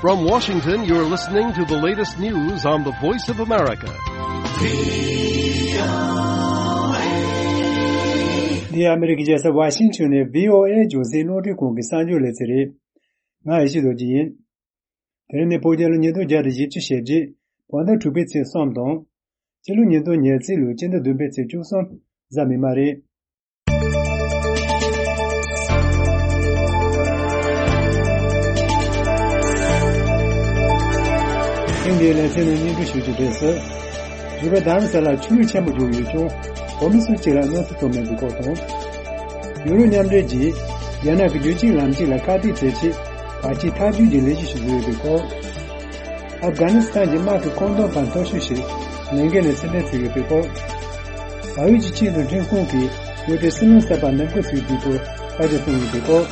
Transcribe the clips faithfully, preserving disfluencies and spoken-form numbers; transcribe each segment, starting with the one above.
From Washington, you're listening to the latest news on the Voice of America. འདི་ཨ་མི་རི་ཀའི་རྒྱལ་ས་ཝ་ཤིང་ཊོན་ནས་བྷི་ཨོ་ཨེ་རྒྱང་སྲིང་རླུང་འཕྲིན་ཁང་གི་གསར་འགྱུར་ལེ་ཚན་རེད། ང་ཡེ་ཤེས་རྡོ་རྗེ་ཡིན། དེ་རིང་ནི་བོད་རྒྱལ་ལོ་ཉིས་སྟོང་བརྒྱ་དང་བཞི་བཅུ་ཞེ་བརྒྱད། བོད་ཟླ་དྲུག་པའི་ཚེས་གསུམ་དང་། སྤྱི་ལོ་ཉིས་སྟོང་ཉེར་གཅིག་ལོའི་སྤྱི་ཟླ་བདུན་པའི་ཚེས་བཅུ་གསུམ་གཟའ་མིག་དམར་རེད། ཐེངས་འདིའི་ལེ་ཚན་ནང་སྙན་སྒྲོན་ཞུ་རྒྱུ་རེད་ཟེར། རི་བོ་རྡ་རམ་ས་ལར་ཆུ་རུད་ཆེན་པོ་རྒྱུག་ཡོད་ཀྱང་། བོད་མི་སུ་གཅིག་ལ་གནོད་འཚེ་ཐོབ་མེད་པའི་སྐོར་དང་། ཡུ་རོབ་མཉམ་འབྲེལ་གྱིས་རྒྱ་ནག་གི་རྒྱུད་གཅིག་ལམ་གཅིག་ལ་ཁ་གཏད་བྱེད་ཆེད་བར་ཆད་ཐག་གཅོད་ཀྱི་ལས་གཞི་ཞིག་བཟོ་ཡོད་པའི་སྐོར། ཨབ་གྷ་ནི་སི་ཐན་གྱི་དམག་གི་བཀོད་འདོམས་པ་མཐོ་ཤོས་ཤིག་ལས་འགན་ལས་ཕྱིར་འཐེན་བྱས་ཡོད་པའི་སྐོར། བལ་ཡུལ་གྱི་ཆིངས་དང་འཁྲུན་ཁང་གིས་ཡུལ་དེའི་སྲིད་བློན་གསར་པ་འདེམས་བསྐོ་བྱེད་རྒྱུའི་སྐོར་བཀའ་རྒྱ་གསུངས་ཡོད་པའི་སྐོར།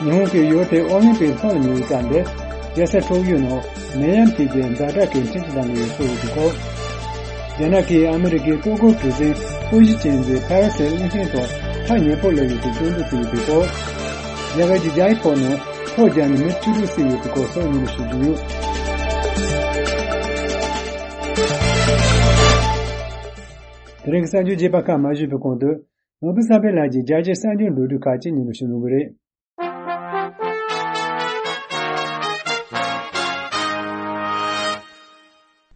ཉི་ཧོང་གིས་ཡུལ་དེའི་ཨོ་ལིམ་པིག་ཐོག་ལ་ཉེ་བའི་སྐབས་འདིར་རྒྱལ་ས་ཁྲོ་ཡུལ་ནང་ནད་ཡམས་ཐེབས་རྒྱུའི་ཛ་དྲག་གི་འཕྲིན་བཅུད་དང་ལེན་སོགས་ཡོད་པའི་སྐོར། རྒྱ་ནག་གིས་ཨ་མི་རི་ཀའི་ལྟོ་གོས་གྲུ་གཟིངས་སྤོས་གཞི་ཅན་གྱི་ཕ་ར་སེལ་གླིང་ཕྲན་ཐོག་ཐག་ཉེ་པོ་སླེབས་ཡོད་པའི་སྐྱོན་འཛུགས་བྱས་ཡོད་པའི་སྐོར། རྒྱ་གར་གྱི་ཇའི་ཕོར་ནང་ཐོ་བརྒྱབ་ནས་མི་བཅུ་དྲུག་བསད་ཡོད་པའི་སྐོར་སོགས་སྙན་སྒྲོན་ཞུ་རྒྱུ་ཡོད། དེ་རིང་གི་གསར་འགྱུར་རྒྱས་པ་ཁག་མ་ཞུས་པའི་གོང་དུ། ནོར་བུ་བསམ་འཕེལ་ལགས་ཀྱིས་རྒྱ་ཆེའི་གསར་འགྱུར་མདོར་བསྡུས་ཁག་ཅིག་སྙན་སྒྲོན་ཞུ་གནང་གི་རེད།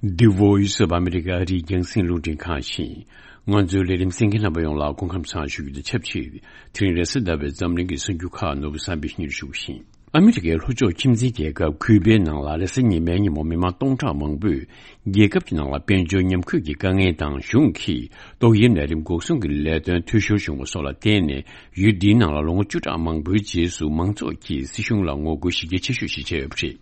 The Voice of America ཨ་རིའི་རྒྱང་སྲིང་རླུང་འཕྲིན་ཁང་ཡིན། ང་ཚོའི་ལས་རིམ་གསན་མཁན་རྣམ་པ་ཡོངས་ལ་སྐུ་ཁམས་བཟང་ཞུ་རྒྱུ་དང་ཆབས་ཅིག་དེ་རིང་རེས་གཟའ་ཟླ་བའི་འཛམ་གླིང་གི་གསར་འགྱུར་ཁག་ནོར་བུ་བསམ་འཕེལ་གྱིས་སྙན་སྒྲོན་ཞུ་གི་ཡིན། ཨ་མི་རི་ཀའི་ལྷོ་ཕྱོགས་ཁྱིམ་མཚེས་རྒྱལ་ཁབ་ཁུ་པའི་ནང་ལ་རེས་གཟའ་ཉི་མའི་ཉིན་མོ་མི་མང་སྟོང་ཕྲག་མང་པོས་རྒྱལ་ཁབ་ཀྱི་ནང་ལ་དཔལ་འབྱོར་ཉམས་རྒུད་ཀྱི་དཀའ་ངལ་དང་། གཞུང་གིས་ཏོག་དབྱིབས་ནད་རིམས་འགོག་སྲུང་གི་ལས་དོན་འཐུས་ཤོར་བྱུང་བ་སོགས་ལ་བརྟེན་ནས། ཡུལ་འདིའི་ནང་ལ་ལོ་ངོ་བཅུ་ཕྲག་མང་པོའི་རྗེས་སུ་མང་ཚོགས་ཀྱིས་སྲིད་གཞུང་ལ་ངོ་རྒོལ་གཞི་རྒྱ་ཆེ་ཤོས་ཤིག་ཆགས་ཡོད་པ་རེད།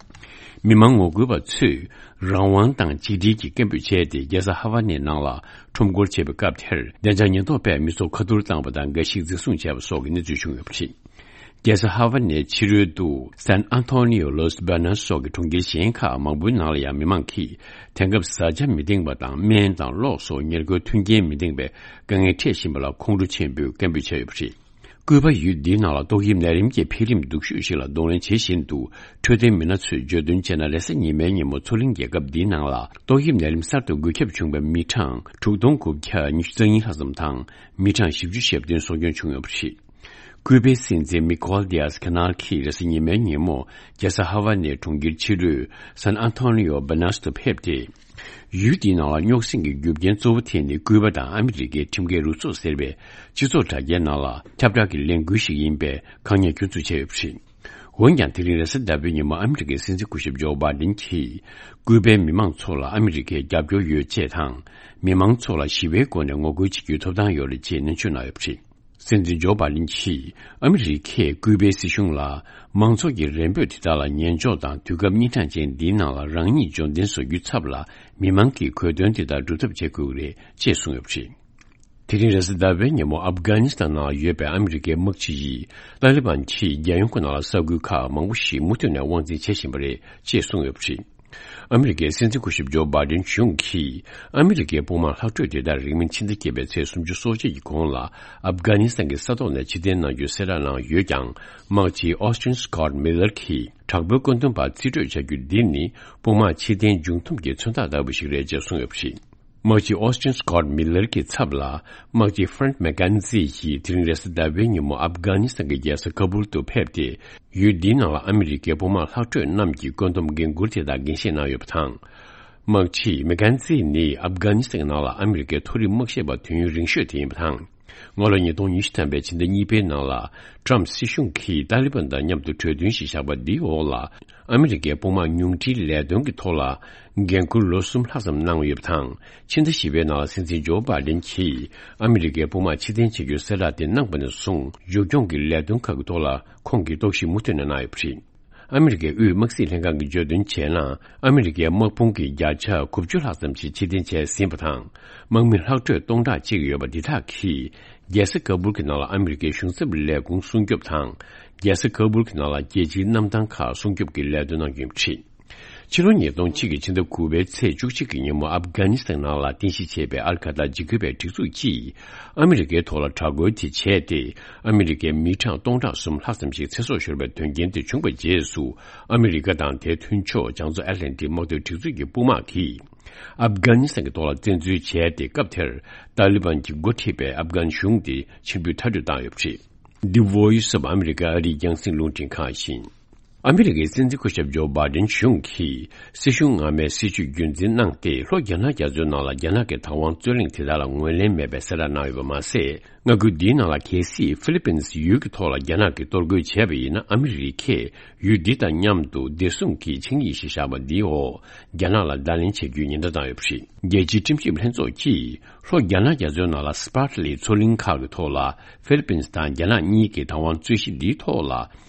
མི་མང་ངོ་རྒོལ་བ་ཚོས་རང་དབང་དང་གཅིག་སྒྲིལ་གྱི་སྐད་འབོད་བྱས་ཏེ། རྒྱལ་ས་ཧ་ཝ་ནའི་ནང་ལ་ཁྲོམ་སྐོར་བྱེད་པའི་སྐབས་དེར། བདེ་འཇགས་ཉེན་རྟོག་པས་མི་ཚོགས་ཁ་ཐོར་བཏང་བ་དང་། འགའ་ཞིག་འཛིན་བཟུང་བྱས་པ་སོགས་ཀྱི་གནས་ཚུལ་བྱུང་ཡོད་པ་རེད། རྒྱལ་ས་ཧ་ཝ་ནའི་ཕྱི་རོལ་དུ་San Antonio, Los Banos སོགས་ཀྱི་གྲོང་ཁྱེར་གཞན་ཁག་མང་པོའི་ནང་ལ་ཡང་མི་མང་གིས་དེང་སྐབས་བཟའ་བཅའ་མི་འདེང་བ་དང་། སྨན་དང་གློག་སོགས་ཉེར་མཁོའི་མཐུན་རྐྱེན་མི་འདེང་བའི་དཀའ་ངལ་འཕྲད་བཞིན་པ་ལ་ཁོང་ཁྲོ་ཆེན་པོས་སྐད་འབོད་བྱས་ཡོད་པ་རེད། ཀུའུ་པ་ཡུལ་འདིའི་ནང་ལ་ཏོག་དབྱིབས་ནད་རིམས་ཀྱི་འཕེལ་རིམ་སྡུག་ཤོས་ཤིག་ལ་གདོང་ལེན་བྱེད་བཞིན་དུ། འཕྲོད་བསྟེན་མི་སྣ་ཚོས་བརྗོད་དོན་བྱས་ན། རེས་གཟའ་ཉི་མའི་ཉིན་མོ་མཚོ་གླིང་རྒྱལ་ཁབ་འདིའི་ནང་ལ་ཏོག་དབྱིབས་ནད་རིམས་གསར་དུ་འགོས་ཁྱབ་བྱུང་བའི་མི་གྲངས་དྲུག་སྟོང་དགུ་བརྒྱ་ཉི་ཤུ་རྩ་གཉིས་ལྷག་ཙམ་དང་། མི་གྲངས་བཞི་བཅུ་ཞེ་བདུན་སྲོག་སྐྱོན་བྱུང་ཡོད་པ་རེད། ཀུའུ་པའི་སྲིད་འཛིན་མི་ཀོལ་ཌི་ཡཱས་ཁ་ནལ་གྱིས་རེས་གཟའ་ཉི་མའི་ཉིན་མོ་རྒྱལ་ས་ཧ་ཝ་ནའི་གྲོང་ཁྱེར་ཕྱི་རོལ་San Antonio Banos དུ་ཕེབས་ཏེ། ཡུལ་དེའི་ནང་ལ་རྙོག་ཟིང་གི་རྒྱུ་རྐྱེན་གཙོ་བོ་དེ་ནི་ཀུའུ་པ་དང་ཨ་མི་རི་ཀའི་ཁྲིམས་འགལ་རུ་ཚོགས་ཟེར་བའི་སྤྱི་ཚོགས་དྲ་རྒྱའི་ནང་ལ་ཁྱབ་བསྒྲགས་ཀྱི་ལས་འགུལ་ཞིག་ཡིན་པའི་ཁག་ཉེས་སྐྱོན་འཛུགས་བྱས་ཡོད་པ་རེད། འོན་ཀྱང་། དེ་རིང་རེས་གཟའ་ཟླ་བའི་ཉིན་མོ་ཨ་མི་རི་ཀའི་སྲིད་འཛིན་སྐུ་ཞབས་ཇོ་བྷའི་ཌེན་གྱིས་ཀུའུ་པའི་མི་མང་ཚོ་ལ་ཨ་མི་རི་ཀའི་རྒྱབ་སྐྱོར་ཡོད་ཅེས་དང་། མི་མང་ཚོ་ལ་ཞི་བའི་སྒོ་ནས་ངོ་རྒོལ་བྱེད་རྒྱུའི་ཐོབ་ཐང་ཡོད་རེད་ཅེས་ནན་བརྗོད་གནང་ཡོད་པ་རེད། སྲིད་འཛིན་ཇོ་བྷའི་ཌེན་གྱིས་ཨ་མི་རི་ཀས་ཀུའུ་པའི་སྲིད་གཞུང་ལ་མང་ཚོགས་ཀྱི་རེ་འབོད་དེ་དག་ལ་ཉན་འཇོག་དང་། དུས་སྐབས་གཉན་འཕྲང་ཅན་འདིའི་ནང་ལ་རང་ཉིད་འབྱོར་ལྡན་བཟོ་རྒྱུའི་ཚབ་ལ་མི་མང་གི་དགོས་འདུན་དེ་དག་སྒྲུབ་ཐབས་བྱེད་དགོས་ཀྱི་རེད་ཅེས་གསུངས་ཡོད་པ་རེད། དེ་རིང་རེས་གཟའ་ཟླ་བའི་ཉིན་མོ་ཨབ་གྷ་ནི་སི་ཐན་ནང་ཡོད་པའི་ཨ་མི་རི་ཀའི་དམག་སྤྱི་ཡིས་ཏཱ་ལི་བན་གྱིས་རྒྱལ་ཡོངས་ཀྱི་ནང་ལ་ས་ཁུལ་ཁག་མང་པོ་ཞིག་མུ་མཐུད་ནས་དབང་འཛིན་བྱེད་བཞིན་པ་རེད་ཅེས་གསུངས་ཡོད་པ་རེད། ཨ་མི་རི་ཀའི་སྲིད་འཛིན་སྐུ་ཞབས་ཇོ་བྷའི་ཌེན་གཞུང་གིས་ཨ་མི་རི་ཀའི་དཔུང་དམག་ལྷག་འཕྲོས་དེ་དག་རིང་མིན་ཕྱི་ཟླ་བརྒྱད་པའི་ཚེས་སུམ་ཅུ་སོ་གཅིག་གི་གོང་ལ་ཨབ་གྷ་ནི་སི་ཐན་གྱི་ས་ཐོག་ནས་ཕྱིར་འཐེན་གནང་རྒྱུའི་གསལ་བསྒྲགས་གནང་ཡོད་ཀྱང་། དམག་སྤྱི་ཨོ་སི་ཊིན་སི་ཀོ་ཊི་མི་ལར་གྱིས་དྲག་པོའི་བཀོད་འདོམས་པ་རྩིས་སྤྲོད་བྱ་རྒྱུ་འདི་ནི་དཔུང་དམག་ཕྱིར་འཐེན་མཇུག་བསྡོམས་ཀྱི་མཚོན་རྟགས་ལྟ་བུ་ཞིག་རེད་ཅེས་གསུངས་ཡོད་པ་རེད། དམག་སྤྱི་ཨོ་སི་ཊིན་སི་ཀོ་ཊི་མི་ལར་གྱི་ཚབ་ལ་དམག་སྤྱི་ཧྥ་རན་ཀི་མེག་ཀེན་ཛི་ཡིས་དེ་རིང་རེས་གཟའ་ཟླ་བའི་ཉིན་མོ་ཨབ་གྷ་ནི་སི་ཐན་གྱི་རྒྱལ་ས་ཀ་བུལ་དུ་ཕེབས་ཏེ། ཡུལ་འདིའི་ནང་ལ་ཨ་མི་རི་ཀའི་དཔུང་དམག་ལྷག་འཕྲོས་རྣམས་ཀྱི་བཀོད་འདོམས་འགན་འཁུར་དེ་དག་འགན་བཞེས་གནང་ཡོད་པ་དང་། དམག་སྤྱི་མེག་ཀེན་ཛི་ནི་ཨབ་གྷ་ནི་སི་ཐན་གྱི་ནང་ལ་ཨ་མི་རི་ཀའི་མཐོ་རིམ་དམག་ཞབས་པ་དུས་ཡུན་རིང་ཤོས་དེ་ཡིན་པ་དང་། སྔ་ལོ་ཉིས་སྟོང་ཉི་ཤུ་ཐམ་པའི་ཕྱི་ཟླ་གཉིས་པའི་ནང་ལ་ཊམ་སྲིད་གཞུང་གིས་ཏཱ་ལི་བན་དང་མཉམ་དུ་གྲོས་མཐུན་ཞིག་བཞག་པ་འདིའི་འོག་ལ། ཨ་མི་རི་ཀའི་དཔུང་དམག་ཉུང་འཕྲིའི་ལས་དོན་གྱི་ཐོག་ལ་འགན་འཁུར་ལོ་གསུམ་ལྷག་ཙམ་གནང་ཡོད་པ་དང་། ཕྱི་ཟླ་བཞི་པའི་ནང་ལ་སྲིད་འཛིན་ཇོ་བྷའི་ཌེན་གྱིས་ཨ་མི་རི་ཀའི་དཔུང་དམག་ཕྱིར་འཐེན་བྱེད་རྒྱུའི་གསལ་བསྒྲགས་དེ་གནང་པ་ནས་བཟུང་། མཇུག་སྐྱོང་གི་ལས་དོན་ཁག་གི་ཐོག་ལ་ཁོང་གིས་རྟོག་ཞིབ་མུ་མཐུད་ནས་གནང་ཡོད་པ་རེད། ཨ་མི་རི་ཀའི་དབུས་དམག་སྲིད་ལྷན་ཁང་གིས་བརྗོད་དོན་བྱས་ན། ཨ་མི་རི་ཀའི་དམག་དཔུང་གི་བརྒྱ་ཆ་དགུ་བཅུ་ལྷག་ཙམ་ཞིག་ཕྱིར་འཐེན་བྱས་ཟིན་པ་དང་། དམག་མི་ལྷག་འཕྲོས་སྟོང་ཕྲག་གཅིག་ཡོད་པ་འདི་དག་གིས་རྒྱལ་ས་ཀ་བུལ་གྱི་ནང་ལ་ཨ་མི་རི་ཀའི་གཞུང་ཚབ་ལས་ཁུངས་སྲུང་སྐྱོབ་དང་། རྒྱལ་ས་ཀ་བུལ་གྱི་ནང་ལ་རྒྱལ་སྤྱིའི་གནམ་ཐང་ཁག་སྲུང་སྐྱོབ་ཀྱི་ལས་དོན་གནང་རྒྱུ་ཡིན་པ་རེད། ཕྱི་ལོ་ཉིས་སྟོང་གཅིག་གི་ཕྱི་ཟླ་དགུ་པའི་ཚེས་བཅུ་གཅིག་གི་ཉིན་མོ་ཨབ་གྷ་ནི་སི་ཐན་ནང་ལ་རྟེན་གཞི་བྱས་པའི་ཨལ་ཁ་ཏར་འཇིགས་སྐུལ་བའི་སྒྲིག་འཛུགས་ཀྱིས་ཨ་མི་རི་ཀའི་ཐོག་ལ་དྲག་རྒོལ་དེ་བྱས་ཏེ། ཨ་མི་རི་ཀའི་མི་གྲངས་སྟོང་ཕྲག་གསུམ་ལྷག་ཙམ་ཞིག་ཚེ་སྲོག་ཤོར་བའི་དོན་རྐྱེན་དེ་བྱུང་བའི་རྗེས་སུ། ཨ་མི་རི་ཀ་དང་དེའི་མཐུན་ཕྱོགས་བྱང་མཚོ་ཨེཊ་ལན་ཊིག་དམག་དོན་སྒྲིག་འཛུགས་ཀྱི་དཔུང་དམག་གིས་ཨབ་གྷ་ནི་སི་ཐན་གྱི་ཐོག་ལ་བཙན་འཛུལ་བྱས་ཏེ། སྐབས་དེར་ཏཱ་ལི་བན་གྱིས་འགོ་ཁྲིད་པའི་ཨབ་གྷན་གཞུང་དེ་ཕྱིར་འབུད་མཐའ་སྐྲོད་བཏང་ཡོད་པ་རེད། The Voice of America ཨ་རིའི་རྒྱང་སྲིང་རླུང་འཕྲིན་ཁང་ཡིན། ཨ་མི་རི་ཀའི་སྲིད་འཛིན་སྐུ་ཞབས་ཇོ་བྷའི་ཌེན་གཞུང་གིས་སྲིད་གཞུང་སྔ་མའི་སྲིད་བྱུས་རྒྱུན་འཛིན་གནང་སྟེ། ལྷོ་རྒྱ་ནག་རྒྱ་མཚོའི་ནང་ལ་རྒྱ་ནག་གི་བདག་དབང་རྩོད་གླེང་དེ་དག་ལ་ངོས་ལེན་མེད་པའི་གསལ་བསྒྲགས་གནང་ཡོད་པ་མ་ཟད། མངའ་ཁུལ་འདིའི་ནང་ལ་གལ་སྲིད་ཧྥི་ལི་པིན་སི་ཡུལ་གྱི་ཐོག་ལ་རྒྱ་ནག་གིས་གཏོར་རྒོལ་བྱས་པ་ཡིན་ན། ཨ་མི་རི་ཀས་ཡུལ་འདི་དང་མཉམ་དུ་བདེ་སྲུང་གི་ཆིངས་ཡིག་ཞིག་བཞག་པ་འདིའི་འོག་རྒྱ་ནག་ལ་བརྡ་ལན་བྱེད་རྒྱུའི་ཉེན་བརྡ་བཏང་ཡོད་པ་རེད། རྒྱལ་སྤྱིའི་ཁྲིམས་ཞིབ་ལྷན་ཚོགས་ཀྱིས་ལྷོ་རྒྱ་ནག་རྒྱ་མཚོའི་ནང་ལ་སི་པར་ལི་མཚོ་གླིང་ཁག་གི་ཐོག་ལ་ཧྥི་ལི་པིན་སི་དང་རྒྱ་ནག་གཉིས་ཀྱི་བདག་དབང་རྩོད་གཞི་འདིའི་ཐོག་ལ།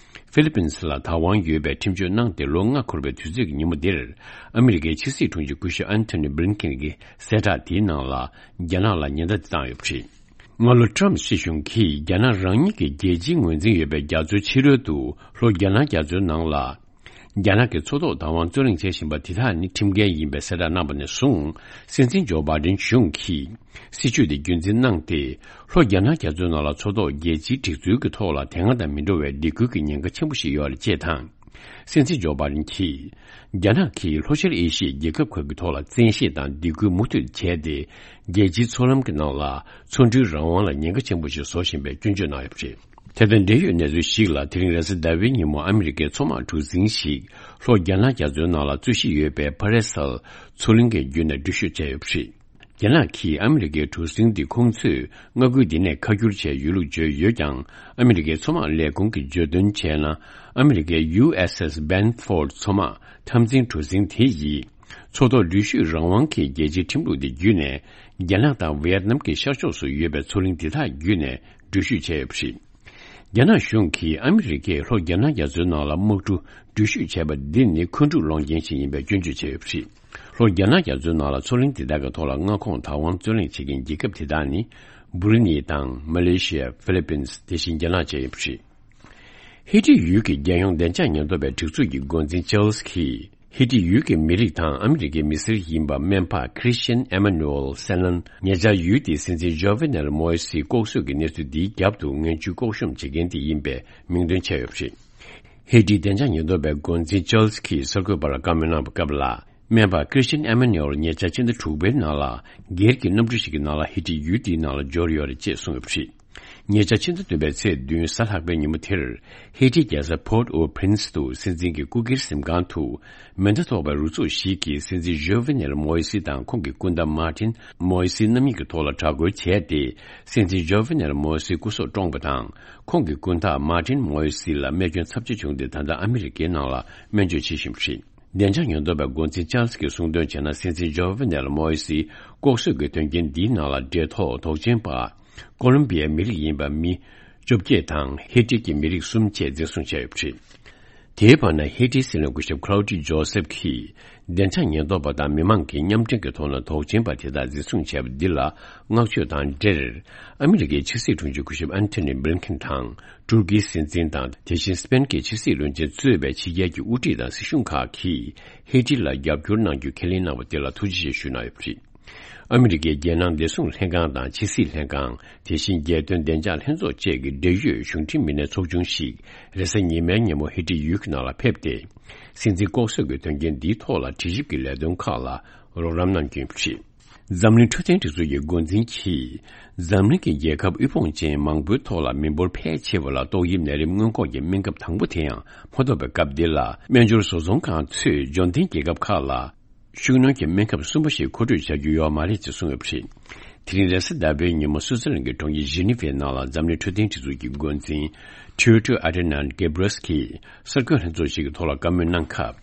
ཧྥི་ལི་པིན་སི་ལ་བདག་དབང་ཡོད་པའི་ཁྲིམས་གཅོད་གནང་སྟེ་ལོ་ལྔ་འཁོར་བའི་དུས་ཚོད་ཀྱི་ཉིན་མོ་འདིར། ཨ་མི་རི་ཀའི་ཕྱི་སྲིད་དྲུང་ཆེ་སྐུ་ཞབས་ཨན་ཐོ་ནི་བྷི་ལིན་ཀེན་གྱི་གསལ་བསྒྲགས་དེའི་ནང་ལ་རྒྱ་ནག་ལ་ཉེན་བརྡ་དེ་བཏང་ཡོད་པ་རེད། སྔ་ལོ་ཊྲམ་སྲིད་གཞུང་གིས་རྒྱ་ནག་རང་ཉིད་ཀྱི་རྒྱལ་སྤྱིའི་ངོས་འཛིན་ཡོད་པའི་རྒྱ་མཚོའི་ཕྱི་རོལ་དུ་ལྷོ་རྒྱ་ནག་རྒྱ་མཚོའི་ནང་ལ། རྒྱ་ནག་གི་མཚོ་ཐོག་བདག་དབང་རྩོད་གླེང་བྱེད་བཞིན་པ་དེ་དག་ནི་ཁྲིམས་འགལ་ཡིན་པའི་གསལ་བསྒྲགས་གནང་བ་ནས་བཟུང་། སྲིད་འཛིན་ཇོ་བྷའི་ཌེན་གཞུང་གིས་སྲིད་བྱུས་དེ་རྒྱུན་འཛིན་གནང་སྟེ། ལྷོ་རྒྱ་ནག་རྒྱ་མཚོའི་ནང་ལ་མཚོ་ཐོག་རྒྱལ་སྤྱིའི་སྒྲིག་འཛུགས་ཀྱི་ཐོག་ལ་དེ་སྔ་དང་མི་འདྲ་བའི་སྡིགས་སྐུལ་གྱི་ཉེན་ཁ་ཆེན་པོ་ཞིག་ཡོད་རེད་ཅེས་དང་། སྲིད་འཛིན་ཇོ་བྷའི་ཌེན་གྱིས། རྒྱ་ནག་གིས་ལྷོ་ཤར་ཨེ་ཤི་ཡའི་རྒྱལ་ཁབ་ཁག་གི་ཐོག་ལ་བཙན་ཤེད་དང་སྡིགས་སྐུལ་མུ་མཐུད་བྱས་ཏེ། རྒྱལ་སྤྱིའི་མཚོ་ལམ་གྱི་ནང་ལ་མཚོ་འགྲུལ་རང་དབང་ལ་ཉེན་ཁ་ཆེན་པོ་ཞིག་བཟོ་བཞིན་པའི་སྐྱོན་བརྗོད་གནང་ཡོད་པ་རེད། དེ་དང་འབྲེལ་ཡོད་གནས་ཚུལ་ཞིག་ལ། དེ་རིང་རེས་གཟའ་ཟླ་བའི་ཉིན་མོ་ཨ་མི་རི་ཀའི་མཚོ་དམག་གྲུ་གཟིངས་ཤིག་ལྷོ་རྒྱ་ནག་རྒྱ་མཚོའི་ནང་ལ་རྩོད་གཞི་ཡོད་པའི་ཕ་རེ་སལ་མཚོ་གླིང་གི་བརྒྱུད་ནས་འགྲུལ་བཞུད་བྱས་ཡོད་པ་རེད། རྒྱ་ནག་གིས་ཨ་མི་རི་ཀའི་གྲུ་གཟིངས་འདི་ཁོང་ཚོས་མངའ་ཁུལ་འདི་ནས་ཁ་བསྒྱུར་བྱས་ཡོད་ལུགས་བརྗོད་ཡོད་ཀྱང་། ཨ་མི་རི་ཀའི་མཚོ་དམག་ལས་ཁུངས་ཀྱིས་བརྗོད་དོན་བྱས་ན། ཨ་མི་རི་ཀའི་ཡུ་ཨེས་ཨེས་སྦན་ཧྥོར་ཌི་མཚོ་དམག་འཐབ་འཛིང་གྲུ་གཟིངས་དེ་ཡིས། མཚོ་ཐོག་འགྲུལ་བཞུད་རང་དབང་གི་རྒྱལ་སྤྱིའི་ཁྲིམས་ལུགས་དེ་བརྒྱུད་ནས། རྒྱ་ནག་དང་ཝི་ཡེད་ནམ་གྱི་ཤར་ཕྱོགས་སུ་ཡོད་པའི་མཚོ་གླིང་དེ་དག་བརྒྱུད་ནས་འགྲུལ་བཞུད་བྱས་ཡོད་པ་རེད། རྒྱ་ནག་གཞུང་གིས་ཨ་མི་རི་ཀས་ལྷོ་རྒྱ་ནག་རྒྱ་མཚོའི་ནང་ལ་དམག་གྲུ་འགྲུལ་བཞུད་བྱས་པ་འདི་ནི་འཁོན་འཁྲུག་སློང་རྐྱེན་ཞིག་ཡིན་པའི་སྐྱོན་བརྗོད་བྱས་ཡོད་པ་རེད། ལྷོ་རྒྱ་ནག་རྒྱ་མཚོའི་ནང་ལ་མཚོ་གླིང་དེ་དག་གི་ཐོག་ལ་མངའ་ཁོངས་བདག་དབང་རྩོད་གླེང་བྱེད་མཁན་རྒྱལ་ཁབ་དེ་དག་ནི། སྦུ་རུ་ནི་དང་མ་ལེ་ཤི་ཡ། ཧྥི་ལི་པིན། དེ་བཞིན་རྒྱ་ནག་བཅས་ཡིན་པ་རེད། ཧེ་ཊི་ཡུལ་གྱི་རྒྱལ་ཡོངས་བདེ་འཇགས་ཉེན་རྟོག་པའི་སྒྲིག་འཛུགས་ཀྱི་འགོ་འཛིན་ཅཱལ་སི་གིས། ཧེ་ཊི་ཡུལ་གྱི་མི་རིགས་དང་ཨ་མི་རི་ཀའི་མི་སེར་ཡིན་པ་སྨན་པ་ཁྲི་སི་ཊིན་ཨེ་མ་ནུ་ཨེལ་སེ་ལན། ཉེ་ཆར་ཡུལ་དེའི་སྲིད་འཛིན་ཇོ་ཝེ་ནེལ་མོ་ཨེ་སིའི་ལྐོག་གསོད་ཀྱི་གནས་ཚུལ་འདིའི་རྒྱབ་ཏུ་ངན་ཇུས་ལྐོག་ཤོམ་བྱེད་མཁན་དེ་ཡིན་པའི་མིང་འདོན་བྱས་ཡོད་པ་རེད། ཧེ་ཊིའི་བདེ་འཇགས་ཉེན་རྟོག་པའི་འགོ་འཛིན་ཅཱལ་སི་གིས་གསར་འགོད་པར་བཀའ་མོལ་གནང་བའི་སྐབས་ལ། སྨན་པ་ཁྲི་སི་ཊིན་ཨེ་མ་ནུ་ཨེལ་ཉེ་ཆར་ཕྱི་ཟླ་དྲུག་པའི་ནང་ལ། སྒེར་གྱི་གནམ་གྲུ་ཞིག་གི་ནང་ལ་ཧེ་ཊི་ཡུལ་དེའི་ནང་ལ་འབྱོར་ཡོད་རེད་ཅེས་གསུངས་ཡོད་པ་རེད། ཉེ་ཆར་ཕྱི་ཟླ་བདུན་པའི་ཚེས་བདུན་གཟའ་ལྷག་པའི་ཉིན་མོ་དེར། ཧེ་ཊིའི་རྒྱལ་ས་Port-au-Prince དུ་སྲིད་འཛིན་གྱི་སྐུ་སྒེར་གཟིམ་ཁང་དུ། མེ་མདའ་ཐོགས་པའི་རུ་ཚོགས་ཤིག་གིས་སྲིད་འཛིན་ཇོ་ཝེ་ནེལ་མོ་ཨེ་སི་དང་ཁོང་གི་སྐུ་ཟླ་མཱ་ཏིན་མོ་ཨེ་སི་རྣམ་གཉིས་ཀྱི་ཐོག་ལ་དྲག་རྒོལ་བྱས་ཏེ། སྲིད་འཛིན་ཇོ་ཝེ་ནེལ་མོ་ཨེ་སིའི་སྐུ་སྲོག་བཀྲོངས་པ་དང་། ཁོང་གི་སྐུ་ཟླ་མཱ་ཏིན་མོ་ཨེ་སི་ལ་རྨས་སྐྱོན་ཚབས་ཆེ་བྱུང་སྟེ། ད་ལྟ་ཨ་མི་རི་ཀའི་ནང་ལ་སྨན་བཅོས་བྱེད་བཞིན་པ་རེད། བདེ་འཇགས་ཉེན་རྟོག་པའི་འགོ་འཛིན་ཅཱལ་སི་གིས་གསུངས་དོན་བྱས་ན། སྲིད་འཛིན་ཇོ་ཝེ་ནེལ་མོ་ཨེ་སིའི་ལྐོག་གསོད་ཀྱི་དོན་རྐྱེན་འདིའི་ནང་ལ་འབྲེལ་ཐོགས་དོགས་ཅན་པ། ཀོ་ལོམ་བི་ཡའི་མི་རིགས་ཡིན་པ་མི་བཅོ་བརྒྱད་དང་། ཧེ་ཊི་གི་མི་རིགས་གསུམ་བཅས་འཛིན་བཟུང་བྱས་ཡོད་པ་རེད། དེའི་བར་ན། ཧེ་ཊིའི་སྲིད་བློན་སྐུ་ཞབས་ཁ་ལའོ་ཏི་ཇོ་སེབ་ཀྱིས། བདེ་འཇགས་ཉེན་རྟོག་པ་དང་མི་མང་གི་མཉམ་འབྲེལ་གྱི་ཐོག་ནས་དོགས་ཅན་པ་དེ་དག་འཛིན་བཟུང་བྱས་པ་འདི་ལ་བསྔགས་བརྗོད་དང་འབྲེལ། ཨ་མི་རི་ཀའི་ཕྱི་སྲིད་དྲུང་ཆེ་སྐུ་ཞབས་ཨན་ཐོ་ནི་བྷི་ལིན་ཁིན་དང་། ཏུར་ཀིའི་སྲིད་འཛིན་དང་། དེ་བཞིན་སི་པེན་གྱི་ཕྱི་སྲིད་བློན་ཆེན་གཙོས་པའི་ཕྱི་རྒྱལ་གྱི་དབུ་ཁྲིད་དང་སྲིད་གཞུང་ཁག་གིས་ཧེ་ཊི་ལ་རྒྱབ་སྐྱོར་གནང་རྒྱུ་ཁས་ལེན་གནང་བ་དེ་ལ་ཐུགས་རྗེ་ཆེ་ཞུ་གནང་ཡོད་པ་རེད། ཨ་མི་རི་ཀའི་རྒྱལ་ནང་བདེ་སྲུང་ལྷན་ཁང་དང་ཕྱི་སྲིད་ལྷན་ཁང་། དེ་བཞིན་རྒྱལ་དོན་བདེ་འཇགས་ལྷན་ཚོགས་བཅས་ཀྱི་འབྲེལ་ཡོད་གཞུང་འབྲེལ་མི་སྣའི་ཚོགས་ཆུང་ཞིག་རེས་གཟའ་ཉི་མའི་ཉིན་མོ་ཧེ་ཊི་ཡུལ་གྱི་ནང་ལ་ཕེབས་ཏེ། སྲིད་འཛིན་ལྐོག་གསོད་ཀྱི་དོན་རྐྱེན་འདིའི་ཐོག་ལ་དྲི་ཞིབ་ཀྱི་ལས་དོན་ཁག་ལ་རོགས་རམ་གནང་རྒྱུ་ཡིན་པ་རེད། འཛམ་གླིང་འཕྲོད་བསྟེན་སྒྲིག་འཛུགས་ཀྱི་འགོ་འཛིན་གྱིས། འཛམ་གླིང་གི་རྒྱལ་ཁབ་དབུལ་ཕོངས་ཅན་མང་པོའི་ཐོག་ལ་མི་འབོར་ཕལ་ཆེ་བ་ལ་ཏོག་དབྱིབས་ནད་རིམས་སྔོན་འགོག་གི་སྨན་ཁབ་དང་པོ་དེ་ཡང་མ་ཐོབ་པའི་སྐབས་འདི་ལ། སྨན་སྦྱོར་བཟོ་ཚོང་ཁང་ཚོས་འབྱོར་ལྡན་རྒྱལ་ཁབ་ཁག་ལ། ཤུགས་སྣོན་གྱི་སྨན་ཁབ་གསུམ་པ་ཞིག་མཁོ་སྤྲོད་བྱ་རྒྱུ་ཡོད་མ་རེད་ཅེས་གསུངས་ཡོད་པ་རེད། དེ་རིང་རེས་གཟའ་ཟླ་བའི་ཉིན་མོ་སུའུ་ཙི་ལན་གྱི་གྲོང་ཁྱེར་ཇི་ནི་ཝའི་ནང་ལ་འཛམ་གླིང་འཕྲོད་བསྟེན་སྒྲིག་འཛུགས་ཀྱི་འགོ་འཛིན་ཊེ་ཌྲོ་སི་ཨ་ཐ་ནན་གྷེ་བྷྲེ་ཡེ་སི་ཀྱིས་གསར་འགོད་ལྷན་ཚོགས་ཤིག་གི་ཐོག་ལ་བཀའ་མོལ་གནང་སྐབས།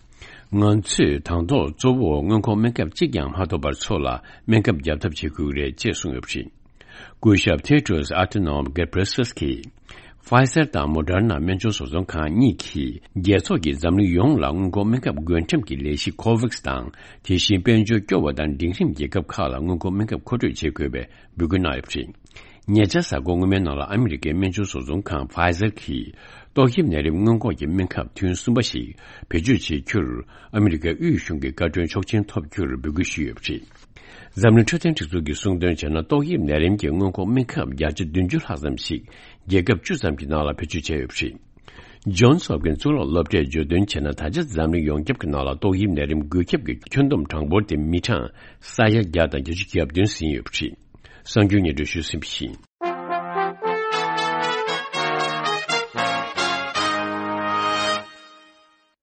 ང་ཚོས་དང་ཐོག་གཙོ་བོ་སྔོན་འགོག་སྨན་ཁབ་གཅིག་ཀྱང་མ་ཐོབ་པར་ཚོ་ལ་སྨན་ཁབ་བརྒྱབ་ཐབས་བྱེད་དགོས་ཀྱི་རེད་ཅེས་གསུངས་ཡོད་པ་རེད། སྐུ་ཞབས་ཊེ་ཌྲོ་སི་ཨ་ཐ་ནན་གྷེ་བྷྲེ་ཡེ་སི་ཀྱིས། ཕ་ཡི་ཛར་དང་མོ་ཌར་ན་སྨན་སྦྱོར་བཟོ་ཚོང་ཁང་གཉིས་ཀྱིས་རྒྱལ་ཚོགས་ཀྱིས་འཛམ་གླིང་ཡོངས་ལ་སྔོན་འགོག་སྨན་ཁབ་བགོ་འགྲེམས་ཀྱི་ལས་གཞི་ཁོ་ཝེག་སི་དང་། དེ་བཞིན་དཔལ་འབྱོར་སྐྱོ་བ་དང་འབྲིང་རིམ་རྒྱལ་ཁབ་ཁག་ལ་སྔོན་འགོག་སྨན་ཁབ་མཁོ་སྤྲོད་བྱེད་དགོས་པའི་འབོད་སྐུལ་གནང་ཡོད་པ་རེད། ཉེ་ཆར་གཟའ་འཁོར་སྔོན་མའི་ནང་ལ་ཨ་མི་རི་ཀའི་སྨན་བཅོས་བཟོ་ཚོང་ཁང་Pfizer གྱིས་ཏོག་དབྱིབས་ནད་རིམས་སྔོན་འགོག་གི་སྨན་ཁབ་ཐུན་གསུམ་པ་ཞིག་བེད་སྤྱོད་བྱེད་རྒྱུར་ཨ་མི་རི་ཀའི་དབུས་གཞུང་གི་བཀའ་འཁྲོལ་ཆོག་མཆན་ཐོབ་རྒྱུར་འབོད་སྐུལ་ཞུས་ཡོད་པ་རེད། འཛམ་གླིང་འཕྲོད་བསྟེན་སྒྲིག་འཛུགས་ཀྱིས་གསུངས་དོན་བྱས་ན། ཏོག་དབྱིབས་ནད་རིམས་ཀྱི་སྔོན་འགོག་སྨན་ཁབ་བརྒྱ་ཆ་བདུན་ཅུ་ལྷག་ཙམ་ཞིག་རྒྱལ་ཁབ་བཅུ་ཙམ་གྱི་ནང་ལ་བེད་སྤྱོད་བྱས་ཡོད་པ་རེད། Johns Hopkins གཙུག་ལག་སློབ་གྲྭས་བརྗོད་དོན་བྱས་ན། ད་ཆ་འཛམ་གླིང་ཡོངས་ཁྱབ་ཀྱི་ནང་ལ་ཏོག་དབྱིབས་ནད་རིམས་འགོས་ཁྱབ་ཀྱི་ཁྱོན་བསྡོམས་གྲངས་འབོར་དེ་མི་གྲངས་ས་ཡ་བརྒྱ་དང་བརྒྱད་ཅུ་གྱ་བདུན་ཟིན་ཡོད་པ་རེད། གསར་འགྱུར་སྙན་སྒྲོན་ཞུས་ཟིན་པ་ཡིན།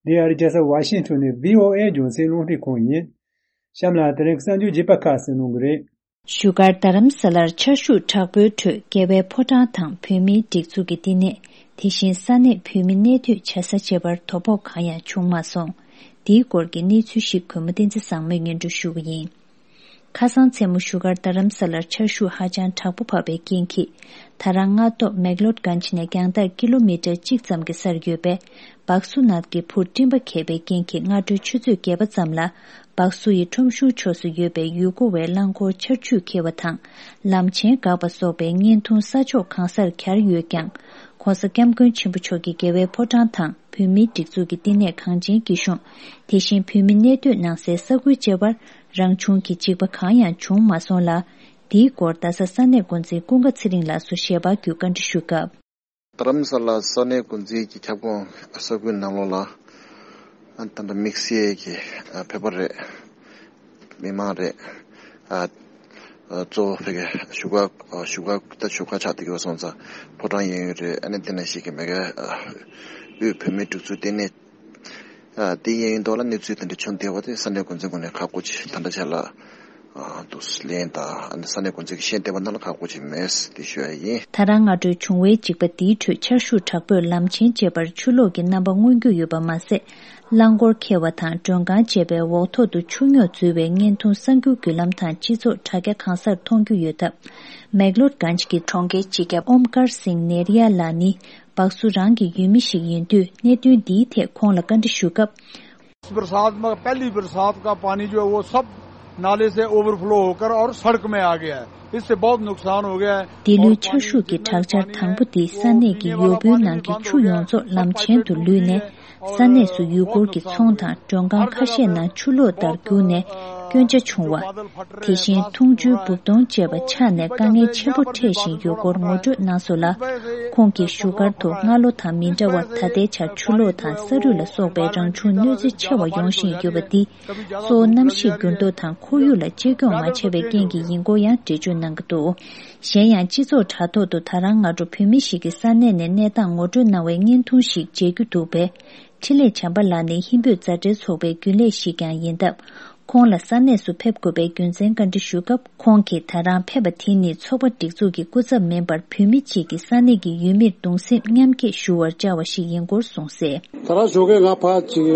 འདི་ཨ་རི་རྒྱལ་ས་ཝ་ཤིང་ཊོན་ནས་བྷི་ཨོ་ཨེ་རྒྱང་སྲིང་རླུང་འཕྲིན་ཁང་ཡིན། གཤམ་ལ་དེ་རིང་གི་གསར་འགྱུར་རྒྱས་པ་ཁག་གསན་གནང་གི་རེད། བཞུགས་སྒར་རྡ་རམ་ས་ལར་ཆར་ཤུགས་དྲག་པོའི་ཁྲོད་རྒྱལ་བའི་ཕོ་བྲང་དང་བོད་མིའི་སྒྲིག་འཛུགས་ཀྱི་བསྟི་གནས། དེ་བཞིན་ས་གནས་བོད་མི་གནས་སྡོད་བྱ་ས་བཅས་པར་དོ་ཕོག་གང་ཡང་བྱུང་མ་སོང་། འདིའི་སྐོར་གྱི་གནས་ཚུལ་ཞིག་གུས་མོ་བསྟན་འཛིན་བཟང་མོས་སྙན་སྒྲོན་ཞུ་གི་ཡིན། ཁ་སང་མཚན་མོ་བཞུགས་སྒར་རྡ་རམ་ས་ལར་ཆར་ཤུགས་ཧ་ཅང་དྲག་པོ་བབས་པའི་རྐྱེན་གྱིས། ད་རང་སྔ་ཏོག་མེག་ལོད་གན་ཇི་ནས་རྒྱང་ཐག་ཀི་ལོ་མི་ཊར་གཅིག་ཙམ་གྱི་སར་ཡོད་པའི་སྦག་སུ་ནགས་ཀྱི་ཕུར་སྤྲིན་པ་འཁེལ་པའི་རྐྱེན་གྱིས། སྔ་དྲོའི་ཆུ་ཚོད་བརྒྱད་པ་ཙམ་ལ་སྦག་སུ་ཡི་ཁྲོམ་གཞུང་ཕྱོགས་སུ་ཡོད་པའི་ཡུལ་སྐོར་བའི་རླངས་འཁོར་ཆར་ཆུས་ཁྱེར་བ་དང་། ལམ་ཆེན་འགག་པ་སོགས་པའི་བརྙན་ཐུང་ས་ཕྱོགས་གང་སར་གྱར་ཡོད་ཀྱང་། ྋགོང་ས་ྋསྐྱབས་མགོན་ཆེན་པོ་མཆོག་གིས་རྒྱལ་བའི་ཕོ་བྲང་དང་བོད་མིའི་སྒྲིག་འཛུགས་ཀྱི་བསྟི་གནས་གངས་ཅན་སྐྱིད་གཤོངས། དེ་བཞིན་བོད་མི་གནས་སྡོད་གནང་སའི་ས་ཁུལ་བཅས་པར་རང་བྱུང་གི་འཇིགས་པ་གང་ཡང་བྱུང་མ་སོང་ལ། འདིའི་སྐོར་རྡ་ས་ས་གནས་འགོ་འཛིན་ཀུན་དགའ་ཚེ་རིང་ལགས་སུ་ཞལ་པར་བརྒྱུད་བཀའ་འདྲི་ཞུས་སྐབས། རྡ་རམ་ས་ལ་ས་གནས་འགོ་འཛིན་གྱི་ཁྱབ་ཁོངས་ས་ཁུལ་ནང་ལོགས་ལ་ཨ་ད་ལྟ་དམིགས་བསལ་གྱི་ཨ་བོད་པ་རེད། མི་མང་རེད། ཨ་ཨ་གཙོ་བོ་ཕ་གི་བཞུགས་སྒར་ཨ་བཞུགས་སྒར་ད་བཞུགས་སྒར་ཆགས་བསྡད་ཀྱི་ཡོད་སོང་ཙང་ཕོ་བྲང་གཡས་གཡོན་རེད། ཨ་ནི་དེ་ནང་བཞིན་གྱི་མ་གི་ཨ་དབུས་བོད་མིའི་སྒྲིག་འཛུགས་ལྟེ་གནས། ཨ་དེ་གཡས་གཡོན་ཐོག་ལ་གནས་ཚུལ་དེ་འདྲ་བྱུང་བསྡད་པ་དེ་ས་གནས་འགོ་འཛིན་ངོས་ནས་ཁག་པོ་ཅིག་ད་ལྟ་ཆ་ལ་ཨ་འདུག་ལན་དང་ཨ་ནི་ས་གནས་འགོ་འཛིན་གྱིས་ཤེས་བསྡད་པ་ནང་ལ་ཁག་པོ་ཅིག་མེད་ཟེར་དེ་ཞུ་ཡ་ཡིན། ད་རང་སྔ་དྲོའི་བྱུང་བའི་འཇིགས་པ་འདིའི་ཁྲོད་ཆར་ཤུགས་དྲག་པོས་ལམ་ཆེན་བཅས་པར་ཆུ་ལོག་གི་རྣམ་པ་མངོན་རྒྱུ་ཡོད་པ་མ་ཟད། རླངས་འཁོར་འཁེལ་བ་དང་མགྲོན་ཁང་བཅས་པའི་འོག་ཐོག་ཏུ་ཆུ་རྙོག་འཛུལ་བའི་བརྙན་ཐུང་གསར་འགྱུར་བརྒྱུད་ལམ་དང་སྤྱི་ཚོགས་དྲ་རྒྱ་གང་སར་མཐོང་རྒྱུ་ཡོད་སྟབས། མེག་ལོར་གན་ཇི་གི་གྲོང་ཁྱེར་སྤྱི་ཁྱབ་ཨོམ་ཀར་སིང་ནེ་རི་ཡ་ལགས་ནི། སྦག་སུ་རང་གི་ཡུལ་མི་ཞིག་ཡིན་དུས་གནད་དོན་འདིའི་ཐད་ཁོང་ལ་བཀའ་འདྲི་ཞུ་སྐབས། इस बरसात में, पहली बरसात का पानी जो है वो सब नाले से ओवरफ्लो होकर और सड़क में आ गया है। इससे बहुत नुकसान हो गया है। འདི་ལོའི་ཆར་ཤུགས་ཀྱི་དྲག་ཆར་དང་པོ་དེ་ས་གནས་ཀྱི་ཡོ་བོའི་ནང་གི་ཆུ་ཡོངས་རྫོགས་ལམ་ཆེན་དུ་ལུས་ནས། ས་གནས་སུ་ཡུལ་སྐོར་གྱི་ཚོང་དང་མགྲོན་ཁང་ཁ་ཤས་ནང་ཆུ་ལོག་ལྟར་རྒྱུག་ནས་སྐྱོན་ཆ་བྱུང་བ། དེ་བཞིན་འཐུང་ཆུའི་སྦུབས་དོང་བཅས་པ་ཆག་ནས་དཀའ་ངལ་ཆེན་པོ་འཕྲད་བཞིན་ཡོད་སྐོར་ངོ་སྤྲོད་གནང་སོང་ལ། ཁོང་གིས་བཞུགས་སྒར་དུ་སྔ་ལོ་དང་མི་འདྲ་བར་ད་ལྟའི་ཆར་ཆུ་ལོག་དང་ས་རུད་ལ་སོགས་པའི་རང་བྱུང་གནོད་འཚེ་ཆེ་བ་ཡོང་བཞིན་ཡོད་པ་འདི། གཙོ་བོ་གནམ་གཤིས་འགྱུར་ལྡོག་དང་ཁོར་ཡུག་ལ་གཅེས་སྐྱོང་མ་བྱས་པའི་རྐྱེན་གྱིས་ཡིན་སྐོར་ཡང་འགྲེལ་བརྗོད་གནང་གི་འདུག་གཞན་ཡང་སྤྱི་ཚོགས་དྲ་ཐོག་ཏུ་ད་རང་སྔ་དྲོ་བོད་མི་ཞིག་གིས་ས་གནས་ནས་གནས་སྟངས་ངོ་སྤྲོད་གནང་བའི་བརྙན་ཐུང་ཞིག་མཇལ་རྒྱུ་འདུག་པས། འཕྲིན་ལས་བྱམས་པ་ལགས་ནི་ཧིན་བོད་མཛའ་འབྲེལ་ཚོགས་པའི་རྒྱུན་ལས་ཤིག་ཀྱང་ཡིན་སྟབས། ཁོང་ལ་ས་གནས་སུ་ཕེབས་དགོས་པའི་རྒྱུ་མཚན་བཀའ་འདྲི་ཞུས་སྐབས། ཁོང་གིས་ད་རང་ཕེབས་པ་དེ་ནི་ཚོགས་པ་སྒྲིག་འཛུགས་ཀྱི་སྐུ་ཚབ་མིན་པར་བོད་མི་གཅིག་གིས་ས་གནས་ཀྱི་ཡུལ་མིར་གདུང་སེམས་མཉམ་སྐྱེད་ཞུ་བར་བཅར་བ་ཞིག་ཡིན་སྐོར་གསུངས་གསལ། ད་རང་ཞོགས་ཀས་ང་ཕར་ཅིག་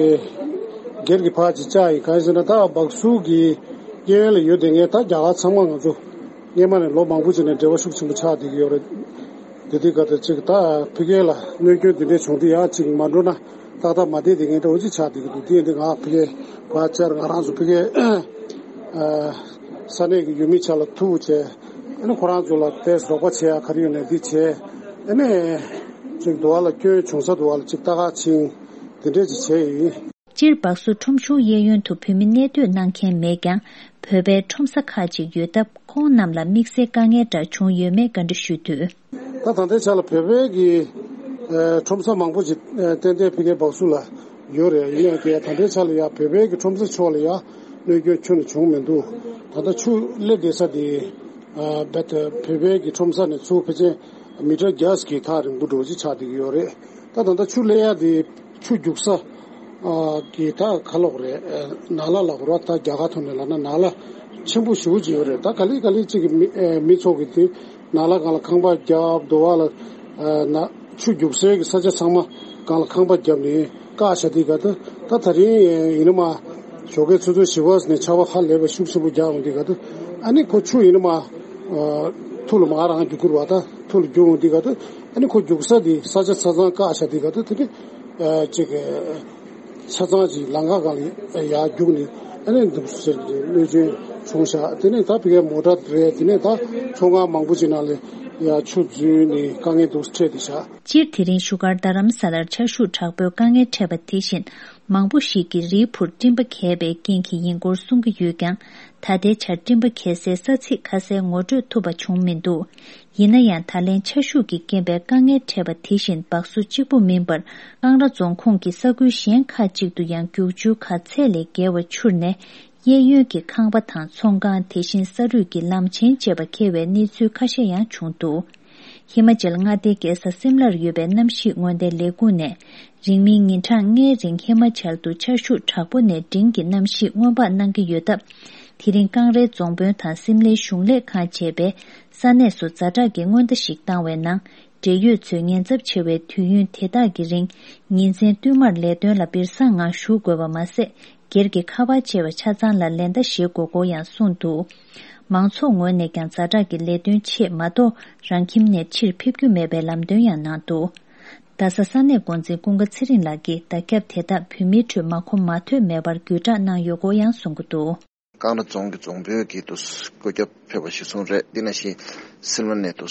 སྒེར་གྱི་ཕར་ཅིག་བཅར་ཡིན། གང་ཡིན་ཟེར་ན་ད་སྦག་སུ་གི་གཡས་གཡོན་ལ་ཡོད་དེ་ངས་ད་རྒྱ་གར་ཚང་མ་ང་ཚོ་སྔས་མ་ནས་ལོ་མང་པོ་ཅིག་ནས་འབྲེལ་བ་ཤུགས་ཆེན་པོ་ཆགས་བསྡད་ཀྱི་ཡོད་རེད། དེ་དུས་ག་ད་ཅིག་ད་ཕ་གི་ལ་གནོད་སྐྱོན་དེ་འདྲས་བྱུང་དུས་ཡང་ཅིག་མ་འགྲོ་ན་ཏག་ཏག་མ་བསྡད་དེ་ངས་ད་འོ་ཅིག་ཆགས་བསྡད་ཀྱི་འདུག་དེ་ཡིན་དུས་ང་ཕ་གི་ཕར་བཅར། ང་རང་ཚོ་ཕ་གི་ས་གནས་ཀྱི་ཡུལ་མི་ཆ་ལ་ཐུག་བྱས། ཨ་ནི་ཁོ་རང་ཚོ་ལ་ཏོག་ཙམ་རོགས་པ་བྱེད་ཡ་ག་རེ་ཡོད་ནས་འདི་བྱས། ཨ་ནི་ཅིག་འདུག་བ་ལ་སྐྱོན་བྱུང་ས་འདུག་བ་ལ་ཅིག་ལྟ་ག་ཕྱིན། དེ་འདྲས་ཅིག་བྱས་ཡིན། སྤྱིར་སྦག་སུ་ཁྲོམ་གཞུང་གཡས་གཡོན་དུ་བོད་མི་གནས་སྡོད་གནང་མཁན་མེད་ཀྱང་། བོད་པའི་ཁྲོམ་ས་ཁག་ཅིག་ཡོད་སྟབས། ཁོང་རྣམས་ལ་དམིགས་བསལ་དཀའ་ངལ་འདྲ་བྱུང་ཡོད་མེད་བཀའ་འདྲི་ཞུས་དུས། ད་ད་ལྟའི་ཆ་ལ་བོད་པའི་གི་ཨ་ཁྲོམ་ས་མང་པོ་ཅིག་ཨ་ཏན་ཏན་ཕ་གིའི་སྦག་སུ་ལ་ཡོད་རེད། ཡིན་ཡང་གི་ད་ལྟའི་ཆ་ལ་ཡ་བོད་པའི་གི་ཁྲོམ་ས་ཕྱོགས་ལ་ཡ་གནོད་སྐྱོན་ཁྱོན་ནས་བྱུང་མི་འདུག་ད་ལྟ་ཆུ་སླེབས་བསྡད་ས་དེ་ཨ་བོད་པའི་གི་ཁྲོམ་ས་ནས་ཚུར་ཕལ་ཆེར་མི་ཊར་བརྒྱ་གི་ཐག་རིང་པོ་འགྲོ་ཅིག་ཆགས་བསྡད་ཀྱི་ཡོད་རེད། ད་ད་ལྟ་ཆུ་སླེབས་ཡ་དེ་ཆུ་རྒྱུག་ས་ཨ་གི་ད་ག་ལབ་དགོས་རེད། ཨ་ནགས་ལ་ལབ་དགོས་རེད། ད་རྒྱ་གར་ཐོག་ནས་ལབ་ན་ནགས་ལ་ཆེན་པོ་ཞེ་པོ་ཅིག་ཡོད་རེད། ད་ག་ལེ་ག་ལེ་ཅིག་གི་མི་ཨ་མི་ཚོ་གི་དེ་ནགས་ལ་སྒང་ལ་ཁང་པ་བརྒྱབ། འདུག་བ་ལ་ཨ་ན་ཆུ་རྒྱུག་སའི་གི་ས་ཆ་ཚང་མ་སྒང་ལ་ཁང་པ་བརྒྱབ་ནས་བཀག་བཞག་དུས་ག་ད་ད་ད་རིང་ཡིན་ན་མ་ཞོགས་ཀའི་ཆུ་ཚོད་བཞི་པ་ནས་ཆར་པ་ཧ་ལས་པ་ཤུགས་ཆེན་པོ་རྒྱག་འོང་དུས་ག་ད་ཨ་ནི་ཁོ་ཆུ་ཡིན་ན་མ་ཨ་ཐུར་ལ་མར་རང་རྒྱུག་ཁུར་བ་ད་ཐུར་ལ་རྒྱུག་འོང་དུས་ག་ད་ཨ་ནི་ཁོ་རྒྱུག་ས་དེ་ས་ཆ་ཆ་ཚང་བཀག་བཞག་དུས་ག་ད་དེ་ནི་ཨ་ཅིག་ཆ་ཚང་ཅིག་ལམ་ཁ་སྒང་ལ་ཡར་རྒྱུག་ནས་ཨ་ནི་འདུག་ཟེར་གྱི་གནོད་སྐྱོན་བྱུང་བཞག་དེ་ནས་ད་ཕ་གིའི་མོ་ཊ་རེད། དེ་ནས་ད་ཚོང་ཁང་མང་པོ་ཅིག་ནང་ལ་ ཡ་ཆུ་རྫུན་ནས་དཀའ་ངལ་འདུག་སྤྲད་དེ་བཞག་སྤྱིར་དེ་རིང་བཞུགས་སྒར་རྡ་རམ་ས་ལར་ཆར་ཤུགས་དྲག་པོའི་དཀའ་ངལ་འཕྲད་པ་དེ་བཞིན་མང་པོ་ཞིག་གིས་རིའི་ཕུར་སྤྲིན་པ་གས་པའི་རྐྱེན་གྱིས་ཡིན་སྐོར་གསུང་གི་ཡོད་ཀྱང་། ད་ལྟའི་ཆར་སྤྲིན་པ་གས་སའི་ས་ཚིགས་ཁ་གསལ་ངོ་སྤྲོད་ཐུབ་པ་བྱུང་མི་འདུག་ཡིན་ན་ཡང་ད་ལན་ཆར་ཤུགས་ཀྱི་རྐྱེན་པས་དཀའ་ངལ་འཕྲད་པ་དེ་བཞིན་སྦག་སུ་གཅིག་པུ་མིན་པར་ཀང་ར་རྫོང་ཁོངས་ཀྱི་ས་ཁུལ་གཞན་ཁག་ཅིག་ཏུ་ཡང་རྒྱུག་ཆུ་ཁ་ཚད་ལས་བརྒལ་བ་འཕྱུར་ནས། གཡས་གཡོན་གྱི་ཁང་པ་དང་ཚོང་ཁང་། དེ་བཞིན་ས་རུད་ཀྱི་ལམ་ཆེན་བཅས་པ་འཁེལ་བའི་གནས་ཚུལ་ཁ་ཤས་ཡང་བྱུང་འདུག་ཧི་མ་ཅལ་མངའ་སྡེའི་རྒྱལ་ས་སིམ་ལར་ཡོད་པའི་གནམ་གཤིས་སྔོན་བརྡའི་ལས་ཁུངས་ནས། རིང་མིན་ཉིན་གྲངས་ལྔའི་རིང་ཧི་མ་ཅལ་དུ་ཆར་ཤུགས་དྲག་པོ་ནས་འབྲིང་གི་གནམ་གཤིས་སྔོན་དཔག་གནང་གི་ཡོད་སྟབས། དེ་རིང་ཀང་རའི་རྫོང་དཔོན་དང་སིམ་ལའི་གཞུང་ལས་ཁང་བཅས་པས་ས་གནས་སུ་ཛ་དྲག་གི་སྔོན་བརྡ་ཞིག་བཏང་བའི་ནང་། འབྲེལ་ཡོད་ཚོས་ཉེན་ཚབས་ཆེ་བའི་དུས་ཡུན་དེ་དག་གི་རིང་ཉིན་མཚན་བསྟུད་མར་ལས་དོན་ལ་སྦིར་སང་ངང་ཞུགས་དགོས་པ་མ་ཟད། སྒེར་གྱི་ཁ་པར་བཅས་པ་ཆ་ཚང་ལ་ལན་བརྡ་བཞེས་དགོས་སྐོར་ཡང་གསུངས་འདུག་མང་ཚོགས་ངོས་ནས་ཀྱང་ཛ་དྲག་གི་ལས་དོན་ཆེད་མ་གཏོགས་རང་ཁྱིམ་ནས་ཕྱིར་ཕེབས་རྒྱུ་མེད་པའི་ལམ་སྟོན་ཡང་གནང་འདུག་རྡ་ས་ས་གནས་འགོ་འཛིན་ཀུན་དགའ་ཚེ་རིང་ལགས་ཀྱིས་བརྡ་ཁྱབ་དེ་དག་བོད་མིའི་ཁྲོད་མ་གོ་མ་ཐོས་མེད་པར་བརྒྱུད་བསྒྲགས་གནང་ཡོད་སྐོར་ཡང་གསུང་གི་འདུག་ཀང་ར་རྫོང་གི་རྫོང་དཔོན་གྱིས་དུ་བཀོད་ཁྱབ་ཕེབས་པ་ཞིག་གསུངས་རེད། དེ་ནང་བཞིན་སིལ་མ་ནས་དུ་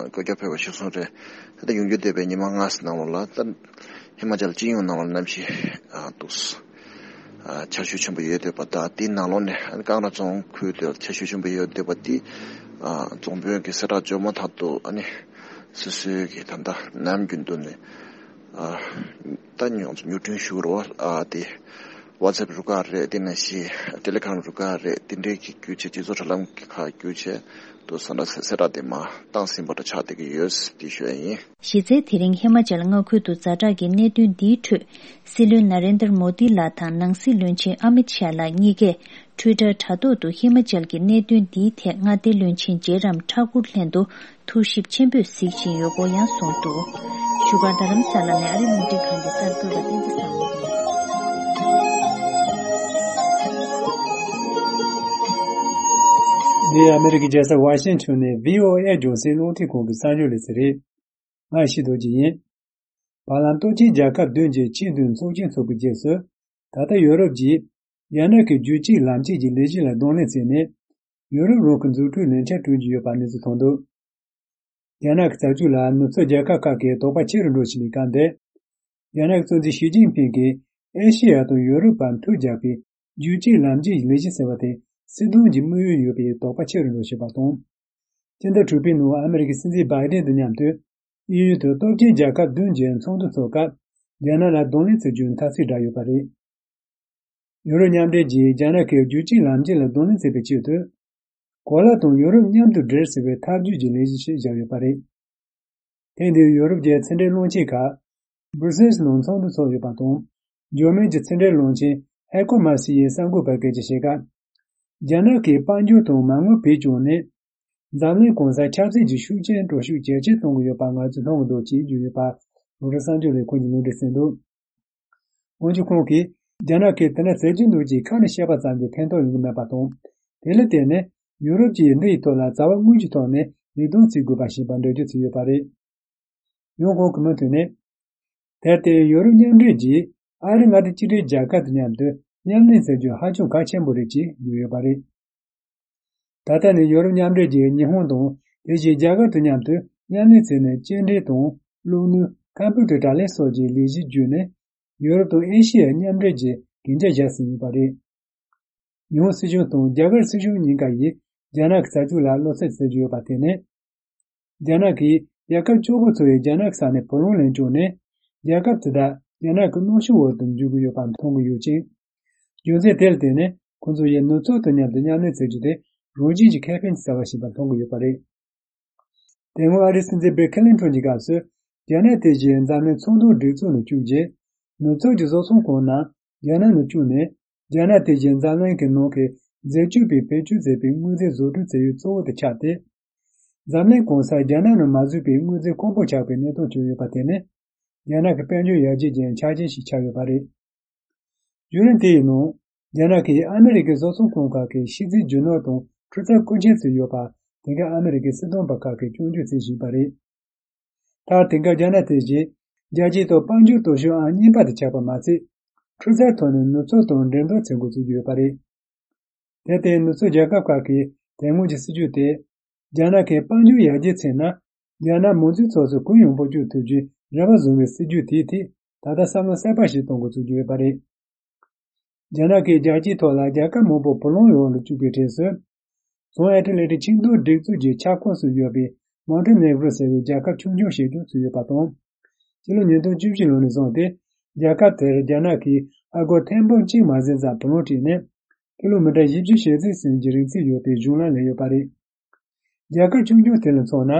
བཀོད་ཁྱབ་ཕེབས་པ་ཞིག་གསུངས་རེད། ད་ལྟ་ཡོང་རྒྱུ་བསྡད་པའི་ཉི་མ་ལྔ་ཙམ་ནང་ལོགས་ལ་ད་ཧི་མ་ཅལ་སྤྱི་ཡོངས་ནང་ལ་གནམ་གཤིས་དུ་ཆར་ཤུགས་ཆེན་པོ་ཡོད་བསྡད་པ་དང་། དེའི་ནང་ལོགས་ནས་ཀང་ར་རྫོང་ཁུལ་དུ་ཆར་ཤུགས་ཆེན་པོ་ཡོད་བསྡད་པ་དེ་རྫོང་དཔོན་གྱིས་གསལ་བསྒྲགས་བྱུང་མ་ཐག་ཏུ་ཨ་ནི་སོ་སོའི་གི་ད་ལྟ་ནམ་རྒྱུན་དུ་ནས་ད་ཉོ་ཉོ་སྒྲུང་ཞུ་རོགས་ཨ་དེ། WhatsApp་རུ་ཁག་རེད། དེ་ནང་བཞིན་Telegram་རུ་ཁག་རེད། དེ་འདྲའི་གི་བརྒྱུད་བྱས་སྤྱི་ཚོགས་དྲ་ལམ་གྱི་ཁག་བརྒྱུད་བྱས་དུ་ས་འདྲ་གསལ་བསྒྲགས་དེ་མ་བཏང་ཟིན་པ་འདྲ་ཆགས་བསྡད་ཀྱི་ཡོད་དེ་ཞུ་ཡ་ཡིན། གཞི་རྩའི་དེ་རིང་ཧི་མ་ཅལ་མངའ་ཁུལ་དུ་ཛ་དྲག་གི་གནད་དོན་འདིའི་ཁྲོད་སྲིད་བློན་ན་རེན་དར་མོ་དི་ལགས་དང་ནང་སྲིད་བློན་ཆེན་ཨ་མིད་ཤཱ་ལགས་གཉིས་ཀས་Twitter་དྲ་ཐོག་ཏུ་ཧི་མ་ཅལ་གྱི་གནད་དོན་འདིའི་ཐད་མངའ་སྡེའི་བློན་ཆེན་ཇེ་རམ་ཐ་ཀུར་ལྷན་དུ་ཐུགས་ཞིབ་ཆེན་པོས་གཟིགས་བཞིན་ཡོད་སྐོར་ཡང་གསུངས་འདུག་བཞུགས་སྒར་རྡ་རམ་ས་ལ་ནས་ཨ་རིའི་རླུང་འཕྲིན་ཁང་གི་གསར་འགོད་པ་བསྟན་འཛིན་བཟང་མོ་ཡིན། འདི་ཨ་མེ་རི་ཀའི་རྒྱལ་ས་ཝ་ཤིང་ཊོན་ནས་བྷི་ཨོ་ཨེ་རྒྱང་སྲིང་རླུང་འཕྲིན་ཁང་གི་གསར་འགྱུར་ལས་ཚན་རེད། ང་ཡེ་ཤེས་རྡོ་རྗེ་ཡིན། བར་ལམ་སྟོབས་ཆེན་རྒྱལ་ཁབ་བདུན་གྱི་ཆེས་མཐོའི་ཚོགས་ཆེན་ཚོགས་པའི་རྗེས་སུ། ད་ལྟ་ཡོ་རོབ་ཀྱིས་རྒྱ་ནག་གི་རྒྱུད་གཅིག་ལམ་གཅིག་གི་ལས་གཞི་ལ་གདོང་ལེན་བྱས་ནས། ཡོ་རོབ་རང་གི་འཛུགས་སྐྲུན་ལས་འཆར་བསྐྲུན་གྱི་ཡོད་པ་གནས་ཚུལ་ཐོན་འདུག་རྒྱ་ནག་གི་རྩ་འཛུགས་ལ་ནུབ་ཕྱོགས་རྒྱལ་ཁབ་ཁག་གིས་དོགས་པ་ཆེ་རུ་འགྲོ་བཞིན་པའི་སྐབས་འདིར། རྒྱ་ནག་གི་གཙོ་འཛིན་ཞི་ཅིན་ཕིང་གིས་ཨེ་ཤེ་ཡ་དང་ཡོ་རོབ་བར་མཐུད་རྒྱག་པའི་རྒྱུད་གཅིག་ལམ་གཅིག་ལས་གཞི་ཟེར་བ་དེ་སྲིད་དོན་གྱི་དམིགས་ཡུལ་ཡོད་པའི་དོགས་པ་ཆེ་རུ་འགྲོ་བཞིན་པ་དང་། སྤྱི་ཟླ་དྲུག་པའི་ནང་ཨ་མེ་རི་ཀའི་སྲིད་འཛིན་བྷའི་ཌེན་དང་མཉམ་དུ་དབྱིན་ཡུལ་དུ་སྟོབས་ཆེན་རྒྱལ་ཁབ་བདུན་གྱི་ཚོགས་འདུ་འཚོགས་སྐབས་རྒྱ་ནག་ལ་གདོང་ལེན་བྱེད་རྒྱུའི་འཐབ་རྩོད་བསྒྲགས་ཡོད་པ་རེད། ཡུ་རོབ་མཉམ་འབྲེལ་གྱིས་རྒྱ་ནག་གི་རྒྱུད་གཅིག་ལམ་གཅིག་ལ་གདོང་ལེན་བྱེད་པའི་ཆེད་དུ། གོ་ལ་དང་ཡུ་རོབ་མཉམ་དུ་སྦྲེལ་ཟེར་བའི་ཐབས་ཇུས་ཀྱི་ལས་གཞི་ཞིག་བཞག་ཡོད་པ་རེད། ཐེངས་འདིར་ཡུ་རོབ་ཀྱི་ཕྱི་འབྲེལ་བློན་ཆེན་ཁག་སྦུ་སེལ་ནང་ཚོགས་འདུ་ཚོགས་ཡོད་པ་དང་། འཇར་མན་གྱི་ཕྱི་འབྲེལ་བློན་ཆེན་ཧེ་ཀོ་མ་སི་ཡིས་གསར་འགོད་པར་སྐད་ཆ་བཤད་སྐབས། རྒྱ་ནག་གིས་དཔལ་འབྱོར་དང་མ་དངུལ་བེད་སྤྱོད་ནས། འཛམ་གླིང་གང་སར་ཆབ་སྲིད་ཀྱི་ཤུགས་རྐྱེན་འགྲོ་ཤུགས་ཇེ་ཆེར་གཏོང་གི་ཡོད་པ་ང་ཚོས་མཐོང་གི་འདུག་ཅེས་བརྗོད་ཡོད་པ། རོའི་ཊར་གསར་འགྱུར་ལས་ཁུངས་ཀྱིས་ལུང་འདྲེན་བྱས་འདུག་འོན་ཀྱང་ཁོང་གིས། རྒྱ་ནག་གིས་དེ་འདྲ་བྱེད་ཀྱི་འདུག་ཅེས་ཁ་ནས་བཤད་པ་ཙམ་གྱིས་ཕན་ཐོགས་ཡོང་གི་མེད་པ་དང་། དེ་ལ་བརྟེན་ནས་ཡུ་རོབ་ཀྱིས་འདི་ཡི་ཐོག་ལ་རྩ་བ་དངོས་ཀྱི་ཐོག་ནས་ལས་དོན་བྱེད་དགོས་པ་ཞེས་པ་འགྲེལ་བརྗོད་བྱས་ཡོད་པ་རེད། ཡང་ཁོང་གིས་མུ་མཐུད་ནས། དེར་བརྟེན་ཡུ་རོབ་མཉམ་འབྲེལ་གྱིས་ཨ་རི་མངའ་སྡེ་གཅིག་སྒྲིལ་རྒྱལ་ཁབ་དང་མཉམ་དུ་མཉམ་ལས་བྱ་རྒྱུ་ཧ་ཅང་གལ་ཆེན་པོ་རེད་ཅེས་བརྗོད་ཡོད་པ་རེད། ད་ལྟ་ནི་ཡོ་རོབ་མཉམ་འབྲེལ་གྱིས་ཉི་ཧོང་དང་དེ་བཞིན་རྒྱ་གར་དང་མཉམ་དུ་མཉམ་ལས་བྱས་ནས་སྐྱེལ་འདྲེན་དང་བླུགས་ནུས་ཁམ་བུ་ཊར་དྲ་ལམ་སོགས་ཀྱི་ལས་གཞི་བརྒྱུད་ནས་ཡོ་རོབ་དང་ཨེ་ཤི་ཡའི་མཉམ་འབྲེལ་གྱི་གན་རྒྱ་བཞག་ཟིན་ཡོད་པ་རེད། ཉི་ཧོང་སྲིད་གཞུང་དང་རྒྱ་གར་སྲིད་གཞུང་གཉིས་ཀ་ཡིས་རྒྱ་ནག་གི་བྱ་སྤྱོད་ལ་བློ་འཚབ་བྱེད་ཀྱི་ཡོད་པ་དེ་ནི། རྒྱ་ནག་གིས་རྒྱལ་ཁབ་བཅུ་དགུ་ཚོ་ཡི་རྒྱ་ནག་གི་ས་ནས་བུ་ལོན་ལེན་བཅུག་ནས། རྒྱལ་ཁབ་དེ་དག་རྒྱ་ནག་གི་གནོན་ཤུགས་འོག་ཏུ་འཇུག་གི་ཡོད་པ་མཐོང་གི་ཡོད་ཅིང་། རྒྱུ་མཚན་དེ་ལ་བརྟེན་ནས་ཁོང་ཚོ་ཡིས་ནུབ་ཕྱོགས་དང་མཉམ་དུ་མཉམ་ལས་བྱེད་རྒྱུ་དེ་རང་བཞིན་གྱི་ཁེ་ཕན་གྱི་རྩ་བ་ཞིག་པ་མཐོང་གི་ཡོད་པ་རེད། དེ་སྔོན་ཨ་རིའི་སྲིད་འཛིན་བིལ་ཁི་ལིན་ཊོན་གྱི་སྐབས་སུ། རྒྱ་ནག་དེ་བཞིན་འཛམ་གླིང་ཚོང་དོན་སྒྲིག་འཛུགས་ནང་བཅུག་རྗེས། ནུབ་ཕྱོགས་ཀྱི་བཟོ་ཚོང་ཁང་རྣམས་རྒྱ་ནག་ནང་བཅུག་ནས། རྒྱ་ནག་དེ་བཞིན་འཛམ་གླིང་གི་ནང་གི་རྫས་སྐྱོབ་པའི་བེད་སྤྱོད་མཛད་པའི་དངོས་རྫས་བཟོ་སྐྲུན་བྱ་ཡུལ་གཙོ་བོ་དེ་ཆགས་ཏེ། འཛམ་གླིང་གང་སར་རྒྱ་ནག་ནང་མ་བཟོས་པའི་དངོས་རྫས་ཁང་པ་ཆགས་པའི་གནས་སྟངས་བྱུང་ཡོད་པ་དེ་ནི། རྒྱ་ནག་གི་དཔལ་འབྱོར་ཡར་རྒྱས་ཀྱི་ཆ་རྐྱེན་ཞིག་ཆགས་ཡོད་པ་རེད། བརྒྱུད་རིམ་དེ་ཡི་ནང་། རྒྱ་ནག་གིས་ཨ་མི་རི་ཀའི་བཟོ་ཚོང་ཁང་ཁག་གི་ཕྱི་རྩིས་རྒྱུ་ནོར་དང་འཕྲུལ་རྩལ་བཀོལ་སྤྱོད་བྱས་ཡོད་པ། དེང་སྐབས་ཨ་མི་རི་ཀའི་སྲིད་དོན་པ་ཁག་གིས་སྐྱོན་བརྗོད་བྱེད་བཞིན་པ་རེད། མཐར་དེང་སྐབས་རྒྱ་ནག་དེ་བཞིན་རྒྱལ་སྤྱིའི་ཐོག་དཔལ་འབྱོར་སྟོབས་ཤུགས་ཨང་གཉིས་པ་དེ་ཆགས་པ་མ་ཟད། འཕྲུལ་རྩལ་ཐོག་ནས་ནུབ་ཕྱོགས་དང་འགྲན་བསྡུར་བྱེད་འགོ་བཙུགས་ཀྱི་ཡོད་པ་རེད། དེར་བརྟེན་ནུབ་ཕྱོགས་རྒྱལ་ཁབ་ཁག་གིས་དེ་སྔོན་གྱི་སྲིད་ཇུས་དེ། རྒྱ་ནག་གིས་དཔལ་འབྱོར་ཡར་རྒྱས་ཚེ་ན། རྒྱ་ནག་མང་གཙོའི་ཚོགས་སུ་གུ་ཡངས་སྤོ་སྐྱོད་ཐུབ་རྒྱུའི་རེ་བ་བཟུང་བའི་སྲིད་ཇུས་དེའི་ཐད་ད་ལྟ་བསམ་བློ་གསར་པ་ཞིག་གཏོང་འགོ་ཚུགས་ཀྱི་ཡོད་པ་རེད། རྒྱ་ནག་གིས་རྒྱལ་སྤྱིའི་ཐོག་ལ་རྒྱལ་ཁབ་མང་པོ་བུ་ལོན་འོག་ལ་བཅུག་པའི་གྲས་སུ། བྱང་ཨེ་ཊ་ལན་ཊིག་ཆིངས་འགྲིག་གཙོས་ཀྱི་ཁྱབ་ཁོངས་སུ་ཡོད་པའི་མོན་ཏེ་ནེ་གྲོ་ཟེར་བའི་རྒྱལ་ཁབ་ཆུང་ཆུང་ཞིག་ཀྱང་ཚུད་ཡོད་པ་དང་། ཕྱི་ལོ་ཉིས་སྟོང་བཅུ་བཞི་ལོ་ནས་བཟུང་སྟེ། རྒྱལ་ཁབ་དེར་རྒྱ་ནག་གིས་ཨ་སྒོར་ཐེར་འབུམ་གཅིག་མ་ཟིན་ཙམ་བུ་ལོན་སྤྲད་ནས། ཀི་ལོ་མི་ཊར་བཞི་བཅུ་ཞེ་གཅིག་ཙམ་གྱི་རིང་ཚད་ཡོད་པའི་གཞུང་ལམ་ལས་ཡོད་པ་རེད། རྒྱལ་ཁབ་ཆུང་ཆུང་དེ་ལ་མཚོན་ན།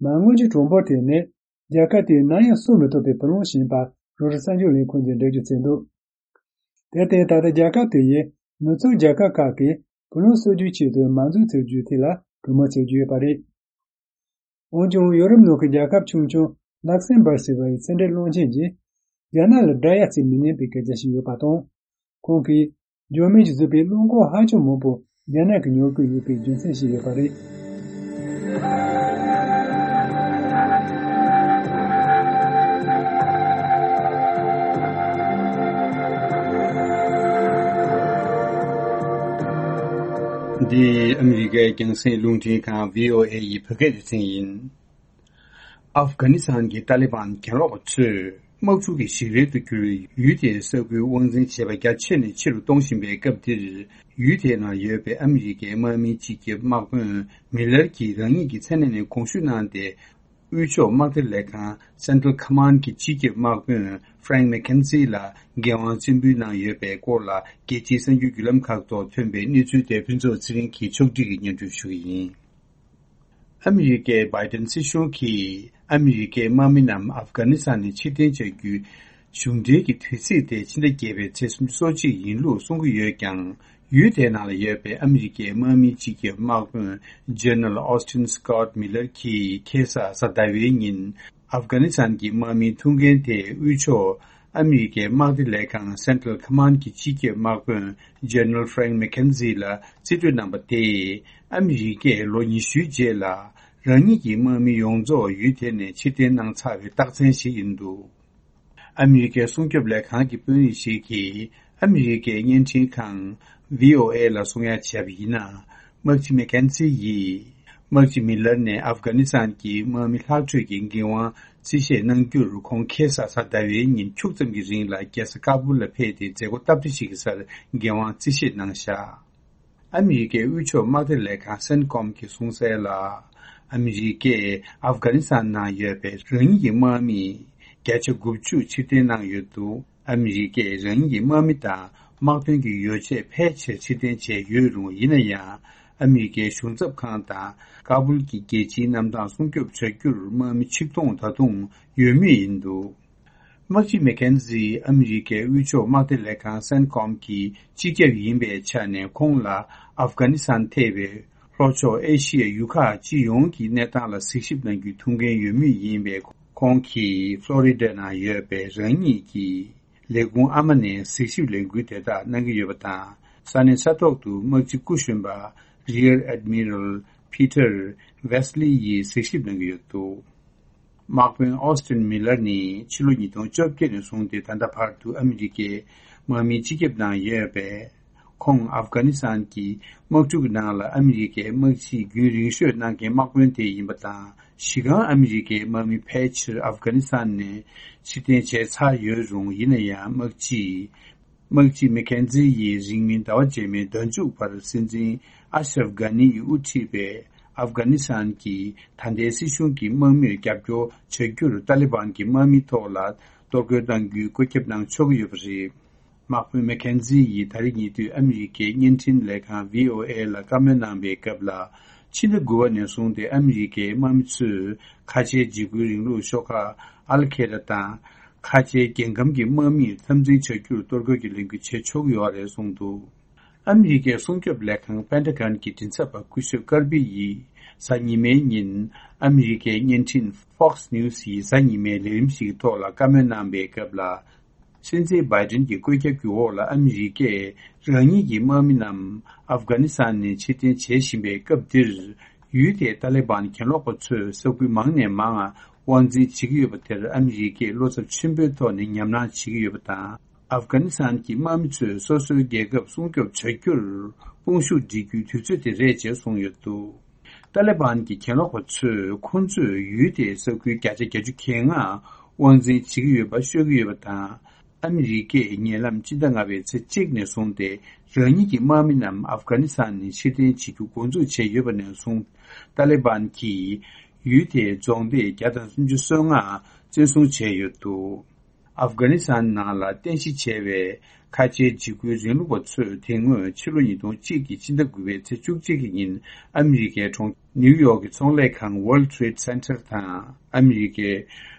མ་དངུལ་གྱི་གྲངས་འབོར་ཐད་ནས་རྒྱལ་ཁབ་དེས་ནམ་ཡང་གསོ་མི་ཐུབ་པའི་བུ་ལོན་བྱིན་པ་རོའི་ཊར་གསར་འགྱུར་ལས་ཁུངས་ཀྱིས་འགྲེལ་བརྗོད་བྱས་འདུག་དེར་བརྟེན། ད་ལྟ་རྒྱལ་ཁབ་དེ་ཡིས་མི་ཚོགས་རྒྱལ་ཁབ་ཁག་གིས་བུ་ལོན་གསོག་རྒྱུའི་ཆེད་དུ་མ་འཛུགས་ཚུགས་རྒྱུའི་ཐད་ལ་གྲོས་མོལ་བྱེད་ཀྱི་ཡོད་པ་རེད། འོན་ཀྱང་། ཡོ་རོབ་ནང་གི་རྒྱལ་ཁབ་ཆུང་ཆུང་ལག་སེམ་བར་ཟེར་བའི་ཚན་རིག་བློན་ཆེན་གྱིས། རྒྱ་ནག་ལ་དགྲ་ཡ་བརྩི་མི་ཉན་པའི་སྐད་ཆ་ཞིག་ཡོད་པ་དང་། ཁོང་གིས། འཇར་མན་གྱིས་བཟོས་པའི་རླངས་འཁོར་ཧ་ཅང་མང་པོ་རྒྱ་ནག་གིས་ཉོ་དགོས་ཡོད་པའི་རྒྱུ་མཚན་ཞིག་ཡོད་པ་རེད། འདི་ཨ་མི་རི་ཀའི་རྒྱང་སྲིང་རླུང་འཕྲིན་ཁང་བྷི་ཨོ་ཨེ་ཡི་བོད་སྐད་སྡེ་ཚན་ཡིན། ཨབ་གྷ་ནི་སི་ཐན་གྱི་ཏཱ་ལི་བན་གྱེན་ལོག་པ་ཚོས་དམག་འཁྲུག་གི་ཞིག་རལ་དུ་གྱུར་བའི་ཡུལ་དེའི་ས་ཁུལ་དབང་འཛིན་བྱེད་པ་རྒྱ་ཆེ་ནས་ཆེ་རུ་གཏོང་བཞིན་པའི་སྐབས་འདིར། ཡུལ་དེའི་ནང་ཡོད་པའི་ཨ་མི་རི་ཀའི་དམག་མིའི་སྤྱི་ཁྱབ་དམག་དཔོན་མི་ལར་གྱིས་རང་ཉིད་ཀྱི་མཚན་གནས་ནས་དགོངས་ཞུ་གནང་སྟེ། དབུས་ཕྱོགས་དམག་སྡེ་ལས་ཁང་Central Command གྱི་སྤྱི་ཁྱབ་དམག་དཔོན་Frank McKenzie ལ་འགན་དབང་བཙན་འབུལ་གནང་ཡོད་པའི་སྐོར་ལ། རྒྱལ་སྤྱིའི་གསར་འགྱུར་བརྒྱུད་ལམ་ཁག་ཐོག་ཐོན་པའི་གནས་ཚུལ་དེ་ཕུན་ཚོགས་ཚེ་རིང་གིས་ཕྱོགས་སྒྲིག་གིས་སྙན་སྒྲོན་ཞུ་གི་ཡིན། ཨ་མི་རི་ཀའི་བྷའི་ཏན་སྲིད་གཞུང་གིས་ཨ་མི་རི་ཀའི་དམག་མི་རྣམས་ཨབ་གྷ་ནི་སི་ཐན་ནས་ཕྱིར་འཐེན་བྱ་རྒྱུའི་གཞུང་འབྲེལ་གྱི་དུས་ཚིགས་དེ་ཕྱི་ཟླ་བརྒྱད་པའི་ཚེས་སུམ་ཅུ་སོ་གཅིག་ཡིན་ལུགས་གསུང་གི་ཡོད་ཀྱང་། ཡུལ་དེའི་ནང་ལ་ཡོད་པའི་ཨ་མི་རི་ཀའི་དམག་མིའི་སྤྱི་ཁྱབ་དམག་དཔོན་General Austin Scott Miller གྱིས་ཁ་སང་གཟའ་ཟླ་བའི་ཉིན། ཨབ་གྷ་ནི་སི་ཐན་གྱི་དམག་མིའི་ཐུགས་འགན་དེ་དབུས་ཕྱོགས་ཨ་མི་རི་ཀའི་དམག་སྡེ་ལས་ཁང་Central Command གྱི་སྤྱི་ཁྱབ་དམག་དཔོན་General Frank McKenzie ལ་རྩིས་སྤྲོད་གནང་པ་དེས། ཨ་མི་རི་ཀས་ལོ་ཉི་ཤུའི་རྗེས་ལ་རང་ཉིད་ཀྱི་དམག་མི་ཡོངས་རྫོགས་ཡུལ་དེ་ནས་ཕྱིར་འཐེན་གནང་ཚར་བའི་རྟགས་མཚན་ཞིག་ཡིན་འདུག་ཨ་མི་རི་ཀའི་སྲུང་སྐྱོབ་ལས་ཁང་གི་དཔོན་རིགས་ཤིག་གིས་ཨ་མི་རི་ཀའི་བརྙན་འཕྲིན་ཁང་བྷི་ཨོ་ཨེ་ལ་གསུང་ཡ་བྱས་པ་ཡིན་ན། དམག་སྤྱི་མེག་ཁེན་ཛི་ཡིས་དམག་སྤྱི་མི་ལར་ནས་ཨབ་གྷ་ནི་སི་ཐན་གྱི་དམག་མི་ལྷག་འཕྲོས་ཀྱི་འགན་དབང་རྩིས་བཞེས་གནང་རྒྱུར། ཁོང་ཁ་སང་གཟའ་ཟླ་བའི་ཉིན་ཕྱུགས་ཙམ་གྱི་རིང་ལ་རྒྱལ་ས་ཀ་སྦུལ་ལ་ཕེབས་ཏེ་མཛད་སྒོ་སྟབས་བདེ་ཞིག་གི་སར་འགན་དབང་རྩིས་བཞེས་གནང་བཞག་ཨ་མི་རི་ཀའི་དབུས་ཕྱོགས་དམག་སྡེ་ལས་ཁང་སེན་ཀོམ་གྱིས་གསུངས་གསལ་ལ། ཨ་མི་རི་ཀས་ཨབ་གྷ་ནི་སི་ཐན་ནང་ཡོད་པའི་རང་ཉིད་ཀྱི་དམག་མི་བརྒྱ་ཆ་དགུ་བཅུ་ཕྱིར་འཐེན་གནང་ཡོད་འདུག་ཨ་མི་རི་ཀས་རང་ཉིད་ཀྱི་དམག་མི་དང་དམག་དོན་གྱི་ཡོ་བྱད་ཕལ་ཆེར་ཕྱིར་འཐེན་བྱས་ཡོད་རུང་། ཡིན་ན་ཡང་ཨ་མི་རི་ཀའི་གཞུང་ཚབ་ཁང་དང་ཀ་སྦུལ་གྱི་རྒྱལ་སྤྱིའི་གནམ་ཐང་སྲུང་སྐྱོབ་བྱ་རྒྱུར་དམག་མི་ཆིག་སྟོང་ད་དུང་ཡོད་མུས་ཡིན་འདུག་དམག་སྤྱི་མེག་ཁེན་ཛི་ཨ་མི་རི་ཀའི་དབུས་ཕྱོགས་དམག་སྡེ་ལས་ཁང་སེན་ཀོམ་གྱི་སྤྱི་ཁྱབ་ཡིན་པའི་ཆ་ནས། ཁོང་ལ་ཨབ་གྷ་ནི་སི་ཐན་ཐེ་བའི་ལྷོ་ཕྱོགས་ཨེ་ཤི་ཡའི་ཡུལ་ཁག་སྤྱི་ཡོངས་ཀྱི་གནས་སྟངས་ལ་གཟིགས་ཞིབ་གནང་རྒྱུའི་ཐུགས་འགན་ཡོད་མུས་ཡིན་པས། ཁོང་གིས་ཕློ་རི་ཌ་ནང་ཡོད་པའི་རང་ཉིད་ཀྱི་ལས་ཁུངས་ཨ་མ་ནས་གཟིགས་ཞིབ་ལས་འགུལ་དེ་དག་གནང་གི་ཡོད་པ་དང་། ས་གནས་ས་ཐོག་ཏུ་དམག་སྤྱི་སྐུ་གཞོན་པ་Rear Admiral Peter Westley ཡིས་གཟིགས་ཞིབ་གནང་གི་ཡོད་འདུག་དམག་དཔོན་ཨོ་སྟིན་མི་ལར་ནི་ཕྱི་ལོ་ཉིས་སྟོང་བཅོ་བརྒྱད་ནས་བཟུང་སྟེ་ད་ལྟ་བར་དུ་ཨ་མི་རི་ཀའི་དམག་མིའི་སྤྱི་ཁྱབ་ནང་ཡོད་པས། ཁོང་ཨབ་གྷ་ནི་སི་ཐན་གྱི་དམག་འཁྲུག་ནང་ལ་ཨ་མི་རི་ཀའི་དམག་སྤྱིའི་རྒྱུན་རིང་ཤོས་གནང་མཁན་དམག་དཔོན་དེ་ཡིན་པ་དང་། གཞི་རྐང་ཨ་མི་རི་ཀའི་དམག་མི་ཕལ་ཆེར་ཨབ་གྷ་ནི་སི་ཐན་ནས་ཕྱིར་འཐེན་བྱས་ཚར་ཡོད་རུང་། ཡིན་ན་ཡང་དམག་སྤྱིས། དམག་སྤྱི་མེག་ཁེན་ཛི་ཡིས་རིང་མིན་ཟླ་བ་རྗེས་མའི་ཟླ་མཇུག་བར་སྲིད་འཛིན་ཨ་ཤ་རབ་གྷ་ནི་ཡིས་དབུ་ཁྲིད་པའི་ཨབ་གྷ་ནི་སི་ཐན་གྱི་ད་ལྟའི་སྲིད་གཞུང་གི་དམག་མིར་རྒྱབ་སྐྱོར་བྱ་རྒྱུར་ཏཱ་ལི་བན་གྱི་དམག་མིའི་ཐོག་ལ་གཏོར་རྒོལ་གཏང་རྒྱུའི་བཀོད་ཁྱབ་གནང་ཆོག་གི་ཡོད་པ་རེད། དམག་དཔོན་མེག་ཁེན་ཛི་ཡིས་ད་རེས་ཉེ་དུས་ཨ་མི་རི་ཀའི་བརྙན་འཕྲིན་ལས་ཁང་བྷི་ཨོ་ཨེ་ལ་བཀའ་མོལ་གནང་པའི་སྐབས་ལ། ཕྱི་ཟླ་དགུ་པ་ནས་བཟུང་སྟེ་ཨ་མི་རི་ཀའི་དམག་མི་ཚོས་ཁ་ཆེའི་འཇིགས་སྐུལ་རིང་ལུགས་ཤོག་ཁག་ཨལ་ཁེ་ད་དང་། ཁ་ཆེའི་རྒྱལ་ཁམས་ཀྱི་དམག་མིར་འཐབ་འཛིང་བྱ་རྒྱུར་གཏོར་རྒོལ་གྱི་ལས་འགུལ་བྱེད་ཆོག་གི་ཡོད་རེད་གསུངས་འདུག་ཨ་མི་རི་ཀའི་སྲུང་སྐྱོབ་ལས་ཁང་པེན་ཊ་གོན་གྱི་མགྲིན་ཚབ་པ་སྐུ་ཞབས་ཀར་པི་ཡིས་གཟའ་ཉི་མའི་ཉིན་ཨ་མི་རི་ཀའི་བརྙན་འཕྲིན་Fox News ཡི་གཟའ་ཉི་མའི་ལས་རིམ་ཞིག་གི་ཐོག་ལ་བཀའ་མོལ་གནང་པའི་སྐབས་ལ། སྲིད་འཛིན་བྷའི་ཏིན་གྱི་བཀོད་ཁྱབ་ཀྱི་འོག་ལ་ཨ་མི་རི་ཀས་རང་ཉིད་ཀྱི་དམག་མི་རྣམས་ཨབ་གྷ་ནི་སི་ཐན་ནས་ཕྱིར་འཐེན་བྱེད་བཞིན་པའི་སྐབས་འདིར། ཡུལ་དེའི་ཏཱ་ལི་བན་གྱེན་ལོག་པ་ཚོས་ས་ཁུལ་མང་ནས་མང་དབང་འཛིན་བྱེད་ཀྱི་ཡོད་པ་དེར་ཨ་མི་རི་ཀས་བློ་འཚབ་ཆེན་པོའི་ཐོག་ནས་ཉམས་སྣང་བྱེད་ཀྱི་ཡོད་པ་དང་། ཨབ་གྷ་ནི་སི་ཐན་གྱི་དམག་མི་ཚོས་སོ་སོའི་རྒྱལ་ཁབ་སྲུང་སྐྱོབ་བྱ་རྒྱུར་དཔུང་ཤུགས་སྒྲིལ་རྒྱུའི་དུས་ཚོད་དེ་རེད་ཅེས་གསུངས་ཡོད་འདུག་ཏཱ་ལི་བན་གྱི་གྱེན་ལོག་པ་ཚོས་ཁོང་ཚོས་ཡུལ་དེའི་ས་ཁུལ་བརྒྱ་ཆ་བརྒྱད་ཅུ་གྱ་ལྔ་དབང་འཛིན་བྱེད་ཀྱི་ཡོད་པ་ཤོད་ཀྱི་ཡོད་པ་དང་། ཨ་མི་རི་ཀས་ཉེ་ལམ་སྤྱི་ཟླ་ལྔ་པའི་ཚེས་གཅིག་ནས་བཟུང་སྟེ་རང་ཉིད་ཀྱི་དམག་མི་རྣམས་ཨབ་གྷ་ནི་སི་ཐན་ནས་ཕྱིར་འཐེན་བྱེད་རྒྱུ་འགོ་འཛུགས་བྱས་ཡོད་པ་ནས་བཟུང་། ཏཱ་ལི་བན་གྱིས་ཡུལ་དེའི་རྫོང་སྡེ་བརྒྱ་དང་སུམ་ཅུ་སོ་ལྔ་བཙན་བཟུང་བྱས་ཡོད་འདུག་ཨབ་གྷ་ནི་སི་ཐན་ནང་ལ་རྟེན་གཞི་བྱས་པའི་ཁ་ཆེའི་འཇིགས་སྐུལ་རིང་ལུགས་པ་ཚོས་དེ་སྔོན་ཕྱི་ལོ་ཉིས་སྟོང་གཅིག་གི་སྤྱི་ཟླ་དགུ་པའི་ཚེས་བཅུ་གཅིག་གི་ཉིན་ཨ་མི་རི་ཀའི་གྲོང་ནིའུ་ཡོག་གི་ཚོང་ལས་ཁང་World Trade Center དང་ཨ་མི་རི་ཀའི་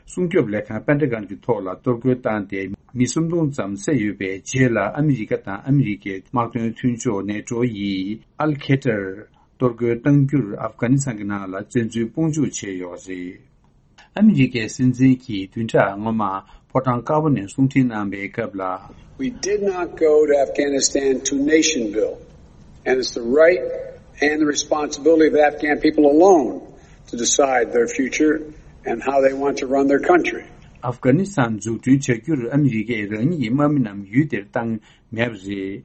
སྲུང་སྐྱོབ་ལས་ཁང་པེན་ཏ་གོན་གྱི་ཐོག་ལ་གཏོར་རྒོལ་བཏང་སྟེ་མི་སུམ་སྟོང་ཙམ་བསད་ཡོད་པའི་རྗེས་ལ། ཨ་མི་རི་ཀ་དང་ཨ་མི་རི་ཀའི་དམག་དོན་མཐུན་ཕྱོགས་ནེ་ཊོ་ཡིས་ཨལ་ཁེ་ཏར་གཏོར་རྒོལ་གཏང་རྒྱུར་ཨབ་གྷ་ནི་སི་ཐན་གྱི་ནང་ལ་བཙན་འཛུལ་དཔུང་འཇུག་བྱས་ཡོད་རེད། ཨ་མི་རི་ཀའི་སྲིད་འཛིན་གྱིས་བདུན་ཕྲག་སྔོན་མ་ཕོ་བྲང་དཀར་པོ་ནས་གསུང་འཕྲིན་གནང་བའི་སྐབས་ལ། We did not go to Afghanistan to nation build, and it's the right and the responsibility of the Afghan people alone to decide their future and how they want to run their country. ཨབ་གྷ་ནི་སི་ཐན་འཛུགས་སྐྲུན་བྱ་རྒྱུར་ཨ་མི་རི་ཀས་རང་ཉིད་ཀྱི་དམག་མི་རྣམས་ཡུལ་དེར་བཏང་མེད་པ་རེད།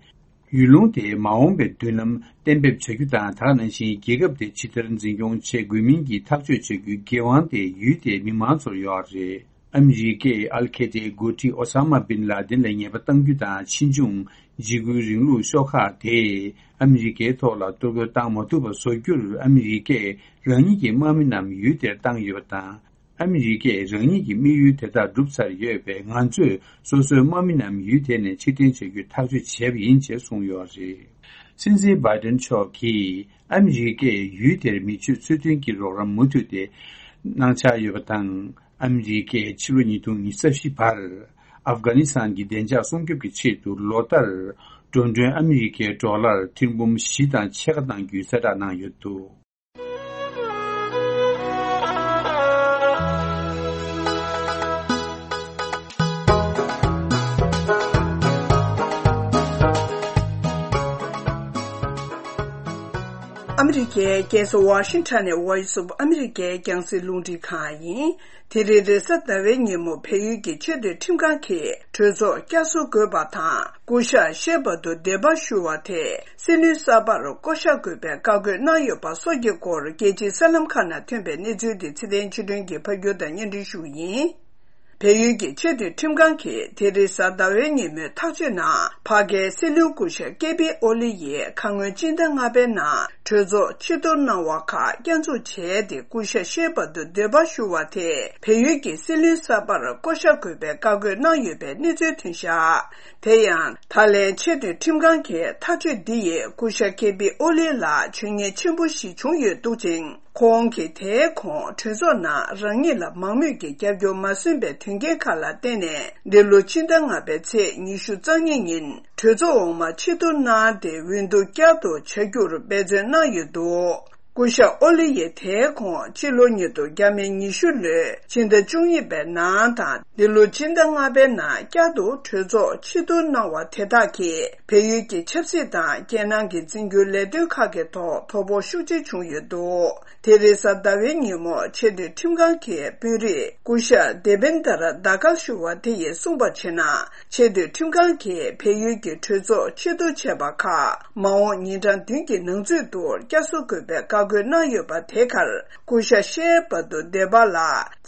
ཡུལ་ལུང་དེའི་མ་འོངས་པའི་མདུན་ལམ་གཏན་འབེབས་བྱ་རྒྱུ་དང་། དེ་ག་ནང་བཞིན་རྒྱལ་ཁབ་དེ་ཇི་ལྟར་འཛིན་སྐྱོང་བྱེད་དགོས་མིན་གྱི་ཐག་གཅོད་བྱ་རྒྱུའི་འགན་དབང་དེ་ཡུལ་དེའི་མི་མང་ཚོར་ཡོད་རེད། ཨ་མི་རི་ཀས་ཨལ་ཁེ་ཏའི་འགོ་ཁྲིད་ཨོ་ས་མ་བིན་ལ་དིན་ལ་ཉེས་པ་གཏང་རྒྱུ་དང་། ཕྱིས་འབྱུང་འཇིགས་སྐུལ་རིང་ལུགས་ཤོག་ཁག་དེས་ཨ་མི་རི་ཀའི་ཐོག་ལ་གཏོར་རྒོལ་བཏང་མ་ཐུབ་པ་བཟོ་རྒྱུར་ཨ་མི་རི་ཀས་རང་ཉིད་ཀྱི་དམག་མི་རྣམས་ཡུལ་དེར་བཏང་ཡོད་པ་དང་། ཨ་མི་རི་ཀས་རང་ཉིད་ཀྱི་དམིགས་ཡུལ་དེ་དག་བསྒྲུབས་ཚར་ཡོད་པས། ང་ཚོས་སོ་སོའི་དམག་མི་རྣམས་ཡུལ་དེ་ནས་ཕྱིར་འཐེན་བྱ་རྒྱུའི་ཐག་གཅོད་བྱས་པ་ཡིན་ཅེས་གསུངས་ཡོད་རེད། སྲིད་འཛིན་བྷའི་ཏན་མཆོག་གིས་ཨ་མི་རི་ཀས་ཡུལ་དེར་མི་ཆོས་འཚོ་མཐུན་གྱི་རོགས་རམ་མུ་མཐུད་དེ་གནང་འཆར་ཡོད་པ་དང་། ཨ་མི་རི་ཀས་ཕྱི་ལོ་ཉིས་སྟོང་ཉི་ཤུ་རྩ་བཞི་བར་ཨབ་གྷ་ནི་སི་ཐན་གྱི་བདེ་འཇགས་སྲུང་སྐྱོབ་ཀྱི་ཆེད་དུ་ལོ་ལྟར་འགྲོ་གྲོན་ཨ་མི་རི་ཀའི་ཌོ་ལར་ཐེར་འབུམ་བཞི་དང་ཕྱེད་ཀ་གནང་རྒྱུའི་གསལ་བསྒྲགས་གནང་ཡོད་འདུག་ཨ་མི་རི་ཀའི་རྒྱལ་ས་ཝ་ཤིང་ཊོན་ནས་Voice of America རྒྱང་སྲིང་རླུང་འཕྲིན་ཁང་ཡིན། དེ་རིང་རེས་གཟའ་ཟླ་བའི་ཉིན་མོ་བལ་ཡུལ་གྱི་ཆེས་མཐོའི་ཁྲིམས་ཁང་གིས་གྲོས་ཚོགས་བསྐྱར་གསོ་དགོས་པ་དང་། སྐུ་ཞབས་ཤེ་བྷ་དུ་འདེད་པ་ཞུ་བ་དེ་སྲིད་བློན་གསར་པར་བསྐོ་གཞག་དགོས་པའི་བཀའ་བཀོད་གནང་ཡོད་པ་སོགས་ཀྱི་སྐོར་རྒྱལ་སྤྱིའི་གསར་ལམ་ཁག་ནང་ཐོན་པའི་གནས་ཚུལ་དེ་ཚེ་བརྟན་ཆོས་སྒྲོན་གྱིས་ཕབ་སྒྱུར་དང་སྙན་སྒྲོན་ཞུ་རྒྱུ་ཡིན། བལ་ཡུལ་གྱི་ཆེས་མཐོའི་ཁྲིམས་ཁང་གིས་དེ་རིང་གཟའ་ཟླ་བའི་ཉིན་མོའི་ཐག་གཅོད་ནང་ཕ་གིའི་སྲིད་བློན་སྐུ་ཞབས་ཀེ་པི་ཨོ་ལི་ཡིས་ཁ་སྔོན་སྤྱི་ཟླ་ལྔ་པའི་ནང་གྲོས་ཚོགས་ཕྱིར་གཏོང་གནང་བ་ཁག་བསྐྱར་འཛུགས་བྱས་ཏེ། སྐུ་ཞབས་ཤེ་བྷ་དུ་འདེད་པ་ཞུ་བ་དེ་བལ་ཡུལ་གྱི་སྲིད་བློན་གསར་པར་བསྐོ་གཞག་དགོས་པའི་བཀའ་བཀོད་གནང་ཡོད་པའི་གནས་ཚུལ་ཐོན་བཞག་དེ་ཡང་། ད་ལན་ཆེས་མཐོའི་ཁྲིམས་ཁང་གི་ཐག་གཅོད་འདི་ཡིས་སྐུ་ཞབས་ཀེ་པི་ཨོ་ལི་ལ་ཇུས་ཉེས་ཆེན་པོ་ཞིག་བྱུང་ཡོད་འདུག་ཅིང་། ཁོང་གིས་དེའི་གོང་གྲོས་ཚོགས་ནང་རང་ཉིད་ལ་མང་མོས་ཀྱི་རྒྱབ་སྐྱོར་མ་སོན་པའི་དོན་རྐྱེན་ཁག་ལ་བརྟེན་ནས། འདི་ལོ་སྤྱི་ཟླ་ལྔ་པའི་ཚེས་ཉི་ཤུ་རྩ་གཉིས་ཉིན་གྲོས་ཚོགས་འོག་མ་ཕྱིར་གཏོང་གནང་སྟེ། འོས་བསྡུ་བསྐྱར་དུ་བྱ་རྒྱུར་འབད་བརྩོན་གནང་ཡོད་འདུག་སྐུ་ཞབས་ཨོ་ལི་ཡིས་དེའི་གོང་ཕྱི་ལོ་ཉིས་སྟོང་ཉི་ཤུ་ལོའི་ཕྱི་ཟླ་བཅུ་གཉིས་པའི་ནང་དང་། འདི་ལོ་སྤྱི་ཟླ་ལྔ་པའི་ནང་བསྐྱར་དུ་གྲོས་ཚོགས་ཕྱིར་གཏོང་གནང་བ་དེ་དག་གིས་བལ་ཡུལ་གྱི་ཆབ་སྲིད་དང་རྒྱལ་ནང་གི་འཛིན་སྐྱོང་ལས་དོན་ཁག་གི་ཐོག་དོ་ཕོག་ཤུགས་ཆེ་བྱུང་ཡོད་འདུག་དེ་རིང་གཟའ་ཟླ་བའི་ཉིན་མོ་ཆེས་མཐོའི་ཁྲིམས་ཁང་གི་དཔོན་རིགས་སྐུ་ཞབས་དེ་བེན་དར་དཱ་ཀར་ཞུ་བ་དེ་ཡིས་གསུངས་པར་བྱས་ན། ཆེས་མཐོའི་ཁྲིམས་ཁང་གིས་བལ་ཡུལ་གྱི་གྲོས་ཚོགས་ཕྱིར་གཏོང་བྱས་པ་ཁག་མ་འོངས་ཉིན་གྲངས་བདུན་གྱི་ནང་ཚུད་དུ་བསྐྱར་གསོ་དགོས་པའི་བཀའ་བཀོད་གནང་ཡོད་པ་དེ་གར། སྐུ་ཞབས་ཤེ་བྷ་དུ་འདེད་པ་ལ་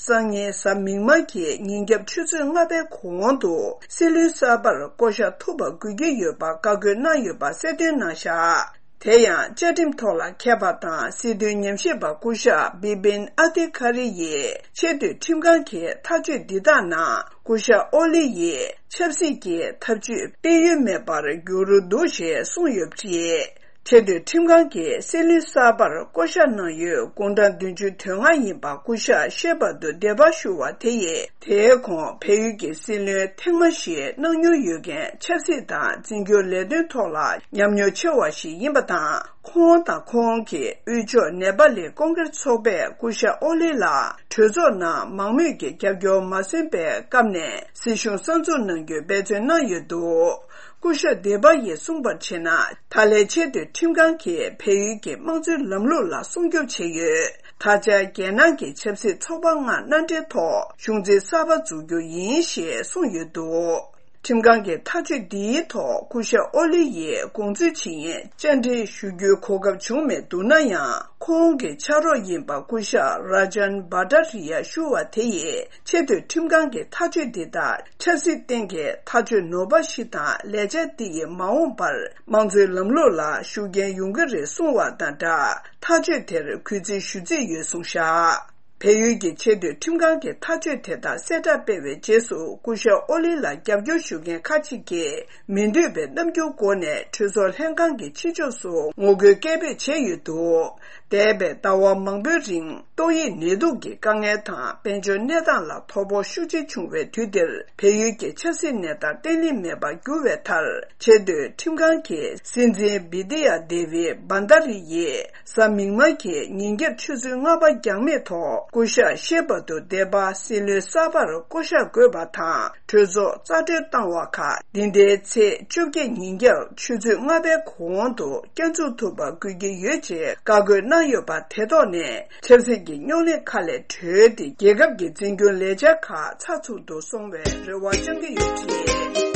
སང་ཉིན་གཟའ་མིག་དམར་གྱི་ཉིན་རྒྱབ་ཆུ་ཚོད་ལྔ་པའི་གོང་དུ་སྲིད་བློན་གསར་པར་བསྐོ་གཞག་ཐུབ་པ་དགོས་ཀྱི་ཡོད་པ་བཀའ་བཀོད་གནང་ཡོད་པ་གསལ་སྟོན་གནང་བཞག་དེ་ཡང་བཅའ་ཁྲིམས་ཐོག་ལ་མཁས་པ་དང་སྲིད་དོན་ཉམས་ཞིབ་པ་སྐུ་ཞབས་བི་པིན་ཨ་དི་ཁ་རི་ཡིས་ཆེས་མཐོའི་ཁྲིམས་ཁང་གི་ཐག་གཅོད་འདི་དག་ནང་སྐུ་ཞབས་ཨོ་ལི་ཡིས་ཆབ་སྲིད་ཀྱི་ཐབས་ཇུས་སྤེལ་ཡུལ་མེད་པར་གྱུར་འདུག་ཞེས་གསུངས་ཡོད་པ་རེད། ཆེས་མཐོའི་ཁྲིམས་ཁང་གིས་སྲིད་བློན་གསར་པར་བསྐོ་གཞག་གནང་ཡུལ་དགུང་གྲངས་བདུན་ཅུ་དོན་ལྔ་ཡིན་པ་སྐུ་ཞབས་ཤེ་བྷ་དུ་འདེད་པ་ཞུ་བ་དེ་ཡིས། དེའི་གོང་བལ་ཡུལ་གྱི་སྲིད་བློན་ཐེངས་མ་བཞི་གནང་མྱོང་ཡོད་མཁན། ཆབ་སྲིད་དང་འཛིན་སྐྱོང་ལས་དོན་ཐོག་ལ་ཉམས་མྱོང་ཆེ་བ་ཞིག་ཡིན་པ་དང་། ཁོང་དང་ཁོང་གི་དབུས་ཕྱོགས་ནེ་པ་ལི་ཀོང་གྷི་རེ་ཚོགས་པས་སྐུ་ཞབས་ཨོ་ལི་ལ་གྲོས་ཚོགས་ནང་མང་མོས་ཀྱི་རྒྱབ་སྐྱོར་མ་སོན་པའི་སྐབས་ནས་སྲིད་གཞུང་གསར་འཛུགས་གནང་རྒྱུའི་འབད་བརྩོན་གནང་ཡོད་འདུག་སྐུ་ཞབས་དེ་པ་ཡིས་གསུངས་པར་བྱས་ན། ད་ལན་ཆེས་མཐོའི་ཁྲིམས་ཁང་གིས་བལ་ཡུལ་གྱི་དམངས་གཙོའི་ལམ་ལུགས་ལ་སྲུང་སྐྱོབ་བྱས་ཡོད། ད་ཆ་རྒྱལ་ནང་གི་ཆབ་སྲིད་ཚོགས་པ་ལྔ་མནའ་འབྲེལ་ཐོག་གཞུང་འཛིན་གསར་པ་འཛུགས་རྒྱུ་ཡིན་ཞེས་གསུངས་ཡོད་འདུག་ཁྲིམས་ཁང་གི་ཐག་གཅོད་འདིའི་ཐོག་སྐུ་ཞབས་ཨོ་ལི་ཡིས་དགོངས་ཚུལ་ཇི་ཡིན་བཅར་འདྲི་ཞུ་རྒྱུའི་གོ་སྐབས་བྱུང་མེད་འདུག་ན་ཡང་། ཁོང་གི་ཕྱག་རོགས་ཡིན་པ་སྐུ་ཞབས་ར་ཇན་བྷ་ཏྲ་རི་ཡ་ཞུ་བ་དེ་ཡིས་ཆེས་མཐོའི་ཁྲིམས་ཁང་གི་ཐག་གཅོད་འདི་དག་ཆབ་སྲིད་སྟེང་གི་ཐག་གཅོད་ནོར་བ་ཞིག་དང་། ལས་འཆར་འདི་ཡིས་མ་འོངས་པར་དམངས་གཙོའི་ལམ་ལུགས་ལ་ཤུགས་རྐྱེན་ཡོང་གི་རེད་གསུངས་བ་དང་སྦྲགས། ཐག་གཅོད་དེར་གུས་བརྩི་ཞུ་རྩིས་ཡོད་གསུངས་བཞག་བལ་ཡུལ་གྱི་ཆེས་མཐོའི་ཁྲིམས་ཁང་གི་ཐག་གཅོད་དེ་དག་གསལ་བསྒྲགས་སྤེལ་བའི་རྗེས་སུ། སྐུ་ཞབས་ཨོ་ལི་ལ་རྒྱབ་སྐྱོར་ཞུ་མཁན་ཁག་ཅིག་གིས་མི་འདོད་པའི་རྣམ་འགྱུར་སྒོ་ནས་གྲོས་ཚོགས་ལྷན་ཁང་གི་ཕྱི་ཕྱོགས་སུ་ངོ་རྒོལ་སྐད་འབོད་བྱས་ཡོད་འདུག་འདས་པའི་ཟླ་བ་མང་པོའི་རིང་ཏོག་དབྱིབས་ནད་དུག་གི་དཀའ་ངལ་དང་། དཔལ་འབྱོར་གནས་སྟངས་ལ་དོ་ཕོག་ཤུགས་ཆེ་བྱུང་བའི་དུས་འདིར། བལ་ཡུལ་གྱི་ཆབ་སྲིད་གནས་སྟངས་བརྟན་ལྷིང་མེད་པར་གྱུར་བའི་མཐར། ཆེས་མཐོའི་ཁྲིམས་ཁང་གི་སྲིད་འཛིན་བི་དི་ཡ་དེ་བི་བྷན་དྷ་རི་ཡིས་གཟའ་མིག་དམར་གྱི་ཉིན་རྒྱབ་ཆུ་ཚོད་ལྔ་པ་འགྱངས་མེད་ཐོག་སྐུ་ཞབས་ཤེ་བ་དུ་དེ་པ་སྲིད་བློན་གསར་པར་བསྐོ་གཞག་དགོས་པ་དང་། གྲོས་ཚོགས་རྩ་གྲོལ་བཏང་བ་ཁག་འདི་ཟླའི་ཚེས་བཅོ་བརྒྱད་ཉིན་རྒྱབ་ཆུ་ཚོད་ལྔ་པའི་གོང་དུ་བསྐྱར་འཛུགས་ཐུབ་པ་དགོས་ཀྱི་ཡོད་ཅེས་བཀའ་བཀོད་གནང་ཡོད་པ་དེ་ཐོག་ནས། ཆབ་སྲིད་ཀྱི་རྙོག་གླེང་ཁག་ལས་གྲོལ་ཏེ། རྒྱལ་ཁབ་ཀྱི་འཛིན་སྐྱོང་ལས་འཆར་ཁག་ཚགས་ཚུད་དུ་སོང་བའི་རེ་བ་བཅང་གི་ཡོད་ཅེས།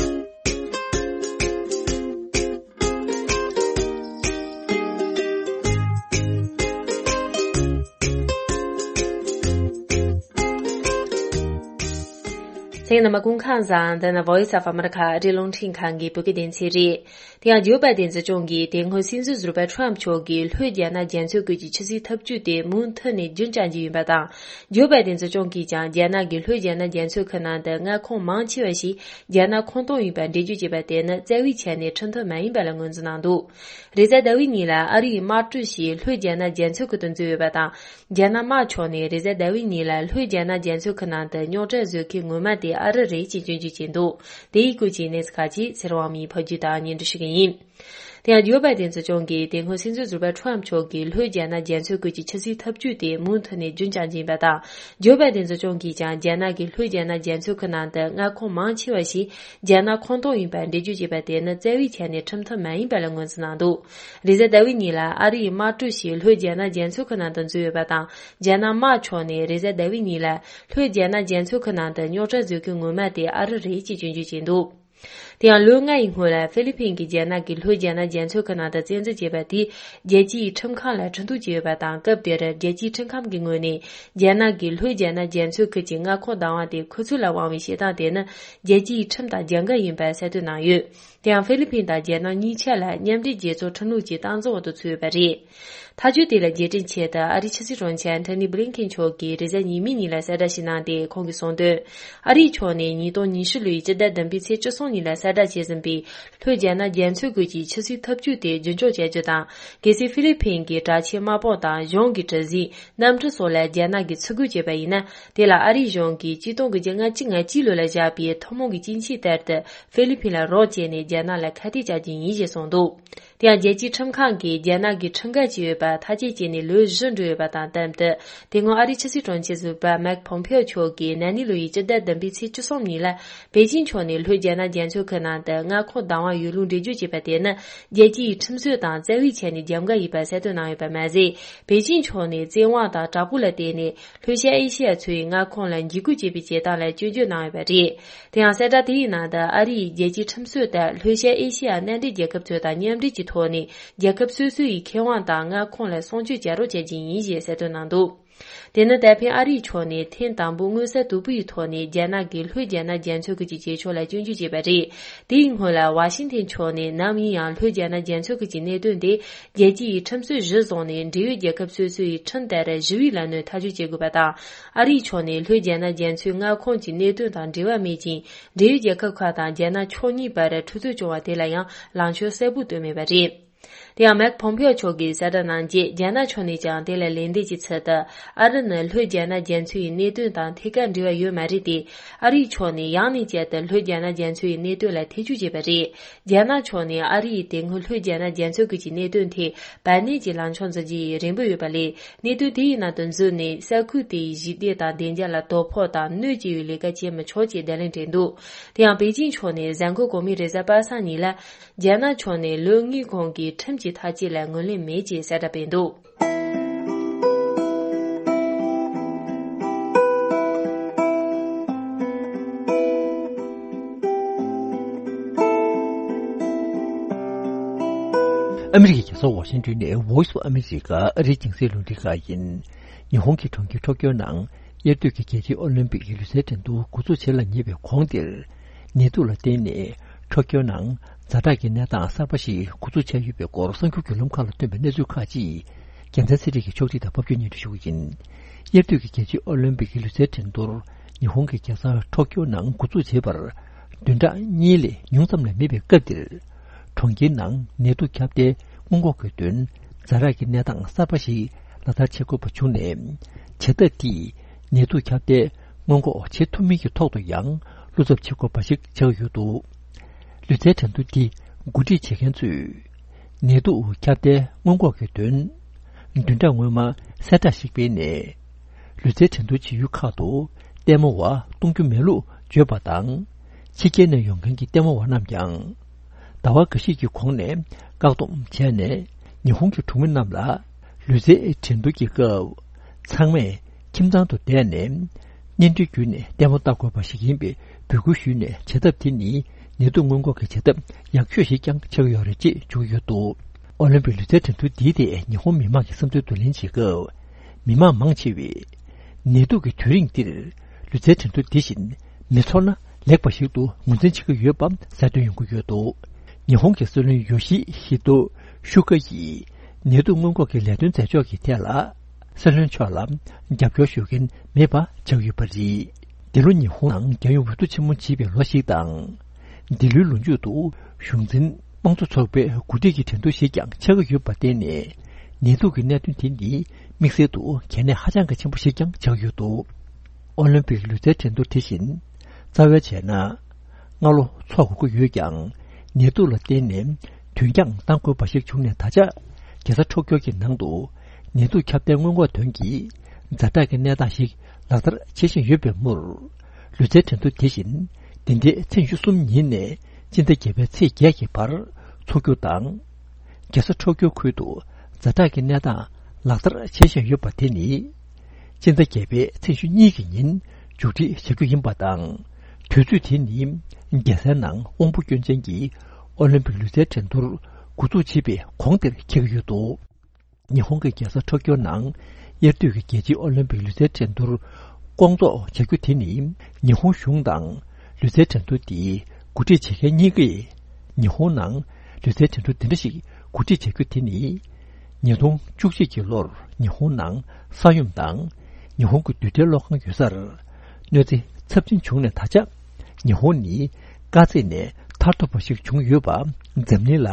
གསན་མཁན་རྣམ་པ་སྐུ་ཁམས་བཟང་། འདི་ནི་Voice of America ཨ་རིའི་རླུང་འཕྲིན་ཁང་གི་བོད་སྐད་སྡེ་ཚན་རེད། དེ་ཡང་ཇོ་བྷའི་ཏིན་སྲིད་སྐྱོང་གིས་དེ་སྔོན་སྲིད་འཛིན་ཟུར་པ་ཁྲམ་མཆོག་གིས་ལྷོད་རྒྱ་ནག་རྒྱ་མཚོའི་ཁུལ་གྱི་ཆུ་སྲིན་འཐབ་ཇུས་དེ་མུ་མཐུད་ནས་རྒྱུན་བསྐྱང་རྒྱུ་ཡིན་པ་དང་། ཇོ་བྷའི་ཏིན་སྲིད་སྐྱོང་གིས་ཀྱང་རྒྱ་ནག་གིས་ལྷོད་རྒྱ་ནག་རྒྱ་མཚོའི་ཁུལ་ནང་དུ་མངའ་ཁོངས་མང་ཆེ་བ་ཞིག་རྒྱ་ནག་ཁོངས་གཏོགས་ཡིན་པར་འགྲེལ་བརྗོད་བྱས་པ་དེ་ནི་རྩ་བའི་ཆ་ནས་ཁྲིམས་མཐུན་མ་ཡིན་པ་ལ་ངོས་འཛིན་གནང་འདུག་རེས་གཟའ་ཟླ་བའི་ཉིན་ལ་ཨ་རིའི་དམག་གྲུ་ཞིག་ལྷོད་རྒྱ་ནག་རྒྱ་མཚོའི་ཁུལ་དུ་འཛུལ་ཡོད་པ་དང་། རྒྱ་ནག་དམག་ཕྱོགས་ནས་རེས་གཟའ་ཟླ་བའི་ཉིན་ལ་ལྷོད་རྒྱ་ནག་རྒྱ་མཚོའི་ཁུལ་ནང་དུ་རྙོག་དྲ་བཟོ་མཁན་ངོ་མ་དེ་ཨ་རི་རེད་ཅེས་སྐྱོན་བརྗོད་བྱས་འདུག་དེ་ཡི་སྐོར་གྱི་གནས་ཚུལ་ཁག་ཅིག་ཚེ་རིང་དབང་མོས་ཕབ་སྒྱུར་དང་སྙན་སྒྲོན་ཞུ་གི་ཡིན། དེ་ཡང་ཇོ་བྷའི་ཏིན་སྲིད་སྐྱོང་གིས་དེ་སྔོན་སྲིད་འཛིན་ཟུར་པ་ཁྲམ་མཆོག་གིས་ལྷོད་རྒྱ་ནག་རྒྱ་མཚོའི་ཁུལ་གྱི་ཆུ་སྲིན་འཐབ་ཇུས་དེ་མུ་མཐུད་ནས་རྒྱུན་བསྐྱངས་བཞིན་པ་དང་། ཇོ་བྷའི་ཏིན་སྲིད་སྐྱོང་གིས་ཀྱང་རྒྱ་ནག་གིས་ལྷོད་རྒྱ་ནག་རྒྱ་མཚོའི་ཁུལ་ནང་དུ་མངའ་ཁོངས་མང་ཆེ་བ་ཞིག་རྒྱ་ནག་ཁོངས་གཏོགས་ཡིན་པར་འགྲེལ་བརྗོད་བྱས་པ་དེ་ནི་རྩ་བའི་ཆ་ནས་ཁྲིམས་མཐུན་མ་ཡིན་པ་ལ་ངོས་འཛིན་གནང་འདུག་རེས་གཟའ་ཟླ་བའི་ཉིན་ལ་ཨ་རིའི་དམག་གྲུ་ཞིག་ལྷོད་རྒྱ་ནག་རྒྱ་མཚོའི་ཁུལ་ནང་དུ་འཛུལ་ཡོད་པ་དང་། རྒྱ་ནག་དམག་ཕྱོགས་ནས་རེས་གཟའ་ཟླ་བའི་ཉིན་ལ་ལྷོད་རྒྱ་ནག་རྒྱ་མཚོའི་ཁུལ་ནང་དུ་རྙོག་དྲ་བཟོ་མཁན་ངོ་མ་དེ་ཨ་རི་རེད་ཅེས་སྐྱོན་བརྗོད་བྱས་འདུག་དེ་ཡང་ལོ་ལྔ་ཡི་སྔོན་ལ་ཧྥི་ལི་ཕིན་གྱིས་རྒྱ་ནག་གིས་ལྷོད་རྒྱ་ནག་རྒྱ་མཚོའི་ཁུལ་ནང་དུ་བཙན་འཛུལ་བྱས་པ་དེས་རྒྱལ་སྤྱིའི་ཁྲིམས་ཁང་ལ་འཕྲིན་ཐུང་བྱས་ཡོད་པ་དང་། སྐབས་དེར་རྒྱལ་སྤྱིའི་ཁྲིམས་ཁང་གི་ངོས་ནས་རྒྱ་ནག་གིས་ལྷོད་རྒྱ་ནག་རྒྱ་མཚོའི་ཁུལ་གྱི་མངའ་ཁོངས་བདག་དབང་དེ་ཁོ་ཚོ་ལ་དབང་བའི་བྱེད་སྟངས་དེ་ནི་རྒྱལ་སྤྱིའི་ཁྲིམས་དང་རྒྱབ་འགལ་ཡིན་པར་གསལ་སྟོན་གནང་ཡོད། དེ་ཡང་ཧྥི་ལི་ཕིན་དང་རྒྱ་ནག་གཉིས་ཆ་ལ་མཉམ་འབྲེལ་རྒྱལ་ཚོགས་ཁྲིམས་ལུགས་ཀྱི་གཏའ་འཛིན་འོག་ཏུ་ཚུད་ཡོད་པ་རེད། ཐག་གཅོད་དེ་ལ་རྗེས་དྲན་ཆེད་དུ་ཨ་རིའི་ཕྱི་སྲིད་དྲུང་ཆེ་ཨན་ཐོ་ནི་བྷི་ལིན་ཁེན་མཆོག་གིས་རེས་གཟའ་ཉི་མའི་ཉིན་ལ་གསལ་བསྒྲགས་ཤིག་གནང་སྟེ། ཁོང་གིས་གསུངས་དོན། ཨ་རིའི་ཕྱོགས་ནས་ཉིས་སྟོང་ཉི་ཤུ་ལོའི་སྤྱི་ཟླ་བདུན་པའི་ཚེས་བཅུ་གསུམ་ཉིན་ལ་གསལ་བསྒྲགས་བྱས་ཟིན་པའི་ལྷོད་རྒྱ་ནག་རྒྱ་མཚོའི་ཁུལ་གྱི་ཆུ་སྲིན་འཐབ་ཇུས་དེ་རྒྱུན་འཁྱོངས་བྱ་རྒྱུ་དང་། གལ་སྲིད་ཧྥི་ལི་ཕིན་གྱི་དྲག་ཆས་དམག་དཔུང་དང་གཞུང་གི་གྲུ་གཟིངས། གནམ་གྲུ་སོགས་ལ་རྒྱ་ནག་གིས་ཚུར་རྒོལ་བྱས་པ་ཡིན་ན། དེ་ལ་ཨ་རིའི་གཞུང་གིས་གཅིག་སྟོང་དགུ་བརྒྱ་ལྔ་བཅུ་ང་གཅིག་ལོ་ལ་བཞག་པའི་ཐུན་མོང་གི་སྤྱི་ཆིངས་ལྟར་དུ་ཧྥི་ལི་ཕིན་ལ་རོགས་བྱས་ནས་རྒྱ་ནག་ལ་ཁ་གཏད་བཅག་རྒྱུ་ཡིན་ཞེས་གསུངས་འདུག་དེ་ཡང་རྒྱལ་སྤྱིའི་ཁྲིམས་ཁང་གིས་རྒྱ་ནག་གིས་ཁྲིམས་འགལ་བྱས་ཡོད་པ་ཐག་གཅོད་བྱས་ནས་ལོ་བཞི་འགྲོ་ཡོད་པ་དང་། དེ་མཚམས་དུ་དེ་སྔོན་ཨ་རིའི་ཕྱི་སྲིད་དྲུང་ཆེ་ཟུར་པ་མེག་ཕོམ་ཕེའོ་མཆོག་གིས་ན་ནིང་ལོ་ཡི་སྤྱི་ཟླ་བདུན་པའི་ཚེས་བཅུ་གསུམ་ཉིན་ལ། པེ་ཅིང་ཕྱོགས་ནས་ལྷོད་རྒྱ་ནག་རྒྱ་མཚོའི་ཁུལ་ནང་དུ་མངའ་ཁོངས་བདག་དབང་ཡོད་ལུགས་འགྲེལ་བརྗོད་བྱས་པ་དེ་ནི་རྒྱལ་སྤྱིའི་ཁྲིམས་སྲོལ་དང་རྩ་བའི་ཆ་ནས་རྒྱབ་འགལ་ཡིན་པ་གསལ་སྟོན་གནང་ཡོད་པ་མ་ཟད། པེ་ཅིང་ཕྱོགས་ནས་བཙན་དབང་དང་དྲག་པོ་ལ་བརྟེན་ནས་ལྷོད་ཤར་ཨེ་ཤེ་ཡ་ཚོའི་མངའ་ཁོངས་ལ་འཇིགས་སྐུལ་བྱེད་པའི་བྱེད་སྟངས་ལ་སྐྱོན་བརྗོད་གནང་ཡོད་པ་རེད། དེ་ཡང་གསལ་བསྒྲགས་དེའི་ནང་དུ་ཨ་རི་ཡིས་རྒྱལ་སྤྱིའི་ཁྲིམས་སྲོལ་ལྟར་ལྷོད་ཤར་ཨེ་ཤེ་ཡ་མནའ་འབྲེལ་རྒྱལ་ཁབ་ཚོ་དང་མཉམ་འབྲེལ་གྱི་ཐོག་ནས་རྒྱལ་ཁབ་སོ་སོ་ཡི་ཁེ་དབང་དང་མངའ་ཁོངས་ལ་སྲུང་སྐྱོབ་བྱ་རོགས་བྱ་རྒྱུ་ཡིན་ཞེས་གསལ་སྟོན་གནང་འདུག་དེ་ནི་ད་ཕན་ཨ་རིའི་ཕྱོགས་ནས་ཐེངས་དང་པོ་མངོན་གསལ་དོད་པོ་ཡི་ཐོག་ནས་རྒྱ་ནག་གིས་ལྷོད་རྒྱ་ནག་རྒྱ་མཚོའི་ཁུལ་གྱི་བྱེད་ཕྱོགས་ལ་སྐྱོན་བརྗོད་བྱས་པ་རེད། དེའི་སྔོན་ལ་ཝ་ཤིང་ཐན་ཕྱོགས་ནས་ནམ་ཡིན་ཡང་ལྷོད་རྒྱ་ནག་རྒྱ་མཚོའི་ཁུལ་གྱི་གནད་དོན་དེ་རྒྱལ་སྤྱི་ཡི་ཁྲིམས་སྲོལ་གཞིར་བཟུང་ནས་འབྲེལ་ཡོད་རྒྱལ་ཁབ་སོ་སོ་ཡི་ཁྲིམས་ལྟར་ཞི་བའི་ལམ་ནས་ཐག་གཅོད་བྱེད་དགོས་པ་དང་། ཨ་རིའི་ཕྱོགས་ནས་ལྷོད་རྒྱ་ནག་རྒྱ་མཚོའི་མངའ་ཁོངས་ཀྱི་གནད་དོན་དང་འབྲེལ་བ་མེད་ཅིང་། འབྲེལ་ཡོད་རྒྱལ་ཁབ་ཁག་དང་རྒྱ་ནག་ཕྱོགས་གཉིས་བར་འཁྲུག་རྩོད་བྱུང་བ་དེ་ལ་ཡང་ལངས་ཕྱོགས་གསལ་པོ་བཏོན་མེད་པ་རེད། དེ་ཡང་མེག་ཕོམ་ཕེའོ་མཆོག་གིས་གསལ་བསྒྲགས་གནང་རྗེས། རྒྱ་ནག་ཕྱོགས་ནས་ཀྱང་དེ་ལ་ལན་འདེབས་ཀྱི་ཚུལ་དུ། ཨ་རི་ནི་ལྷོད་རྒྱ་ནག་རྒྱ་མཚོའི་གནད་དོན་དང་ཐད་ཀར་འབྲེལ་བ་ཡོད་མ་རེད་དེ། ཨ་རིའི་ཕྱོགས་ནས་ཡང་ནས་བསྐྱར་དུ་ལྷོད་རྒྱ་ནག་རྒྱ་མཚོའི་གནད་དོན་ལ་ཐེ་བྱུས་བྱས་པ་རེད། རྒྱ་ནག་ཕྱོགས་ནས་ཨ་རི་ཡིས་དེ་སྔོན་ལྷོད་རྒྱ་ནག་རྒྱ་མཚོའི་ཁུལ་གྱི་གནད་དོན་ཐད་བར་གནས་ཀྱི་ལངས་ཕྱོགས་འཛིན་གྱི་རན་པོ་ཡོད་པ་ལས། གནད་དོན་དེ་ཡི་ནང་དུ་འཛུལ་ནས་ས་ཁུལ་དེ་ཡི་ཞི་བདེ་དང་བདེ་འཇགས་ལ་དོ་ཕོག་དང་གནོད་སྐྱེལ་བའི་ལས་ཀ་བྱེད་མི་ཆོག་ཅེས་བརྡ་ལན་སྤྲད་འདུག་དེ་ཡང་པེ་ཅིང་ཕྱོགས་ནས་གཟའ་འཁོར་གོང་མའི་རེས་གཟའ་པ་སངས་ཉིན་ལ། རྒྱ་ནག་ཕྱོགས་ནས་ལོ་ལྔའི་གོང་གི་ཁྲིམས་ཀྱི་ཐག་བཅད་ལ་ངོས་ལེན་མེད་ཅེས་གསལ་བསྒྲགས་སྤེལ་འདུག་ཨ་མི་རི་ཀའི་རྒྱལ་ས་ཝ་ཤིང་ཏོན་ནས་Voice of America ཨ་རིའི་རྒྱང་སྲིང་རླུང་འཕྲིན་ཁང་ཡིན། ཉི་ཧོང་གི་གྲོང་ཁྱེར་ཊོ་ཀྱོ་ནང་དབྱར་དུས་ཀྱི་རྒྱལ་སྤྱིའི་ཨོ་ལིམ་པིག་ལུས་རྩལ་འགྲན་བསྡུར་འགོ་འཛུགས་བྱེད་ལ་ཉེ་བའི་གོང་དེར། ནད་དུག་ལ་བརྟེན་ནས་ཊོ་ཀྱོ་ནང་ཛ་དྲག་གི་གནས་སྟངས་གསར་པ་ཞིག་འགོ་འཛུགས་བྱས་ཡོད་པའི་སྐོར་གསར་འགྱུར་བརྒྱུད་ལམ་ཁག་ལ་ཐོན་པའི་གནས་ཚུལ་ཁག་ཅིག་རྒྱལ་མཚན་ཚེ་རིང་གིས་ཕྱོགས་སྒྲིག་དང་ཕབ་སྒྱུར་སྙན་སྒྲོན་ཞུ་གི་ཡིན། དབྱར་དུས་ཀྱི་རྒྱལ་སྤྱིའི་ཨོ་ལིམ་པིག་ལུས་རྩལ་འགྲན་བསྡུར་ཉི་ཧོང་གི་རྒྱལ་ས་ཊོ་ཀྱོ་ནང་འགོ་འཛུགས་བྱེད་པར་བདུན་ཕྲག་གཉིས་ལས་ཉུང་ཙམ་ལས་མེད་པའི་སྐབས་འདིར། གྲོང་ཁྱེར་ནང་ནད་དུག་ཁྱབ་གདལ་སྔོན་འགོག་གི་དོན་ཛ་དྲག་གི་གནས་སྟངས་གསར་པ་ཞིག་ལག་བསྟར་བྱེད་དགོས་པ་བྱུང་ནས། བྱེད་ཐབས་དེས་ནད་དུག་ཁྱབ་གདལ་སྔོན་འགོག་བྱེད་ཐུབ་མིན་གྱི་ཐོག་ཏུ་ཡང་བློ་འཚབ་བྱེད་དགོས་པ་ཞིག་ཆགས་ཡོད་འདུག་ལུས་རྩལ་འགྲན་བསྡུར་འདི་འགོ་ཁྲིད་བྱེད་མཁན་ཚོས། ནད་དུག་ཁྱབ་གདལ་སྔོན་འགོག་གི་དོན། བདུན་ཕྲག་སྔོན་མ་གསལ་བསྒྲགས་ཤིག་སྤེལ་ནས། ལུས་རྩལ་འགྲན་བསྡུར་བྱེད་ཡུལ་ཁག་ཏུ་ལྟད་མོ་བ་གཏོང་རྒྱུ་མེད་ལུགས་བརྗོད་པ་དང་། ཕྱི་རྒྱལ་ནས་ཡོང་མཁན་གྱི་ལྟད་མོ་བ་རྣམས་ཀྱང་ཟླ་བ་འགའ་ཤས་ཀྱི་གོང་ནས་བཀག་སྡོམ་བྱས་ནས། ཉི་ཧོང་གི་གྲོང་མི་རྣམས་ལ་ལུས་རྩལ་འགྲན་བསྡུར་གྱི་སྐབས་ཚང་མས་ཁྱིམ་ཚང་དུ་བསྡད་ནས་བརྙན་འཕྲིན་བརྒྱུད་ནས་ལྟད་མོ་ལྟ་དགོས་པ་ཞིག་ཡིན་པའི་འབོད་སྐུལ་ཞུས་ནས། བྱེད་ཐབས་དེ་ནི་ནད་དུག་སྔོན་འགོག་གི་བྱེད་ཐབས་ཡག་ཤོས་ཤིག་ཀྱང་ཆགས་ཡོད་རེད་ཅེས་བརྗོད་ཀྱི་ཡོད་འདུག་ཨོ་ལིམ་པིག་ལུས་རྩལ་འགྲན་བསྡུར་འདིའི་ཐད་ཉི་ཧོང་མི་མང་གི་བསམ་ཚུལ་བསྡུ་ལེན་བྱེད་སྐབས། མི་མང་མང་ཆེ་བས་ནད་དུག་གི་དུས་རིང་འདིར་ལུས་རྩལ་འགྲན་བསྡུར་འདི་བཞིན་མི་འཚོགས་ན་ལེགས་པ་ཞིག་ཏུ་ངོས་འཛིན་བྱེད་ཀྱི་ཡོད་པ་གསལ་སྟོན་ཡོང་གི་ཡོད་འདུག་ཉི་ཧོང་གི་སྲིད་བློན་ཡོ་ཤི་ཧི་ཏོ་ཤུ་ཀ་ཡིས་ནད་དུག་སྔོན་འགོག་གི་ལས་དོན་མཛད་ཕྱོགས་ཀྱི་ཐད་ལ། སྲིད་བློན་མཆོག་ལ་རྒྱབ་སྐྱོར་ཞུ་མཁན་མེད་པ་ཆགས་ཡོད་པ་རེད། འདི་ལོ་ཉི་ཧོང་ནང་རྒྱལ་ཡོངས་འོས་བསྡུ་ཆེན་མོ་བྱེད་པའི་ལོ་ཞིག་དང་། འདི་ལོའི་ལོ་མཇུག་ཏུ་གཞུང་འཛིན་དམངས་གཙོ་ཚོགས་པའི་འགོ་ཁྲིད་ཀྱི་འགྲན་བསྡུར་ཞིག་ཀྱང་ཆགས་ཀྱི་ཡོད་པར་བརྟེན་ནས། ནད་དུག་གི་གནད་དོན་དེ་ནི་དམིགས་བསལ་དུ་གལ་གནད་ཧ་ཅང་གི་ཆེན་པོ་ཞིག་ཀྱང་ཆགས་ཡོད་འདུག་ཨོ་ལིམ་པིག་ལུས་རྩལ་འགྲན་བསྡུར་དེ་བཞིན་རྩ་བའི་བྱས་ན། སྔ་ལོ་འཚོགས་དགོས་ཀྱི་ཡོད་ཀྱང་། ནད་དུག་ལ་བརྟེན་ནས་དུས་འགྱངས་བཏང་དགོས་པ་ཞིག་བྱུང་ནས། ད་ཆ་རྒྱལ་ས་ཊོ་ཀྱོ་གི་ནང་དུ་ནད་དུག་ཁྱབ་གདལ་སྔོན་འགོག་དོན་གྱི་ཛ་དྲག་གི་གནས་སྟངས་ཤིག་ལག་བསྟར་བྱེད་བཞིན་ཡོད་པའི་མུར། ལུས་རྩལ་འགྲན་བསྡུར་དེ་བཞིན་འདི་ཟླའི་ཚེས་ཉི་ཤུ་གསུམ་ཉིན་ནས་སྤྱི་ཟླ་བརྒྱད་པའི་ཚེས་བརྒྱད་ཀྱི་བར་འཚོགས་རྒྱུ་དང་། རྒྱལ་ས་ཊོ་ཀྱོ་ཁུལ་དུ་ཛ་དྲག་གི་གནས་སྟངས་ལག་བསྟར་བྱེད་བཞིན་ཡོད་པ་དེ་ནི། སྤྱི་ཟླ་བརྒྱད་པའི་ཚེས་ཉི་ཤུ་གཉིས་ཀྱི་ཉིན་མཇུག་སྒྲིལ་བྱ་རྒྱུ་ཡིན་པ་དང་། དུས་ཚོད་དེ་ནི་རྒྱལ་སའི་ནང་དབང་པོ་སྐྱོན་ཅན་གྱི་ཨོ་ལིམ་པིག་ལུས་རྩལ་འགྲན་བསྡུར་འགོ་འཛུགས་བྱེད་པའི་གོང་དེར་འཁེལ་གྱི་ཡོད་འདུག་ཉི་ཧོང་གི་རྒྱལ་ས་ཊོ་ཀྱོ་ནང་དབྱར་དུས་ཀྱི་རྒྱལ་སྤྱིའི་ཨོ་ལིམ་པིག་ལུས་རྩལ་འགྲན་བསྡུར་སྐོང་ཚོགས་བྱ་རྒྱུ་དེ་ནི། ཉི་ཧོང་གཞུང་དང་ལུས་རྩལ་འགྲན་བསྡུར་དེའི་འགོ་ཁྲིད་བྱེད་མཁན་གཉིས་ཀས། ཉི་ཧོང་ནང་ལུས་རྩལ་འགྲན་བསྡུར་འདི་འདྲ་ཞིག་འགོ་ཁྲིད་བྱ་རྒྱུ་དེ་ནི། ཉིས་སྟོང་བཅུ་གཅིག་གི་ལོར་ཉི་ཧོང་ནང་ས་ཡོམ་དང་། ཉི་ཧོང་གི་རྡུལ་ཕྲན་གློག་ཁང་ཡོད་སར་གནོད་འཚེ་ཚབས་ཆེན་བྱུང་ནས། ད་ཆ་ཉི་ཧོང་ནི་དཀའ་ཚེགས་ནས་ཐར་ཐུབ་པ་ཞིག་བྱུང་ཡོད་པ་འཛམ་གླིང་ལ་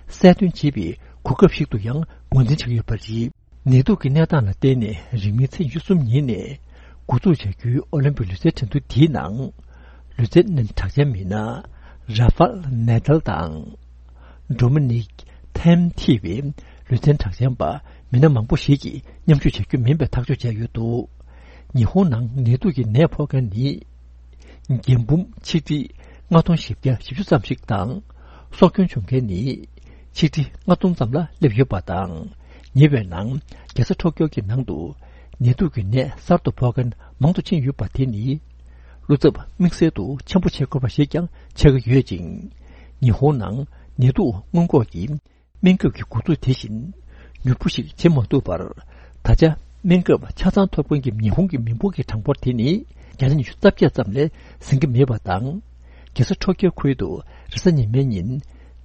གསལ་སྟོན་བྱེད་པའི་གོ་སྐབས་ཤིག་ཏུ་ཡང་ངོས་འཛིན་བྱེད་ཀྱི་ཡོད་པ་རེད། ནད་དུག་གི་གནས་སྟངས་ལ་བརྟེན་ནས་རིང་མིན་ཚེས་ཉི་ཤུ་གསུམ་ཉིན་ནས་འགོ་འཛུགས་བྱ་རྒྱུའི་ཨོ་ལིམ་པིག་ལུས་རྩལ་འགྲན་བསྡུར་དེའི་ནང་། ལུས་རྩལ་གྲགས་ཅན་མི་སྣ་ར་ཧྥལ་ནད་ལ་དང་། ཌོ་མི་ནིག་ཐེམ་ཐི་བའི་ལུས་རྩལ་གྲགས་ཅན་པ་མི་སྣ་མང་པོ་ཞིག་གིས་མཉམ་ཞུགས་བྱ་རྒྱུ་མིན་པའི་ཐག་གཅོད་བྱས་ཡོད་འདུག་ཉི་ཧོང་ནང་ནད་དུག་གི་ནད་ཕོག་མཁན་ནི། རྒན་འབུམ་ཆིག་ཁྲི་ལྔ་སྟོང་བཞི་བརྒྱ་བཞི་བཅུ་ཙམ་ཞིག་དང་། སྲོག་སྐྱོན་བྱུང་མཁན་ནི་ཆིག་ཁྲི་ལྔ་སྟོང་ཙམ་ལ་སླེབས་ཡོད་པ་དང་། ཉེ་བའི་ནང་རྒྱལ་ས་ཊོ་ཀྱོ་གི་ནང་དུ་ནད་དུག་གི་ནད་གསར་དུ་ཕོག་མཁན་མང་དུ་ཕྱིན་ཡོད་པ་དེ་ནི། བློ་འཚབ་དམིགས་བསལ་དུ་ཆེན་པོ་བྱེད་དགོས་པ་ཞིག་ཀྱང་ཆགས་ཀྱི་ཡོད་ཅིང་། ཉི་ཧོང་ནང་ནད་དུག་སྔོན་འགོག་གི་སྨན་ཁབ་ཀྱི་འགོ་འཛུགས་དེ་བཞིན་མྱུར་པོ་ཞིག་བྱེད་མ་ཐུབ་པར། ད་ཆ་སྨན་ཁབ་ཆ་ཚང་ཐོབ་མཁན་གྱི་ཉི་ཧོང་གི་མི་འབོར་གྱི་གྲངས་འབོར་དེ་ནི་བརྒྱ་ཆ་ཉི་ཤུ་རྩ་བརྒྱད་ཙམ་ལས་ཟིན་གྱི་མེད་པ་དང་། རྒྱལ་ས་ཊོ་ཀྱོ་ཁུལ་དུ་རེས་གཟའ་ཉི་མའི་ཉིན་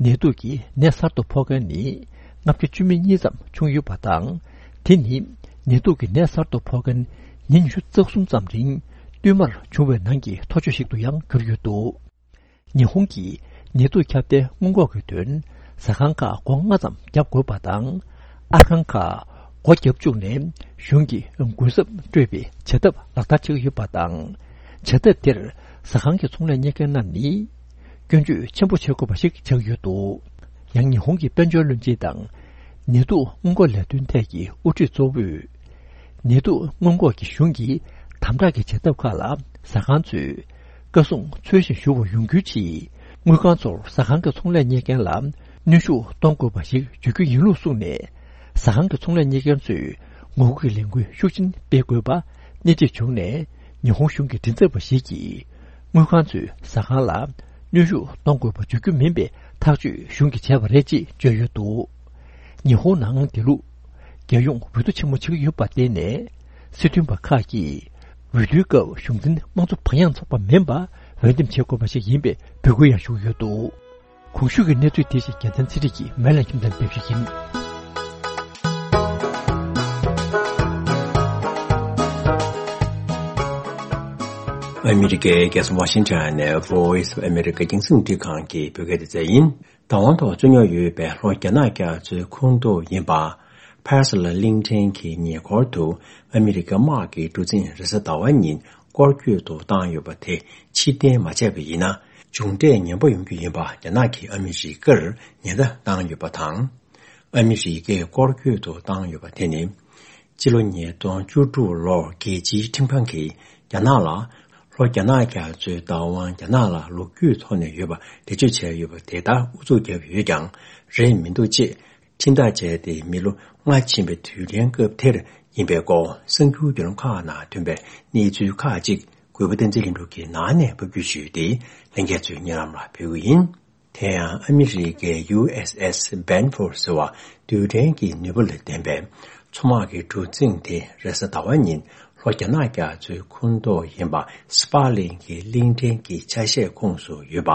ནད་དུག་གི་ནད་གསར་དུ་ཕོག་མཁན་ནི་ལྔ་བརྒྱ་བཅུ་མེད་གཉིས་ཙམ་བྱུང་ཡོད་པ་དང་། དེ་ནི་ནད་དུག་གི་ནད་གསར་དུ་ཕོག་མཁན་ཉིན་ཉི་ཤུ་རྩ་གསུམ་ཙམ་རིང་བསྟུད་མར་བྱུང་བའི་ནང་གི་མཐོ་ཤོས་ཤིག་ཏུ་ཡང་གྱུར་ཡོད་འདུག་ཉི་ཧོང་གིས་ནད་དུག་ཁྱབ་གདལ་སྔོན་འགོག་གི་དོན་ཟ་ཁང་ཁག་སྒོ་ལྔ་ཙམ་བརྒྱབ་དགོས་པ་དང་། ཨར་ཁང་ཁག་སྒོ་བརྒྱབ་བཅུག་ནས་གཞུང་གིས་གུན་གསབ་སྤྲོད་པའི་བྱ་ཐབས་ལག་བསྟར་བྱེད་ཀྱི་ཡོད་པ་དང་། བྱ་ཐབས་དེར་ཟ་ཁང་གི་ཚོང་ལས་གཉེར་མཁན་རྣམས་ནི་སྐྱོན་བརྗོད་ཆེན་པོ་བྱེད་དགོས་པ་ཞིག་ཆགས་ཡོད་འདུག་ཡང་ཉི་ཧོང་གི་དཔལ་འབྱོར་བློན་ཆེན་དང་ནད་དུག་སྔོན་འགོག་ལས་དོན་ཐད་ཀྱི་དབུ་ཁྲིད་གཙོ་བོས། ནད་དུག་སྔོན་འགོག་གི་གཞུང་གི་དམ་དྲག་གི་བྱ་ཐབས་ཁག་ལ་ཟ་ཁང་ཚོས་བཀའ་གསུང་འཚོལ་ཞིང་ཞུ་བ་ཡོང་རྒྱུའི་ཆེད། དངུལ་ཁང་ཚོར་ཟ་ཁང་གི་ཚོང་ལས་གཉེར་མཁན་ལ་གནོན་ཤུགས་གཏོང་དགོས་པ་ཞིག་བརྗོད་རྒྱུ་ཡིན་ལུགས་གསུངས་ནས། ཟ་ཁང་གི་ཚོང་ལས་གཉེར་མཁན་ཚོས་ངོ་རྒོལ་གྱི་ལས་འགུལ་ཤུགས་ཆེན་སྤེལ་དགོས་པ་སྣེ་ཁྲིད་བྱུང་ནས། ཉི་ཧོང་གཞུང་གི་མགྲིན་ཚབ་པ་ཞིག་གིས་དངུལ་ཁང་ཚོས་ཟ་ཁང་ལ་གནོན་ཤུགས་གཏོང་དགོས་པ་བརྗོད་རྒྱུ་མིན་པའི་ཐག་གཅོད་གཞུང་གིས་བྱས་པ་རེད་ཅེས་བརྗོད་ཡོད་འདུག་ཉི་ཧོང་ནང་དེ་ལུགས་རྒྱལ་ཡོངས་འོས་བསྡུ་ཆེན་མོ་བྱེད་ཀྱི་ཡོད་པར་བརྟེན་ནས། སྲིད་དོན་པ་ཁག་གིས་འོས་བསྡུའི་སྐབས་གཞུང་འཛིན་དམངས་གཙོ་བག་ཡངས་ཚོགས་པ་མིན་པ་འོས་འདེམས་བྱེད་དགོས་པ་ཞིག་ཡིན་པའི་འབོད་སྐུལ་ཡང་ཞུ་གི་ཡོད་འདུག། གོང་ཞུས་ཀྱི་གནས་ཚུལ་དེ་བཞིན་རྒྱལ་མཚན་ཚེ་རིང་གིས་མལ་ལ་ཁྱིམ་ཚང་སྤེལ་ཞུ་ཡིན། ཨ་མི་རི་ཀའི་རྒྱལ་ས་ཝ་ཤིང་ཊོན་ནས་Voice of America་རྒྱང་སྲིང་འཕྲིན་ཁང་གི་བོད་སྐད་སྡེ་ཚན་ཡིན། བདག་དབང་ཐོག་རྩོད་རྙོག་ཡོད་པའི་ལྷོ་རྒྱ་ནག་རྒྱ་མཚོའི་ཁོངས་གཏོགས་ཡིན་པ། ཕར་སི་ལ་གླིང་ཕྲན་གྱི་ཉེ་འཁོར་དུ་ཨ་མི་རི་ཀ་དམག་གི་གྲུ་གཟིངས་རེས་གཟའ་ཟླ་བ་ཉིན་སྐོར་སྐྱོད་དུ་བཏང་ཡོད་པ་དེ་ཕྱིར་འཐེན་མ་བྱས་པ་ཡིན་ན། མཇུག་འབྲས་ངན་པ་ཡོང་རྒྱུ་ཡིན་པ་རྒྱ་ནག་གིས་ཨ་མི་རི་ཀར་ཉེན་བརྡ་བཏང་ཡོད་པ་དང་། ཨ་མི་རི་ཀས་སྐོར་སྐྱོད་དུ་བཏང་ཡོད་པ་དེ་ནི། སྤྱི་ལོ་ཉིས་སྟོང་བཅུ་དྲུག་ལོར་རྒྱལ་སྤྱིའི་ཁྲིམས་ཁང་གིས་རྒྱ་ནག་ལ། ལྷོ་རྒྱ་ནག་རྒྱ་མཚོའི་བདག་དབང་རྒྱ་ནག་ལ་ལོ་རྒྱུས་ཐོག་ནས་ཡོད་པ་འགྲེལ་བརྗོད་བྱས་ཡོད་པ་དེ་ལྟར་ཨུ་ཚུགས་བརྒྱབ་ཡོད་ཀྱང་རེད་མི་འདུག་ཅེས་ཁྲིམས་ཐག་བཅད་དེ་མི་ལོ་ལྔ་ཕྱིན་པའི་དུས་དྲན་སྐབས་དེར་ཡིན་པའི་སྐོར་གསར་འགྱུར་བརྒྱུད་ལམ་ཁག་ནང་ཐོན་པའི་གནས་ཚུལ་ཁག་ཅིག་གུས་པ་བསྟན་འཛིན་ལྷུན་གྲུབ་ཀྱིས་ནང་ནས་ཕབ་སྒྱུར་ཞུས་ཏེ་ལྷན་རྒྱས་ཚོའི་སྙན་ལམ་ལ་ཕུལ་གྱི་ཡིན། དེ་ཡང་ཨ་མི་རི་ཀའི་ཡུ་ཨེས་ཨེས་བྷན་ཕོར་ཟེར་བ་རྡུལ་ཕྲན་གྱི་ནུས་པ་ལ་ལྡན་པའི་མཚོ་དམག་གི་གྲུ་གཟིངས་དེ་རེས་གཟའ་ཟླ་བ་ཉིན་ལྷོ་རྒྱ་ནག་རྒྱ་མཚོའི་ཁོངས་གཏོགས་ཡིན་པ་སི་པ་ལིང་གི་གླིང་ཕྲན་གྱི་ཆ་ཤས་ཁོངས་སུ་ཡོད་པ།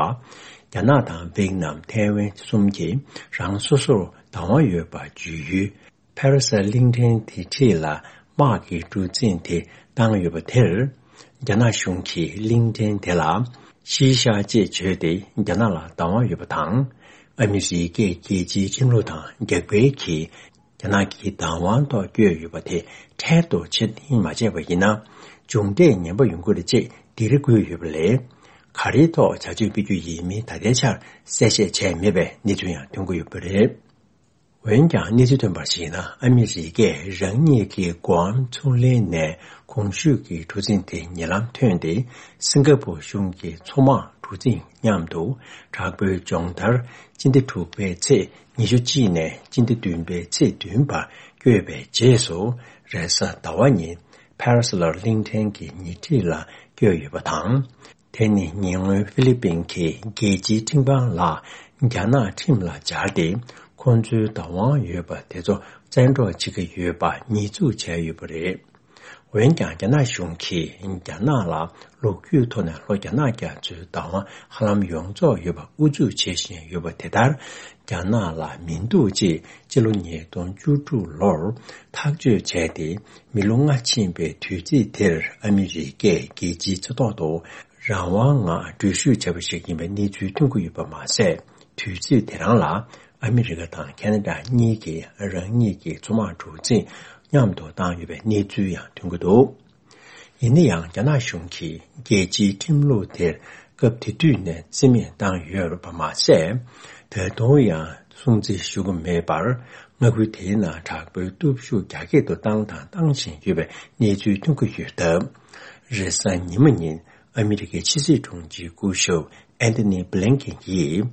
རྒྱ་ནག་དང་ཝེ་ཏི་ནམ་ཐའེ་ཝན་གསུམ་གྱིས་རང་སོ་སོར་བདག་དབང་ཡོད་པ་བརྗོད་ཡུལ། ཕ་ར་སེལ་གླིང་ཕྲན་དེ་འཁྲིས་ལ་དམག་གི་གྲུ་གཟིངས་དེ་བཏང་ཡོད་པ་དེར། རྒྱ་ནག་གཞུང་གིས་གླིང་ཕྲན་དེ་ལ་ཤི་ཤ་ཅེས་བརྗོད་དེ་རྒྱ་ནག་ལ་བདག་དབང་ཡོད་པ་དང་། ཨ་མི་རི་ཀས་རྒྱལ་སྤྱིའི་ཁྲིམས་ལུགས་དང་རྒྱབ་འགལ་གྱིས་རྒྱ་ནག་གི་བདག་དབང་ཐོག་བསྐྱོད་ཡོད་པ་དེ་འཕྲལ་དུ་ཕྱིར་འཐེན་མ་བྱས་པ་ཡིན་ན། མཇུག་འབྲས་ངན་པ་ཡོང་གི་རེད་ཅེས་སྡིགས་ར་བསྐུལ་ཡོད་པ་ལས། ག་རེའི་ཐོག་བྱ་སྤྱོད་སྤེལ་རྒྱུ་ཡིན་མིན་ད་ལྟའི་ཆར་གསལ་བཤད་བྱས་མེད་པའི་གནས་ཚུལ་ཡང་ཐོན་གྱི་ཡོད་པ་རེད། འོན་ཀྱང་གནས་ཚུལ་ཐོན་པར་གཞིགས་ན་ཨ་མི་རི་ཀས་རང་ཉིད་ཀྱི་གོའམ་མཚོ་གླིང་ནས་གོང་ཞུས་ཀྱི་གྲུ་གཟིངས་དེ་ཉེ་ལམ་ཐོན་ཏེ་སིང་ག་པུར་གཞུང་གི་མཚོ་དམག་གྲུ་གཟིངས་མཉམ་དུ་དྲག་པོའི་སྦྱོང་བརྡར་སྤྱི་ཟླ་དྲུག་པའི་ཚེས་ཉི་ཤུ་གཅིག་ནས་སྤྱི་ཟླ་བདུན་པའི་ཚེས་བདུན་བར་བསྐྱོད་པའི་རྗེས་སུ་རེས་གཟའ་ཟླ་བ་ཉིན་ཕ་ར་སི་ལར་གླིང་ཕྲན་གྱི་ཉེ་འཁྲིས་ལ་བསྐྱོད་ཡོད་པ་དང་། དེ་ནི་ཉེ་སྔོན་ཧྥི་ལི་པིན་གྱི་རྒྱལ་སྤྱིའི་ཁྲིམས་ཁང་ལ་རྒྱ་ནག་ཁྲིམས་ལ་སྦྱར་ཏེ་ཁོང་ཚོའི་བདག་དབང་ཡོད་པ་དེ་ཚོ་བཙན་འཕྲོག་བྱེད་ཀྱི་ཡོད་པ་ཉེས་འཛུགས་བྱས་ཡོད་པ་རེད། འོན་ཀྱང་རྒྱ་ནག་གཞུང་གིས་རྒྱ་ནག་ལ་ལོ་རྒྱུས་ཐོག་ནས་ལྷོ་རྒྱ་ནག་རྒྱ་མཚོའི་བདག་དབང་ཧ་ལམ་ཡོངས་རྫོགས་ཡོད་པ་ཨུ་ཚུགས་བྱེད་བཞིན་ཡོད་པ་དེ་ལྟར་རྒྱ་ནག་ལ་མི་འདུག་ཅེས་སྤྱི་ལོ་ཉིས་སྟོང་བཅུ་དྲུག་ལོར་ཐག་གཅོད་བྱས་ཏེ་མི་ལོ་ལྔ་ཕྱིན་པའི་དུས་ཚིགས་དེར་ཨ་མི་རི་ཀས་རྒྱལ་སྤྱིའི་སྤྱི་ཚོགས་ཐོག་ཏུ་རང་དབང་ངང་འགྲུལ་བཞུད་བྱས་པ་ཞིག་ཡིན་པའི་གནས་ཚུལ་ཐོན་གྱི་ཡོད་པ་མ་ཟད། དུས་ཚོད་དེ་རང་ལ་ཨ་མི་རི་ཀ་དང་ཁེ་ན་ཌ་གཉིས་ཀྱིས་རང་ཉིད་ཀྱི་མཚོ་དམག་གྲུ་གཟིངས་མཉམ་དུ་བཏང་ཡོད་པའི་གནས་ཚུལ་ཡང་ཐོན་གྱི་འདུག། ཡིན་ན་ཡང་རྒྱ་ནག་གཞུང་གིས་རྒྱལ་སྤྱིའི་ཁྲིམས་ལུགས་དེར་སྐབས་དེ་དུས་ནས་རྩིས་མེད་བཏང་ཡོད་པ་མ་ཟད། ད་དུང་ཡང་སྲུང་བརྩི་ཞུ་གི་མེད་པར་མངའ་ཁུལ་དེའི་ནང་དྲག་པོའི་སྟོབས་ཤུགས་རྒྱ་སྐྱེད་དུ་བཏང་དང་བཏང་བཞིན་ཡོད་པའི་གནས་ཚུལ་ཐོན་གྱི་ཡོད་སྟབས། རེས་གཟའ་ཉི་མ་ཉིན་ཨ་མི་རི་ཀའི་ཕྱི་སྲིད་དྲུང་ཆེ་སྐུ་ཞབས་ཨན་ཐོ་ནི་བྷི་ལིན་ཀེན་གྱིས།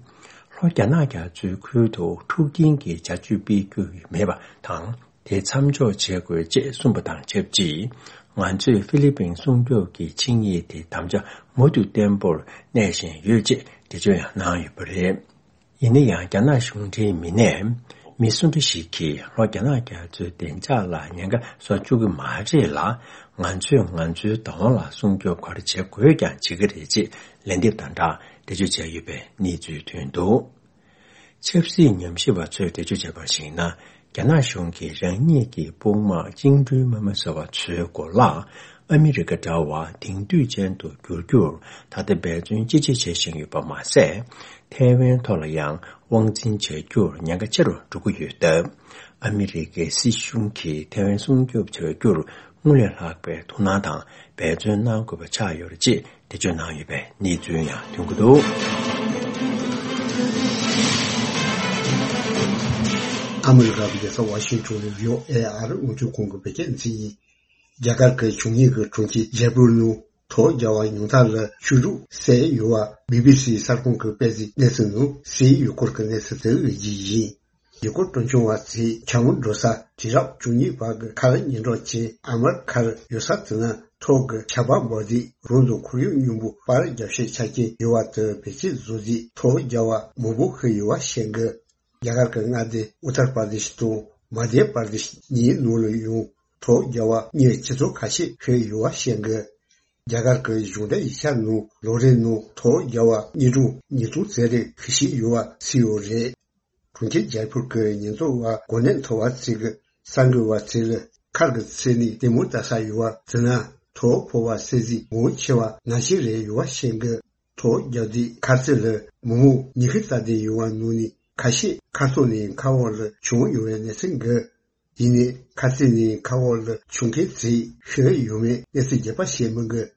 ལྷོ་རྒྱ་ནག་རྒྱ་མཚོའི་ཁུལ་དུ་འཁྲུག་རྐྱེན་གྱི་བྱ་སྤྱོད་སྤེལ་རྒྱུ་མེད་པ་དང་། དེ་མཚམས་འཇོག་བྱེད་དགོས་ཅེས་གསུངས་པ་དང་ཆབས་ཅིག། ང་ཚོས་ཧྥི་ལི་པིན་སྲུང་སྐྱོབ་ཀྱི་ཆིངས་ཡིག་དེ་དམ་བཅའ་མུ་མཐུད་བརྟན་པོར་གནས་བཞིན་ཡོད་ཅེས་འགྲེལ་བརྗོད་ཡང་གནང་ཡོད་པ་རེད། ཡིན་ན་ཡང་རྒྱ་ནག་གཞུང་འབྲེལ་མི་སྣས་མི་སུ་འདྲ་ཞིག་གིས་ལྷོ་རྒྱ་ནག་རྒྱ་མཚོའི་བདེ་འཇགས་ལ་ཉེན་ཁ་བཟོ་བཅུག་གི་མ་རེད་ལ། ང་ཚོས་ང་ཚོའི་བདག་དབང་ལ་སྲུང་སྐྱོབ་ག་རེ་བྱེད་དགོས་ཀྱང་བྱེད་ཀྱི་རེད་ཅེས་ལན་འདེབས་དང་སྦྲགས་འགྲེལ་བརྗོད་བྱས་ཡོད་པའི་གནས་ཚུལ་ཐོན་འདུག། ཆབ་སྲིད་ཉམས་ཞིབ་པ་ཚོས་འགྲེལ་བརྗོད་བྱས་པར་གཞིགས་ན། རྒྱ་ནག་གཞུང་གིས་རང་ཉིད་ཀྱི་དཔུང་དམག་བཅིངས་འགྲོལ་དམག་མི་ཟེར་བ་ཚོའི་གོ་ལག་ཨ་མི་རི་ཀ་འདྲ་བར་དེང་དུས་ཅན་དུ་བསྒྱུར་རྒྱུར་ད་ལྟ་འབད་བརྩོན་ཅི་ཆེ་བྱེད་བཞིན་ཡོད་པ་མ་ཟད། ཐའེ་ཝན་ཐོག་ལ་ཡང་དབང་འཛིན་བྱ་རྒྱུར་ཉེན་ཁ་ཆེ་རུ་འགྲོ་གི་ཡོད་སྟབས། ཨ་མི་རི་ཀའི་སྲིད་གཞུང་གིས་ཐའེ་ཝན་སྲུང་སྐྱོབ་བྱ་རྒྱུར་སྔར་ལས་ལྷག་པའི་ཐུགས་སྣང་དང་འབད་བརྩོན་གནང་དགོས་པ་ཆགས་ཡོད་རེད་ཅེས། འགྲེལ་བརྗོད་གནང་ཡོད་པའི་གནས་ཚུལ་ཡང་ཐོན་གྱི་འདུག། ཨ་མི་རི་ཀ་གི་རྒྱལ་ས་ཝ་ཤིང་ཊོན་ནས་བྷི་ཨོ་ཨེ་ཨར་རླུང་འཕྲིན་ཁང་གི་བོད་སྐད་སྡེ་ཚན་ཡིན། རྒྱ་གར་གྱི་བྱུང་ཉེས་ཀྱི་གྲོང་ཁྱེར་ཇེ་པུར་ནང་ཐོག་རྒྱག་པ་ཉུང་མཐའ་ལ་ཆུ་རུད་བསད་ཡོད་པ་བི་བི་སི་གསར་ཁང་གི་དཔེ་མཛོད་གནས་ཚུལ་ནང་གསལ་ཡོད་སྐོར་གྱི་གནས་ཚུལ་དེ་གཟིགས་རྒྱུ་ཡིན། ཡུལ་སྐོར་སྤྲོ་འཆམ་པ་ཚོས་ཆ་སྙོམས་འགྲོ་ས་དུས་རབས་བཅུ་གཉིས་པ་གི་མཁར་ཉེ་འགྲོ་ཅན་ཨ་མར་མཁར་ཡོད་ས་དེ་ན་ཐོག་གི་ཆར་པ་འབབ་དུས་རང་དང་ཁོར་ཡུག་སྙོམས་པོ་པར་རྒྱབ་ཤས་ཆ་རྐྱེན་ཡོད་པ་དེ་བེད་སྤྱོད་བཟོ་རྒྱུའི་ཐོག་རྒྱག་པ་མང་པོ་ཞིག་ཡོད་པ་བཤད་གི། རྒྱ་གར་གྱི་མངའ་སྡེ་ཨུ་ཏར་པར་དེཤ་དང་མ་དྷྱ་པར་དེཤ་གཉིས་ནང་ལ་ཡང་ཐོག་རྒྱག་པ་གཉེར་ཆེད་ཚོགས་ཁ་ཤས་ཕེབས་ཡོད་པ་བཤད་འདུག་རྒྱ་གར་གྱི་གཞུང་འབྲེལ་ཡིག་ཆ་ནང་ལོ་རེའི་ནང་ཐོག་རྒྱག་པ་གཉེར་སྒྲུང་ཉིས་སྟོང་ཙམ་རེ་ཕུལ་བཞིན་ཡོད་པ་གསལ་ཡོད་རེད། གྲོང་ཁྱེར་ཇའི་པུར་གྱི་ཉེན་རྟོག་པ་གོ་གནས་མཐོ་བ་ཚོས་གསར་འགོད་པ་ཚོ་ལ་མཁར་གྱི་ཚད་ནི་ལྟད་མོ་ལྟ་ས་ཡོད་པ་དེ་ན་ཐོག་ཕོག་པ་གསལ་གཟིགས་མང་ཆེ་བ་ན་གཞོན་རེ་ཡོད་པ་བཤད་འདུག་ཐོག་རྒྱག་དུས་མཁར་རྩེ་ལ་མི་མང་ཉི་ཤུ་ལྟ་དུས་ཡོང་བ་ནང་ནས་ཁ་ཤས་མཁར་ཐོག་ནས་མཁར་འོག་ལ་མཆོང་ཡོང་བའི་གནས་ཚུལ་འདུག་ཡིན་ནའི་མཁར་རྩེ་ནས་མཁར་འོག་ལ་མཆོང་མཁན་ཚོས་ཤི་ཡོང་བའི་གནས་ཚུལ་རྒྱས་པ་བཤད་མི་འདུག་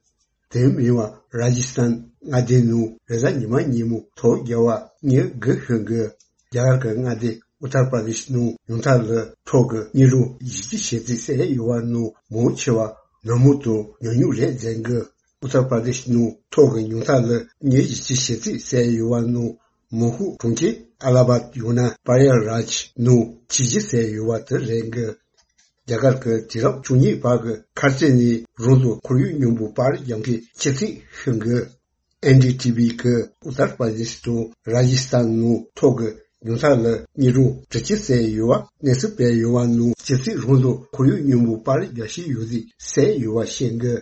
དེ་མིན་པ་ར་ཇི་སྟན་མངའ་སྡེའི་ནང་རེས་གཟའ་ཉི་མ་ཉིན་མོ་ཐོག་རྒྱག་པ་གཉེར་དགོས་ཤིང་འདུག་རྒྱ་གར་གྱི་མངའ་སྡེ་ཨུ་ཏར་པར་དེཤ་ནང་ཉུང་མཐའ་ལ་ཐོག་གི་གཉེར་སྒྲུང་བཞི་བཅུ་ཞེ་གཅིག་བསད་ཡོད་པ་ནང་མང་ཆེ་བ་ནག་མོ་དང་ཉུང་ཉུང་རེད་ཟེར་འདུག་ཨུ་ཏར་པར་དེཤ་ནང་ཐོག་གི་ཉུང་མཐའ་ལ་མི་བཞི་བཅུ་ཞེ་གཅིག་བསད་ཡོད་པ་ནང་མོན་གྷོ་གྲོང་ཁྱེར་ཨ་ལ་ཧ་བཱད་ཡང་ན་པ་ཡ་རཱཇ་ནང་བྱིས་བཅུ་བསད་ཡོད་པ་དེ་རེད་འདུག་རྒྱ་གར་གྱི་དུས་རབས་བཅུ་གཉིས་བར་གྱི་མཁར་རྩེ་ནས་རང་དང་ཁོར་ཡུག་སྙོམས་པོ་བར་རྒྱག་མཁན་སྤྱི་ཚེས་ཤིང་གི་ཨེན་ཌི་ཊི་ཝི་གི་ཨུ་ཏར་པར་དེཤ་དང་ར་ཇི་སྟན་ནང་ཐོག་གི་ཉུང་མཐའ་ལ་གཉེར་སྒྲུང་དྲུག་ཅུ་བསད་ཡོད་པ་གནས་ཚུལ་སྤེལ་ཡོད་པ་ནང་སྤྱི་ཚེས་རང་དང་ཁོར་ཡུག་སྙོམས་པོ་བར་རྒྱག་བཞིན་ཡོད་དུས་བསད་ཡོད་པ་བཤད་འདུག་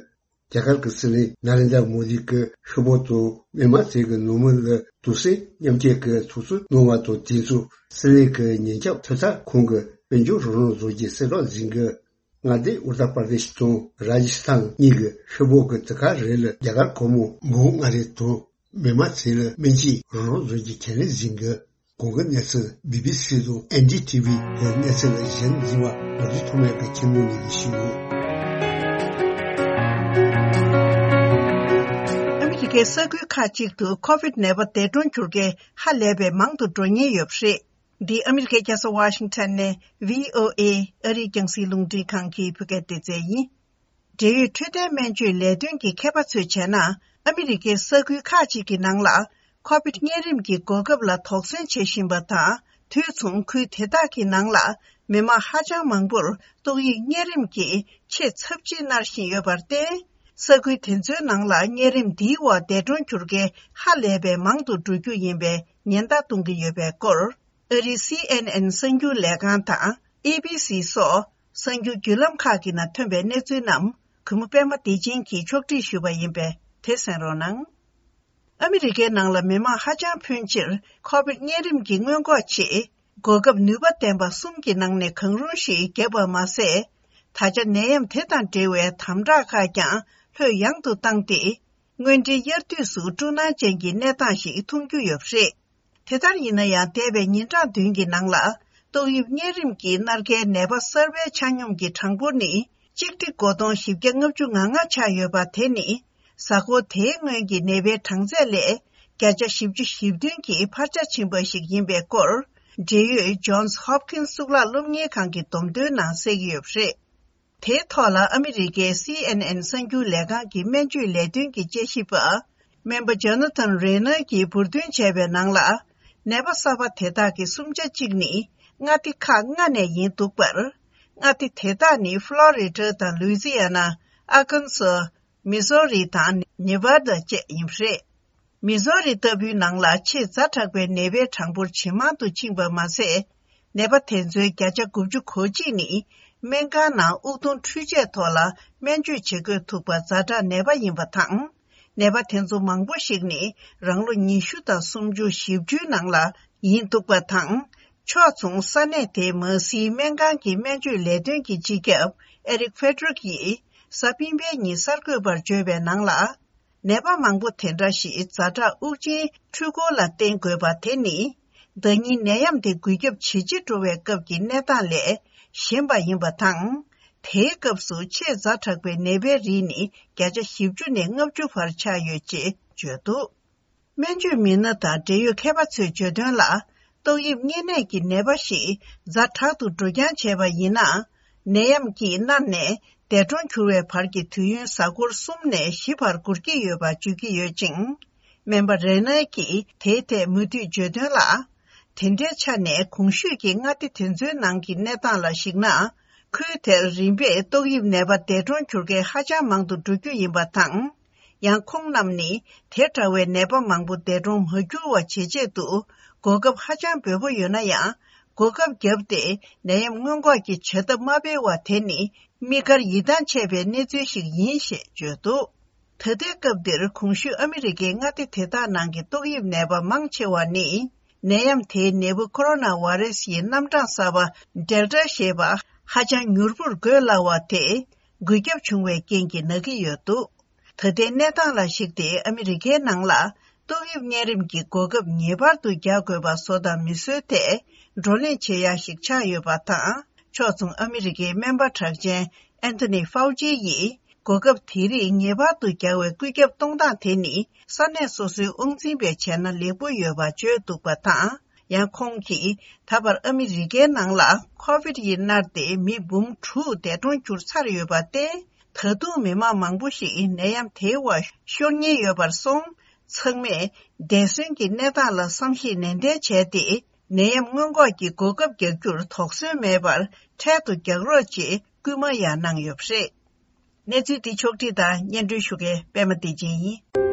རྒྱ་གར་གྱི་སྲིད་བློན་ནཱ་རེན་དྲ་མོ་དི་གིས་ཤི་བོ་དང་མི་མང་ཚོ་གི་ནང་མི་ལ་དུག་སེལ་མཉམ་སྤྱོད་ཀྱི་ཐུགས་གསོ་གནང་བ་དང་དུས་མཚུངས་སྲིད་བློན་གྱི་ཉེན་སྐྱོབ་ཐོབ་ཐང་ཁང་གི་དཔལ་འབྱོར་རང་དབང་བཟོ་རྒྱུའི་གསལ་བསྒྲགས་ཟིན་གི། མངའ་སྡེ་ཨུ་ཏར་པར་དེཤ་དང་རཱ་ཇི་སི་ཐན་གཉིས་ཀྱི་ཤི་བོ་གི་དུས་སྐབས་རེ་ལ་རྒྱ་གར་སྒོར་མོ་འབུམ་ལྔ་རེ་དང་མི་མང་ཚོ་ལ་སྨན་བཅོས་རང་དབང་བཟོ་རྒྱུའི་ཁས་ལེན་ཟིན་གི། གོང་གི་གནས་ཚུལ་བི་བི་སི་དང་ཨེན་ཌི་ཐི་བི་གི་གནས་ཚུལ་ལ་གཞི་འཛིན་པ་ལོ་རྒྱུས་ཐོག་མའི་གི་ཁྱིམ་ནང་ནས་ཞུ། ཨ་མི་རི་ཀའི་ས་ཁུལ་ཁག་ཅིག་ཏུ་ཁོ་བིད་ནད་པ་འདས་གྲོངས་གྱུར་མཁན་ཧ་ལས་པའི་མང་དུ་འགྲོ་ཉེན་ཡོད་པ་རེད། འདི་ཨ་མི་རི་ཀའི་རྒྱལ་ས་ཝ་ཤིང་ཊོན་ནས་བྷི་ཨོ་ཨེ་ཨ་རིའི་རྒྱང་སྲིང་རླུང་འཕྲིན་ཁང་གི་བོད་སྐད་སྡེ་ཚན་ཡིན། འབྲེལ་ཡོད་འཕྲོད་བསྟེན་སྨན་བཅོས་ལས་དོན་གྱི་མཁས་པ་ཚོས་བྱས་ན། ཨ་མི་རི་ཀའི་ས་ཁུལ་ཁག་ཅིག་གི་ནང་ལ་ཁོ་བིད་གཉན་རིམས་ཀྱི་འགོག་ཁབ་ལ་དོགས་ཟོན་བྱེད་བཞིན་པ་དང་། དུས་མཚུངས་ཁུལ་དེ་དག་གི་ནང་ལ་མི་མང་ཧ་ཅང་མང་པོར་ཏོག་དབྱིབས་གཉན་རིམས་ཀྱི་ཆེས་ཚབས་ཆེ་མནར་བཞིན་ཡོད་པར་བརྟེན། ས་ཁུལ་དེ་ཚོའི་ནང་ལ་གཉན་རིམས་འདིའི་འོག་འདས་གྲོངས་གྱུར་མཁན་ཧ་ལས་པའི་མང་དུ་འགྲོ་རྒྱུ་ཡིན་པའི་ཉེན་བརྡ་གཏོང་གི་ཡོད་པའི་སྐོར། ཨ་རིའི་སི་ཨེན་ཨེན་གསར་འགྱུར་ལས་ཁང་དང་ཨེ་བི་སི་སོགས་གསར་འགྱུར་བརྒྱུད་ལམ་ཁག་གི་ནང་ཐོན་པའི་གནས་ཚུལ་རྣམས་གུས་མོ་པད་མ་བདེ་ཆེན་གྱིས་ཕྱོགས་སྒྲིག་ཞུས་པ་ཡིན་པས་དེ་གསན་རོགས་གནང་། ཨ་མི་རི་ཀའི་ནང་ལ་མི་མང་ཧ་ཅང་ཕོན་ཆེར་ཁོ་བིད་གཉན་རིམས་ཀྱི་སྔོན་འགོག་ཆེད་འགོག་ཁབ་ནུས་པ་ལྡན་པ་གསུམ་གྱི་ནང་ནས་གང་རུང་ཞིག་བརྒྱབ་པ་མ་ཟད། ད་ཆ་ནད་ཡམས་དེ་དང་འབྲེལ་བའི་དམ་དྲག་ཁག་ཀྱང་ལྷོད་ཡངས་དུ་བཏང་སྟེ། དངོས་འབྲེལ་དབྱར་དུས་སུ་སྤྲོ་སྣང་ཅན་གྱི་གནས་སྟངས་ཤིག་མཐོང་རྒྱུ་ཡོད་པ་རེད། དེ་ལྟར་ཡིན་ན་ཡང་། འདས་པའི་ཉིན་གྲངས་བདུན་གྱི་ནང་ལ། ཏོག་དབྱིབས་གཉན་རིམས་ཀྱི་མནར་གའི་ནད་པ་གསར་པའི་ཆ་སྙོམས་ཀྱི་གྲངས་འབོར་ནི་གཅིག་ཁྲི་དགུ་སྟོང་བཞི་བརྒྱ་ལྔ་བཅུ་ང་ལྔ་ཆགས་ཡོད་པ་དེ་ནི། གཟའ་འཁོར་དེའི་སྔོན་གྱི་ནད་པའི་གྲངས་ཚད་ལས་བརྒྱ་ཆ་བཞི་བཅུ་ཞེ་བདུན་གྱིས་འཕར་ཆ་ཕྱིན་པ་ཞིག་ཡིན་པའི་སྐོར། འབྲེལ་ཡོད་Johns Hopkins་གཙུག་ལག་སློབ་གཉེར་ཁང་གི་བསྡོམས་ཐོའི་ནང་གསལ་གྱི་ཡོད་པ་རེད། དེའི་ཐོག་ལ་ཨ་མི་རི་ཀའི་སི་ཨེན་ཨེན་གསར་འགྱུར་ལས་ཁང་གི་སྨན་བཅོས་ལས་དོན་གྱི་དཔྱད་ཞིབ་པ། སྨན་པ་ཇོ་ན་ཐན་རེ་ནར་གྱིས་འབུར་འདོན་བྱས་པའི་ནང་ལ། ནད་པ་གསར་པ་དེ་དག་གི་གསུམ་ཆ་གཅིག་ནི་མངའ་སྡེ་ཁག་ལྔ་ནས་ཡིན་འདུག་པར། མངའ་སྡེ་དེ་དག་ནི་ཕློ་རི་ཌ་དང་ལུའི་ཛི་ཡ་ན། ཨར་ཀན་སོ། མི་ཟོ་རི་དང་ནེ་ཝ་ད་བཅས་ཡིན་པ་རེད། མི་ཟོ་རི་ལྟ་བུའི་ནང་ལ་ཆེས་ཛ་དྲག་པའི་ནད་པའི་གྲངས་འབོར་ཇེ་མང་དུ་ཕྱིན་པ་མ་ཟད། ནད་པ་དེ་ཚོའི་བརྒྱ་ཆ་དགུ་བཅུ་གོ་གཅིག་ནི་སྨན་ཁང་ནང་དབུགས་གཏོང་འཕྲུལ་ཆས་ཐོག་ལ་སྨན་བཅོས་བྱེད་དགོས་ཐུག་པ་ཛ་དྲག་ནད་པ་ཡིན་པ་དང་། ནད་པ་དེ་ཚོ་མང་པོ་ཞིག་ནི་རང་ལོ་ཉི་ཤུ་དང་སུམ་ཅུ་བཞི་བཅུའི་ནང་ལ་ཡིན་འདུག་པ་དང་། ཕྱོགས་མཚུངས་ས་གནས་དེའི་མ་སིའི་སྨན་ཁང་གི་སྨན་བཅོས་ལས་དོན་གྱི་སྤྱི་ཁྱབ་ཨེ་རིག་ཧྥེ་ཌ་རིག་ཡིས་གཟའ་སྤེན་པའི་ཉིན་གསར་འགོད་པར་བརྗོད་པའི་ནང་ལ། ནད་པ་མང་པོ་དེ་འདྲ་ཞིག་ཛ་དྲག་དབུགས་འབྱིན་འཕྲུལ་འཁོར་ལ་བརྟེན་དགོས་པ་དེ་ནི། ཟླ་ཉིན་ནད་ཡམས་དེ་འགོས་ཁྱབ་ཇེ་ཆེ་འགྲོ་བའི་སྐབས་ཀྱི་གནས་སྟངས་ལས་གཞན་པ་ཡིན་པ་དང་། དེའི་སྐབས་སུ་ཆེས་ཛ་དྲག་པའི་ནད་པའི་རིགས་ནི་བརྒྱ་ཆ་བཞི་བཅུ་ནས་ལྔ་བཅུ་བར་ཆགས་ཡོད་ཅེས་བརྗོད་འདུག་སྨན་བཅོས་མི་སྣ་དང་འབྲེལ་ཡོད་མཁས་པ་ཚོས་བརྗོད་དོན་ལ། ཏོག་དབྱིབས་གཉན་ནད་ཀྱི་ནད་པ་ཞིག་ཛ་དྲག་ཏུ་འགྲོ་རྐྱང་བྱས་པ་ཡིན་ན། ནད་ཡམས་ཀྱིས་མནར་ནས་འདས་གྲོངས་གྱུར་བའི་བར་གྱི་དུས་ཡུན་གཟའ་འཁོར་གསུམ་ནས་བཞི་བར་འགོར་གྱི་ཡོད་པ་བརྗོད་ཀྱི་ཡོད་ཅིང་། སྨན་པ་རེ་ནར་གྱིས་དེའི་ཐད་མུ་མཐུད་བརྗོད་དོན་ལ། དེ་འདྲའི་ཆ་ནས་གོང་ཞུས་ཀྱི་མངའ་སྡེ་དེ་ཚོའི་ནང་གི་གནས་སྟངས་ལ་གཞིགས་ན། ཁུལ་དེར་རིམ་པས་ཏོག་དབྱིབས་ནད་པ་འདས་གྲོངས་གྱུར་མཁན་ཧ་ཅང་མང་དུ་འགྲོ་རྒྱུ་ཡིན་པ་དང་། ཡང་ཁོང་རྣམས་ནི་དེ་འདྲ་བའི་ནད་པ་མང་པོ་འདས་གྲོངས་མ་གྱུར་བ་བྱེད་ཆེད་དུ་གོ་སྐབས་ཧ་ཅང་འབེལ་པོ་ཡོད་ན་ཡང་། གོ་སྐབས་བརྒྱབ་སྟེ་ནད་ཡམས་སྔོན་འགོག་གི་བྱ་ཐབས་མ་སྤེལ་བ་དེ་ནི་དམིགས་བཀར་ཡིད་ཐང་ཆད་པའི་གནས་ཚུལ་ཞིག་ཡིན་ཞེས་བརྗོད་འདུག། ད་ལྟའི་སྐབས་འདིར་གོང་ཞུས་ཨ་མི་རི་ཀའི་མངའ་སྡེ་དེ་དག་ནང་གི་ཏོག་དབྱིབས་ནད་པ་མང་ཆེ་བ་ནི། ནད་ཡམས་དེའི་ནད་འབུ་ཁོ་རོ་ན་བྷ་རེ་སི་ཡི་རྣམ་གྲངས་གསར་པ་ཌེལ་ཊ་ཞེས་པ་ཧ་ཅང་མྱུར་པོར་འགོས་སླ་བ་དེ་འགོས་ཁྱབ་བྱུང་བའི་རྐྱེན་གྱིས་ན་གི་ཡོད་འདུག། ད་ལྟའི་གནས་སྟངས་ལ་གཞིགས་ཏེ་ཨ་མི་རི་ཀའི་ནང་ལ་ཏོག་དབྱིབས་གཉན་རིམས་ཀྱི་གོ་སྐབས་ངེས་པར་དུ་རྒྱག་དགོས་པ་བཟོ་དང་མི་བཟོའི་ཐད་བགྲོ་གླེང་བྱེད་ཡ་ཞིག་ཆགས་ཡོད་པ་དང་། ཕྱོགས་མཚུངས་ཨ་མི་རི་ཀའི་སྨན་པ་གྲགས་ཅན་ཨན་ཐོ་ནི་ཧྥའུ་ཅི་ཡིས། གོ་སྐབས་དེ་རིགས་ངེས་པར་དུ་རྒྱག་པའི་བཀོད་ཁྱབ་གཏོང་སྟངས་དེ་ནི་ས་གནས་སོ་སོའི་དབང་འཛིན་པས་བྱས་ན་ལེགས་པོ་ཡོད་པ་བརྗོད་འདུག་པ་དང་། ཡང་ཁོང་གིས་ད་བར་ཨ་མི་རི་ཀའི་ནང་ལ་ཁོ་བིད་ཡིས་མནར་ཏེ་མི་འབུམ་དྲུག་འདས་གྲོངས་གྱུར་ཚར་ཡོད་པ་སྟེ། ད་དུང་མི་མང་མང་པོ་ཞིག་ནད་ཡམས་དེའི་འོག་ཤོར་ཉེན་ཡོད་པར་སོང་། ཚང་མས་འདས་གསོན་གྱི་གནས་སྟངས་ལ་བསམ་གཞིག་ནན་ཏན་བྱས་ཏེ། ནད་ཡམས་སྔོན་འགོག་གི་གོ་སྐབས་རྒྱག་རྒྱུར་དོགས་ཟོན་མེད་པར་འཕྲལ་དུ་རྒྱག་རོགས་ཅེས་སྐུལ་མ་ཡང་གནང་ཡོད་པ་རེད། གནས་ཚུལ་འདི་ཕྱོགས་བསྒྲིགས་དང་སྙན་སྒྲོན་ཞུ་མཁན་པད་མ་བདེ་ཆེན་ཡིན།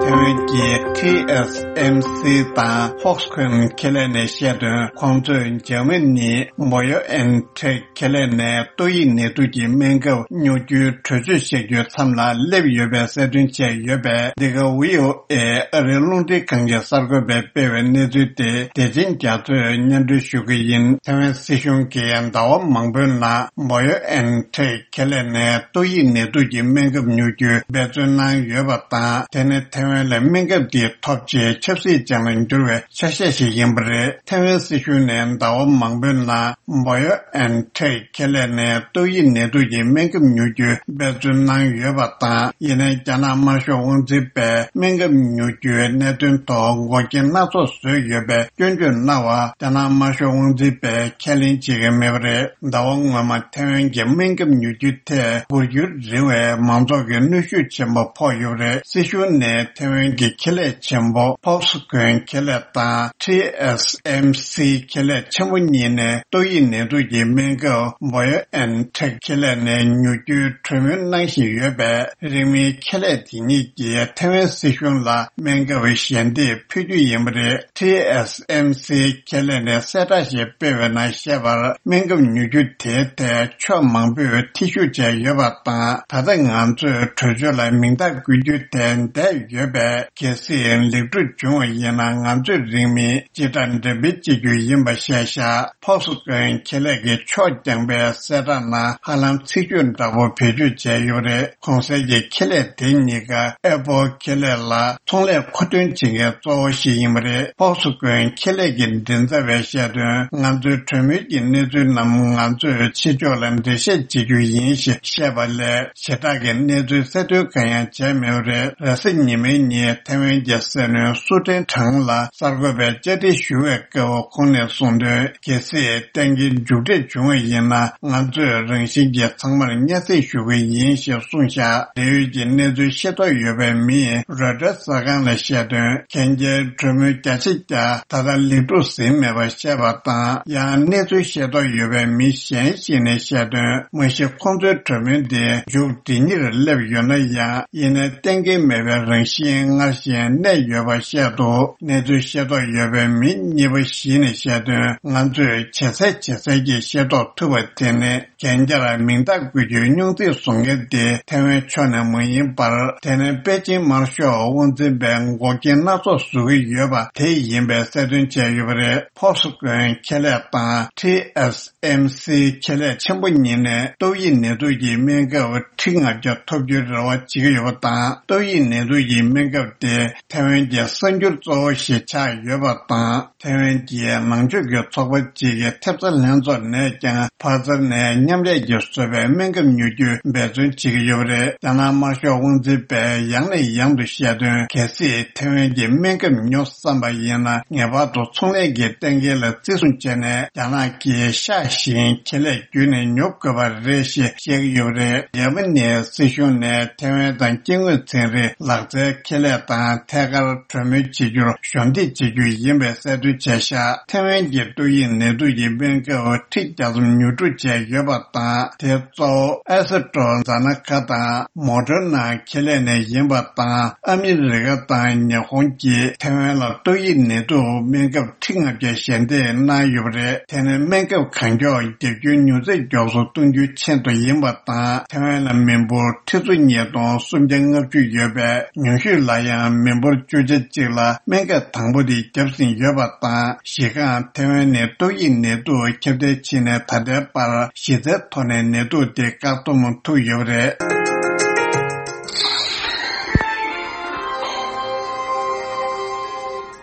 ཐེ་ཝན་གྱི་ཊི་ཨེས་ཨེམ་སི་དང་ཧོག་སི་ཁོན་ཁེ་ལས་ནས་བཤད་དོན། ཁོང་ཚོས་འཇར་མ་ནི་བྷ་ཡོ་ཨེན་ཊེག་ཁེ་ལས་ནས་ཏོག་དབྱིབས་ནད་དུག་གི་སྨན་ཁབ་ཉོ་རྒྱུའི་གྲོས་ཆོད་བཞག་རྒྱུའི་མཚམས་ལ་སླེབས་ཡོད་པའི་གསལ་སྟོན་བྱས་ཡོད་པས། འདི་ག་བྷི་ཨོ་ཨེ་ཨ་རིའི་རླུང་འཕྲིན་ཁང་གི་གསར་འགོད་པས་སྤེལ་བའི་གནས་ཚུལ་དེ་བདེ་ཆེན་རྒྱ་མཚོས་སྙན་སྒྲོན་ཞུ་གི་ཡིན། ཐེ་ཝན་སྲིད་གཞུང་གིས་ཟླ་བ་མང་པོའི་ནང་བྷ་ཡོ་ཨེན་ཊེག་ཁེ་ལས་ནས་ཏོག་དབྱིབས་ནད་དུག་གི་སྨན་ཁབ་ཉོ་རྒྱུའི་འབད་བརྩོན་གནང་ཡོད་པ་དང་། དེ་ནི་ཐེ་ཝན་ལ་སྨན་ཁབ་དེ་ཐོབ་ཆེད་ཆབ་སྲིད་ཅན་ལ་འགྱུར་བའི་ཆ་ཤས་ཤིག་ཡིན་པ་རེད། ཐེ་ཝན་སྲིད་གཞུང་ནས་ཟླ་བ་མང་པོའི་ནང་བྷ་ཡོ་ཨེན་ཊེག་ཁེ་ལས་ནས་ཏོག་དབྱིབས་ནད་དུག་གི་སྨན་ཁབ་ཉོ་རྒྱུའི་འབད་བརྩོན་གནང་ཡོད་པ་དང་། ཡིན་ནའི་རྒྱ་ནག་དམར་ཤོག་དབང་འཛིན་པས་སྨན་ཁབ་ཉོ་རྒྱུའི་གནད་དོན་ཐོག་འགོག་རྐྱེན་སྣ་ཚོགས་བཟོས་ཡོད་པའི་སྐྱོན་བརྗོད་གནང་བ། རྒྱ་ནག་དམར་ཤོག་དབང་འཛིན་པས་ཁས་ལེན་བྱེད་ཀྱི་མེད་པ་རེད། ཟླ་བ་སྔོན་མ་ཐེ་ཝན་གྱི་སྨན་ཁབ་ཉོ་རྒྱུའི་ཐད་འབུར་འགྱུར་རིང་བའི་མང་ཚོགས་ཀྱི་གནོན་ཤུགས་ཆེན་པོ་ཕོག་ཡོད་པ་རེད། སྲིད་གཞུང་ནས་ཐེ་ཝན་གྱི་ཁེ་ལས་ཆེན་པོ་ཕོག་སི་ཁོན་ཁེ་ལས་དང་ཊི་ཨེས་ཨེམ་སི་ཁེ་ལས་ཆེན་པོ་གཉིས་ནས་ཏོག་དབྱིབས་ནད་དུག་གི་སྨན་ཁབ་བྷ་ཡོ་ཨེན་ཊེག་ཁེ་ལས་ནས་ཉོ་རྒྱུའི་གྲོས་མོལ་གནང་བཞིན་ཡོད་པས། རིང་མིན་ཁེ་ལས་དེ་གཉིས་ཀྱིས་ཐེ་ཝན་སྲིད་གཞུང་ལ་སྨན་ཁབ་ཞལ་འདེབས་ཕུལ་རྒྱུ་ཡིན་པ་རེད། ཊི་ཨེས་ཨེམ་སི་ཁེ་ལས་ནས་གསལ་བསྒྲགས་ཤིག་སྤེལ་བའི་ནང་བཤད་པར། སྨན་ཁབ་ཉོ་རྒྱུ་དེའི་ཐད་ཕྱོགས་མང་པོས་ཐེ་ཞུགས་བྱས་ཡོད་པ་དང་། ད་ལྟ་ང་ཚོས་གྲོས་ཆོད་ལ་མིང་རྟགས་འགོད་རྒྱུ་དེ་འདས་ཡོད་པས། གལ་སྲིད་ལེགས་གྲུབ་བྱུང་བ་ཡིན་ན། ང་ཚོས་རིང་མིན་སྤྱི་བསྒྲགས་འགྲེམས་སྤེལ་བྱེད་རྒྱུ་ཡིན་པ་བཤད་བཞག། ཕོག་སི་ཁོན་ཁེ་ལས་ཀྱིས་ཕྱོགས་རྐྱང་པའི་གསལ་བསྒྲགས་ནང་ཧ་ལམ་ཚིག་བརྗོད་འདྲ་པོ་བེད་སྤྱོད་བྱས་ཡོད་རེད། གོང་གསལ་གྱི་ཁེ་ལས་དེ་གཉིས་ཀ་ཨེ་པོལ་ཁེ་ལས་ལ་ཚོང་ལས་མཁོ་འདོན་བྱེད་མཁན་གཙོ་བོ་ཞིག་ཡིན་པ་རེད། ཕོག་སི་ཁོན་ཁེ་ལས་ཀྱི་མགྲིན་ཚབ་པས་བཤད་དོན། ང་ཚོའི་གྲོས་མོལ་གྱི་གནས་ཚུལ་རྣམས་ང་ཚོས་ཕྱི་ཕྱོགས་ལ་འགྲེལ་བཤད་བྱེད་རྒྱུ་ཡིན་ཞེས་བཤད་པ་ལས། ཞེ་དྲག་གི་གནས་ཚུལ་གསལ་སྟོན་གང་ཡང་བྱས་མེད་པ་རེད། རེས་གཟའ་ཉི་མའི་ཉིན་ཐེ་ཝན་གྱི་སྲིད་བློན་སུ་ཀྲེན་ཁྲང་ལ་གསར་འགོད་པས་བཅར་འདྲི་ཞུ་བའི་སྐབས་ཁོང་ནས་གསུངས་དོན། གལ་སྲིད་གཏན་འཁེལ་མཇུག་འབྲས་བྱུང་བ་ཡིན་ན། ང་ཚོས་རང་བཞིན་གྱིས་ཚང་མར་སྙན་སེང་ཞུ་གི་ཡིན་ཞེས་གསུངས་བཞག། འབྲེལ་ཡོད་ཀྱི་གནས་ཚུལ་ཤེས་རྟོགས་ཡོད་པའི་མིས་རོའི་ཊར་གསར་ཁང་ལ་བཤད་དོན། གན་རྒྱའི་གྲོས་མོལ་བརྒྱ་ཆ་བརྒྱ་ད་ལྟ་ལེགས་གྲུབ་ཟིན་མེད་པ་བཤད་པ་དང་། ཡང་གནས་ཚུལ་ཤེས་རྟོགས་ཡོད་པའི་མི་གཞན་ཞིག་ནས་བཤད་དོན། མ་གཞི་ཁོང་ཚོའི་གྲོས་མོལ་འདི་མཇུག་སྒྲིལ་ཉེར་སླེབས་ཡོད་ན་ཡང་། ཡིན་ནའི་གཏན་འཁེལ་མེད་པའི་རང་བཞིན་སྔར་བཞིན་གནས་ཡོད་པ་བཤད་འདུག། གནས་ཚུལ་ཤེས་རྟོགས་ཡོད་པའི་མི་གཉིས་པ་ཞིག་ནས་བཤད་དོན། ང་ཚོས་ཇེ་གསལ་ཇེ་གསལ་གྱིས་ཤེས་རྟོགས་ཐུབ་པ་དེ་ནི། གན་རྒྱར་མིང་རྟགས་འགོད་རྒྱུའི་སྙུང་ཚིག་བཟོ་མཁན་དེ་ཐེ་ཝན་ཕྱོགས་ནས་མ་ཡིན་པར། དེ་ནི་པེ་ཅིན་དམར་ཤོག་དབང་འཛིན་པས་འགོག་རྐྱེན་སྣ་ཚོགས་བཟོ་གི་ཡོད་པ་དེ་ཡིན་པའི་གསལ་སྟོན་བྱས་ཡོད་པ་རེད། ཕོག་སི་ཁོན་ཁེ་ལས་དང་ཊི་ཨེས་ཨེམ་སི་ཁེ་ལས་ཆེན་པོ་གཉིས་ནས་ཏོག་དབྱིབས་ནད་དུག་གི་སྨན་ཁབ་ཁྲི་ལྔ་བརྒྱ་ཐོབ་རྒྱུའི་རེ་བ་བྱེད་ཀྱི་ཡོད་པ་དང་། ཏོག་དབྱིབས་ནད་དུག་གི་སྨན་ཁབ་དེ་ཐེ་ཝན་གྱི་གསར་འགྱུར་གཙོ་བོ་ཞིག་ཆགས་ཡོད་པ་དང་། ཐེ་ཝན་གྱི་ནང་ཆོས་ཀྱི་ཚོགས་པ་གཅིག་གི་ཐེབས་རྩ་ལྷན་ཚོགས་ནས་ཀྱང་ཕ་ཛར་ནས་མཉམ་ལས་ཀྱིས་བཟོས་པའི་སྨན་ཁབ་ཉོ་རྒྱུའི་འབད་བརྩོན་བྱེད་ཀྱི་ཡོད་པ་རེད། རྒྱ་ནག་དམར་ཤོག་དབང་འཛིན་པས་ཡང་ནས་ཡང་དུ་བཤད་དོན། གལ་སྲིད་ཐེ་ཝན་གྱི་སྨན་ཁབ་ཉོ་བསམ་པ་ཡིན་ན། ངེས་པར་དུ་ཚོང་ལས་ཀྱི་གཏན་འཁེལ་ལ་བརྩི་སྲུང་བྱས་ནས། རྒྱ་ནག་གི་ཤ་ཞིང་ཁེ་ལས་བརྒྱུད་ནས་ཉོ་དགོས་པ་རེད་ཞེས་བཤད་ཀྱི་ཡོད་པ་རེད། འཇར་མ་ནིའི་སྲིད་གཞུང་ནས་ཐེ་ཝན་དང་སྐྱེ་དངོས་ཚན་རིག་ལག་རྩལ་ཁེ་ལས་ དང་ཐད་ཀར་གྲོས་མོལ་བྱེད་རྒྱུར་གཞོགས་འདེགས་བྱེད་རྒྱུ་ཡིན་པའི་གསལ་སྟོན་བྱས་ཤག་ཐེ་ཝན་གྱི་ཏོག་དབྱིབས་ནད་དུག་གི་སྨན་ཁབ་ཁྲི་བརྒྱ་ཙམ་ཉོ་སྒྲུབ་བྱས་ཡོད་པ་དང་། དེ་གཙོ་བོ་ཨེ་སི་ཊྲོ་ཛེ་ནེ་ཀ་དང་མོ་ཌར་ན་ཁེ་ལས་ནས་ཡིན་པ་དང་། ཨ་མི་རི་ཀ་དང་ཉི་ཧོང་གིས་ཐེ་ཝན་ལ་ཏོག་དབྱིབས་ནད་དུག་སྨན་ཁབ་ཁྲི་ལྔ་བརྒྱ་ཞལ་འདེབས་གནང་ཡོད་པ་རེད། དེ་ནི་སྨན་ཁབ་གང་མགྱོགས་རྒྱག་རྒྱུའི་མྱུར་ཚད་མགྱོགས་སུ་གཏོང་རྒྱུའི་ཆེད་དུ་ཡིན་པ་དང་། ཐེ་ཝན་ལ་མི་འབོར་ཁྲི་ཚོ་ཉིས་སྟོང་སུམ་བརྒྱ་ལྔ་བཅུ་ཡོད་པས། ཉུང་ཤོས་ལ་ཡང་མི་འབོར་བཅུ་ཆ་གཅིག་ལ་སྨན་ཁབ་དང་པོ་དེ་བརྒྱབ་ཟིན་ཡོད་པ་དང་། གཞི་རྐང་ཐེ་ཝན་ནི་ཏོག་དབྱིབས་ནད་དུག་ཁྱབ་གདལ་ཕྱིན་ནས་ད་ལྟའི་བར་གཞི་རྩའི་ཐོག་ནས་ནད་དུག་དེ་བཀག་སྡོམ་ཐུབ་ཡོད་པ་རེད།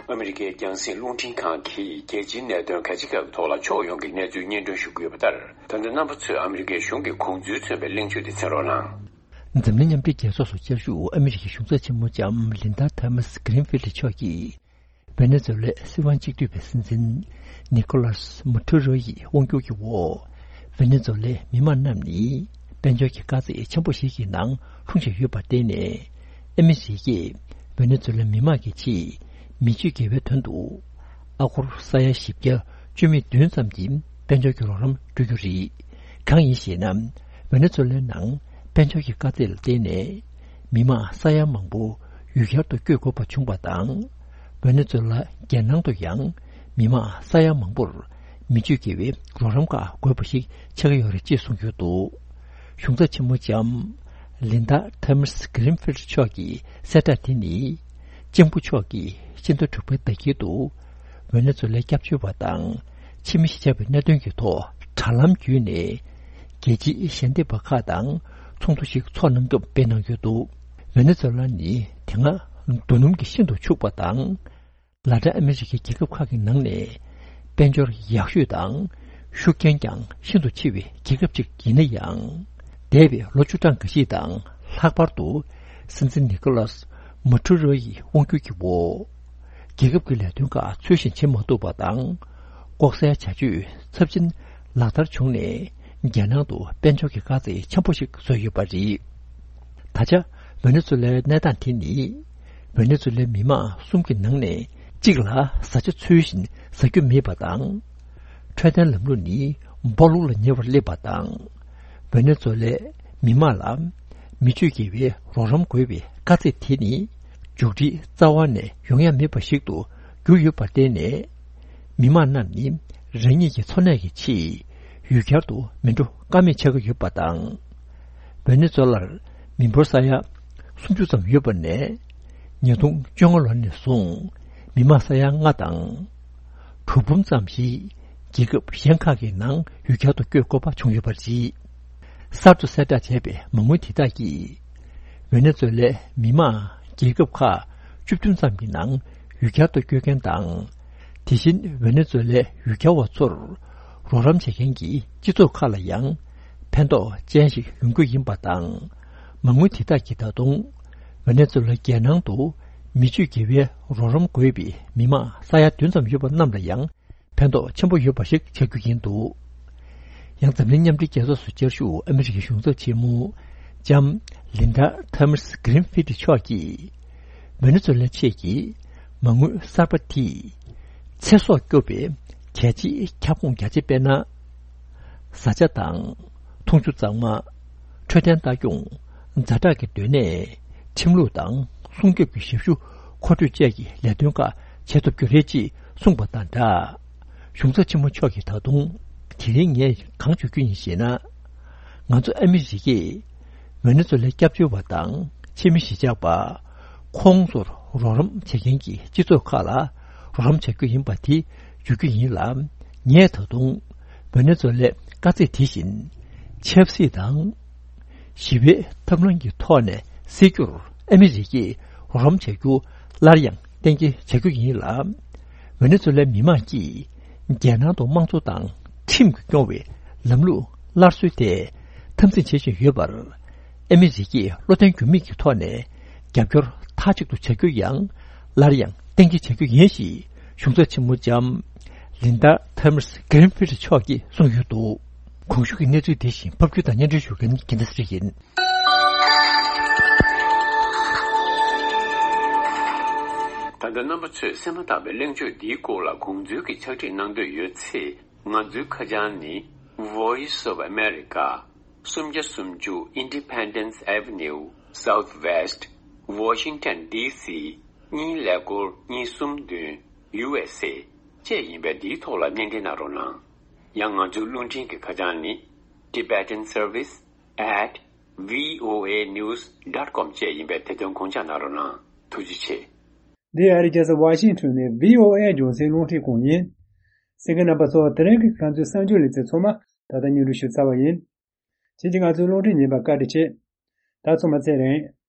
ཨ་མི་རི་ཀའི་རྒྱང་སྲིང་རླུང་འཕྲིན་ཁང་གིས་རྒྱལ་སྤྱིའི་གནད་དོན་ཁ་ཅིག་ཁག་གི་ཐོག་ལ་ཕྱོགས་ཡོངས་ཀྱི་གནས་ཚུལ་སྙན་སྒྲོན་ཞུ་གི་ཡོད་པ་ལྟར། ད་ལྟ་རྣམ་པ་ཚོས་ཨ་མི་རི་ཀའི་གཞུང་གི་དགོངས་ཚུལ་མཚོན་པའི་གླེང་བརྗོད་དེ་གསན་རོགས་གནང་། འཛམ་གླིང་མཉམ་འབྲེལ་རྒྱལ་ཚོགས་སུ་བཅའ་བཞུགས་ཨ་མི་རི་ཀའི་གཞུང་ཚབ་ཆེན་མོ་ལྕམ་ལིན་ཌ་ཐོ་མཱས་གྷི་རིན་ཕིལ་ཌི་མཆོག་གིས། ཝེ་ནེ་ཛུ་ལའི་སྲིད་དབང་གཅིག་སྡུད་པའི་སྲིད་འཛིན་ནི་ཀོ་ལཱས་མ་ཌུ་རོ་ཡི་དབང་སྒྱུར་གྱི་འོག་ཝེ་ནེ་ཛུ་ལའི་མི་དམངས་རྣམས་ནི་དཔལ་འབྱོར་གྱི་དཀའ་ཚེགས་ཆེན་པོ་ཞིག་གི་ནང་ལྷུང་བཞིན་ཡོད་པར་བརྟེན་ནས། ཨ་མི་རི་ཀས་ཝེ་ནེ་ཛུ་ལའི་མི་དམངས་ཀྱི་ཆེད་མི་སྤྱོད་དགེ་བའི་དོན་དུ་ཨ་སྒོར་ས་ཡ་བཞི་བརྒྱ་བཅུ་མེད་བདུན་ཙམ་གྱི་དཔལ་འབྱོར་གྱི་རོགས་རམ་སྤྲོད་རྒྱུ་རེད། གང་ཡིན་ཞེ་ན། ཝེ་ནེ་ཛུ་ལའི་ནང་དཔལ་འབྱོར་གྱི་དཀའ་ཚེགས་ལ་བརྟེན་ནས། མི་མང་ས་ཡ་མང་པོ་ཡུལ་གྱར་དུ་བསྐྱོད་དགོས་པ་བྱུང་བ་དང་། ཝེ་ནེ་ཛུ་ལ་རྒྱལ་ནང་དུ་ཡང་མི་མང་ས་ཡ་མང་པོར་མི་སྤྱོད་དགེ་བའི་རོགས་རམ་ཁག་དགོས་པ་ཞིག་ཆགས་ཀྱི་ཡོད་རེད་ཅེས་གསུངས་ཡོད་འདུག་གཞུང་ཚབ་ཆེན་མོ་ལྕམ་ལིན་ཌ་ཐོ་མཱས་གྷི་རིན་ཕིལ་ཌི་མཆོག་གི་གསལ་བསྒྲགས་དེ་ནི། ལྕམ་སྐུ་མཆོག་གིས་ཕྱི་ཟླ་དྲུག་པའི་ཟླ་དཀྱིལ་དུ་ཝེ་ནེ་ཛུ་ལའི་སྐྱབས་བཅོལ་བ་དང་ཕྱི་མི་ཞིག་ཆགས་པའི་གནད་དོན་གྱི་ཐོག་དྲ་ལམ་བརྒྱུད་ནས་རྒྱལ་སྤྱིའི་ཞལ་འདེབས་པ་ཁག་དང་ཚོགས་འདུ་ཞིག་འཚོགས་གནང་སྐབས་སྤེལ་གནང་ཡོད་འདུག་ཝེ་ནེ་ཛུ་ལ་ནི་དེ་སྔ་རྡོ་སྣུམ་གྱིས་ཤིན་ཏུ་ཕྱུག་པ་དང་། ལ་ཏིན་ཨ་མི་རི་ཀའི་རྒྱལ་ཁབ་ཁག་གི་ནང་ནས་དཔལ་འབྱོར་ཡག་ཤོས་དང་ཤུགས་རྐྱེན་ཀྱང་ཤིན་ཏུ་ཆེ་བའི་རྒྱལ་ཁབ་ཅིག་ཡིན་ན་ཡང་། འདས་པའི་ལོ་བཅུ་གྲངས་འགའ་ཞིག་དང་ལྷག་པར་དུ་སྲིད་འཛིན་ནི་ཀོ་ལཱས་མ་ཌུ་རོ་ཡི་དབང་སྒྱུར་གྱི་འོག་རྒྱལ་ཁབ་ཀྱི་ལས་དོན་ཁག་ཚུལ་བཞིན་བྱེད་མ་ཐུབ་པ་དང་། ལྐོག་ཟའི་བྱ་སྤྱོད་ཚབས་ཆེན་ལག་བསྟར་བྱུང་ནས་རྒྱལ་ནང་དུ་དཔལ་འབྱོར་གྱི་དཀའ་ཚེགས་ཆེན་པོ་ཞིག་བཟོས་ཡོད་པ་རེད། ད་ཆ་ཝེ་ནེ་ཛུ་ལའི་གནས་སྟངས་དེ་ནི། ཝེ་ནེ་ཛུ་ལའི་མི་མང་གསུམ་གྱི་ནང་ནས་གཅིག་ལ་བཟའ་བཅའ་ཚུལ་བཞིན་ཟ་རྒྱུ་མེད་པ་དང་། འཕྲོད་བསྟེན་ལམ་ལུགས་ནི་སྦོ་ལོགས་ལ་ཉེ་བར་སླེབས་པ་དང་། ཝེ་ནེ་ཛུ་ལའི་མི་མང་ལ་མི་སྤྱོད་དགེ་བའི་རོགས་རམ་དགོས་པའི་དཀའ་ཚེགས་དེ་ནི་མཇུག་སྒྲིལ་རྩ་བ་ནས་ཡོང་ཡ་མེད་པ་ཞིག་ཏུ་གྱུར་ཡོད་པར་བརྟེན་ནས། མི་མང་རྣམས་ནི་རང་ཉིད་ཀྱི་འཚོ་གནས་ཀྱི་ཆེད་ཡུལ་གྱར་དུ་མི་འགྲོ་ཀ་མེད་ཆགས་ཀྱི་ཡོད་པ་དང་། ཝེ་ནེ་ཛུ་ལར་མི་འབོར་ས་ཡ་སུམ་ཅུ་ཙམ་ཡོད་པ་ནས་ཉིས་སྟོང་བཅོ་ལྔ་ལོ་ནས་བཟུང་མི་མང་ས་ཡ་ལྔ་དང་དྲུག་འབུམ་ཙམ་ཞིག་རྒྱལ་ཁབ་གཞན་ཁག་གི་ནང་ཡུལ་གྱར་དུ་བསྐྱོད་དགོས་པ་བྱུང་ཡོད་པ་རེད། གསར་དུ་གསལ་བསྒྲགས་བྱས་པའི་མ་དངུལ་དེ་དག་གིས། ཝེ་ནེ་ཛུ་ལའི་མི་མང་རྒྱལ་ཁབ་ཁག་བཅུ་བདུན་ཙམ་གྱི་ནང་ཡུལ་གྱར་དུ་བསྐྱོད་མཁན་དང་། དེ་བཞིན་ཝེ་ནེ་ཛུ་ལའི་ཡུལ་གྱར་བ་ཚོར་རོགས་རམ་བྱེད་མཁན་གྱི་སྤྱི་ཚོགས་ཁག་ལ་ཡང་ཕན་ཐོགས་ཅན་ཞིག་ཡོང་རྒྱུ་ཡིན་པ་དང་། མ་དངུལ་དེ་དག་གིས་ད་དུང་ཝེ་ནེ་ཛུ་ལ་རྒྱལ་ནང་དུ་མི་སྤྱོད་དགེ་བའི་རོགས་རམ་དགོས་པའི་མི་མང་ས་ཡ་བདུན་ཙམ་ཡོད་པ་རྣམས་ལ་ཡང་། ཕན་ཐོགས་ཆེན་པོ་ཡོད་པ་ཞིག་ཆགས་རྒྱུ་ཡིན་འདུག་ཡང་འཛམ་གླིང་མཉམ་འབྲེལ་རྒྱལ་ཚོགས་སུ་བཅར་བཞུགས་ཨ་མི་རི་ཀའི་གཞུང་ཚབ་ཆེན་མོ་ལྕམ་ལིན་ཌ་ཐོ་མཱས་གྷི་རིན་ཕིལ་ཌི་མཆོག་གིས་ཝེ་ནེ་ཛུ་ལ་ཆེད་ཀྱི་མ་དངུལ་གསར་པ་དེས་ཚེ་སྲོག་སྐྱོབ་པའི་གལ་ཆེའི་ཁྱབ་ཁོངས་རྒྱ་ཆེ་དཔེར་ན། བཟའ་བཅའ་དང་འཐུང་ཆུ་གཙང་མ། འཕྲོད་བསྟེན་ལྟ་སྐྱོང་། ཛ་དྲག་གི་སྡོད་གནས། ཁྲིམས་ལུགས་དང་སྲུང་སྐྱོབ་ཀྱི་ཞབས་ཞུ་མཁོ་སྤྲོད་བཅས་ཀྱི་ལས་དོན་ཁག་བྱེད་ཐུབ་རྒྱུ་རེད་ཅེས་གསུངས་པ་དང་སྦྲགས། གཞུང་ཚབ་ཆེན་མོ་མཆོག་གིས་ད་དུང་དེ་རིང་ངས་གང་བརྗོད་རྒྱུ་ཡིན་ཞེ་ན། ང་ཚོ་ཨ་མི་རི་ཀས་ཝེ་ནེ་ཛུ་ལའི་སྐྱབས་བཅོལ་བ་དང་ཕྱི་མི་གཞིས་ཆགས་པ། ཁོང་ཚོར་རོགས་རམ་བྱེད་མཁན་གྱི་སྤྱི་ཚོགས་ཁག་ལ་རོགས་རམ་བྱ་རྒྱུ་ཡིན་པ་དེ་བརྗོད་རྒྱུ་ཡིན་ལ། ངས་ད་དུང་ཝེ་ནེ་ཛུ་ལའི་དཀའ་ཚེགས་དེ་བཞིན་ཆབ་སྲིད་དང་། ཞི་བའི་ཐབས་ལམ་གྱི་ཐོག་ནས་སེལ་རྒྱུར་ཨ་མི་རི་ཀས་རོགས་རམ་བྱ་རྒྱུ་སླར་ཡང་གཏན་འཁེལ་བྱ་རྒྱུ་ཡིན་ལ། ཝེ་ནེ་ཛུ་ལའི་མི་མང་གིས་རྒྱལ་ནང་དུ་དམངས་གཙོ་དང་ཁྲིམས་ཀྱིས་སྐྱོང་བའི་ལམ་ལུགས་སླར་གསོའི་ཐད་འཐབ་འཛིང་བྱེད་བཞིན་ཡོད་པར། ཨ་མི་རི་ཀས་བློ་བརྟན་འགྱུར་མེད་ཀྱི་ཐོག་ནས་རྒྱབ་སྐྱོར་མཐའ་གཅིག་ཏུ་བྱ་རྒྱུ་ཡང་སླར་ཡང་གཏན་འཁེལ་བྱ་རྒྱུ་ཡིན་ཞེས་གཞུང་ཚབ་ཆེན་མོ་ལྕམ་ལིན་ཌ་ཐོ་མཱས་གྷི་རིན་ཕིལ་ཌི་མཆོག་གིས་གསུངས་ཡོད་འདུག་གོང་ཞུས་ཀྱི་གནས་ཚུལ་དེ་བཞིན་ཕབ་སྒྱུར་དང་སྙན་སྒྲོན་ཞུ་མཁན་རྒྱལ་མཚན་ཚེ་རིང་ཡིན། ད་ལྟ་རྣམ་པ་ཚོས་གསན་མ་ཐག་པའི་གླེང་བརྗོད་འདིའི་སྐོར་ལ་དགོངས་ཚུལ་གྱི་ཕྱག་བྲིས་གནང་འདོད་ཡོད་ཚེ། ང་ཚོའི་ཁ་བྱང་ནི། Voice of America། སུམ་བརྒྱ་སུམ་ཅུ། Independence Avenue Southwest, Washington D C གཉིས་ཀླད་ཀོར་གཉིས་གསུམ་བདུན། U S A བཅས་ཡིན་པས། འདིའི་ཐོག་ལ་སྣེ་འདྲེན་གནང་རོགས་གནང་། ཡང་ང་ཚོའི་རླུང་འཕྲིན་གྱི་ཁ་བྱང་ནི། Tibetan Service at V O A news dot com བཅས་ཡིན་པས། དེ་དོན་དགོངས་འཇགས་གནང་རོགས་གནང་། ཐུགས་རྗེ་ཆེ། འདི་ཨ་རིའི་རྒྱལ་ས་ཝ་ཤིང་ཊོན་ནས་V O A རྒྱང་སྲིང་རླུང་འཕྲིན་ཁང་ཡིན། གསན་མཁན་རྣམ་པ་ཚོ། དེ་རིང་གི་ང་ཚོའི་གསར་འགྱུར་ལེ་ཚན་ཚང་མ་ད་ལྟ་སྙན་སྒྲོན་ཞུས་ཚར་བ་ཡིན། ཁྱེད་ཀྱིས་ང་ཚོའི་རླུང་འཕྲིན་ཉན་པར་བཀའ་དྲིན་ཆེ། ད་ཚང་མ་ཚེ་རིང་།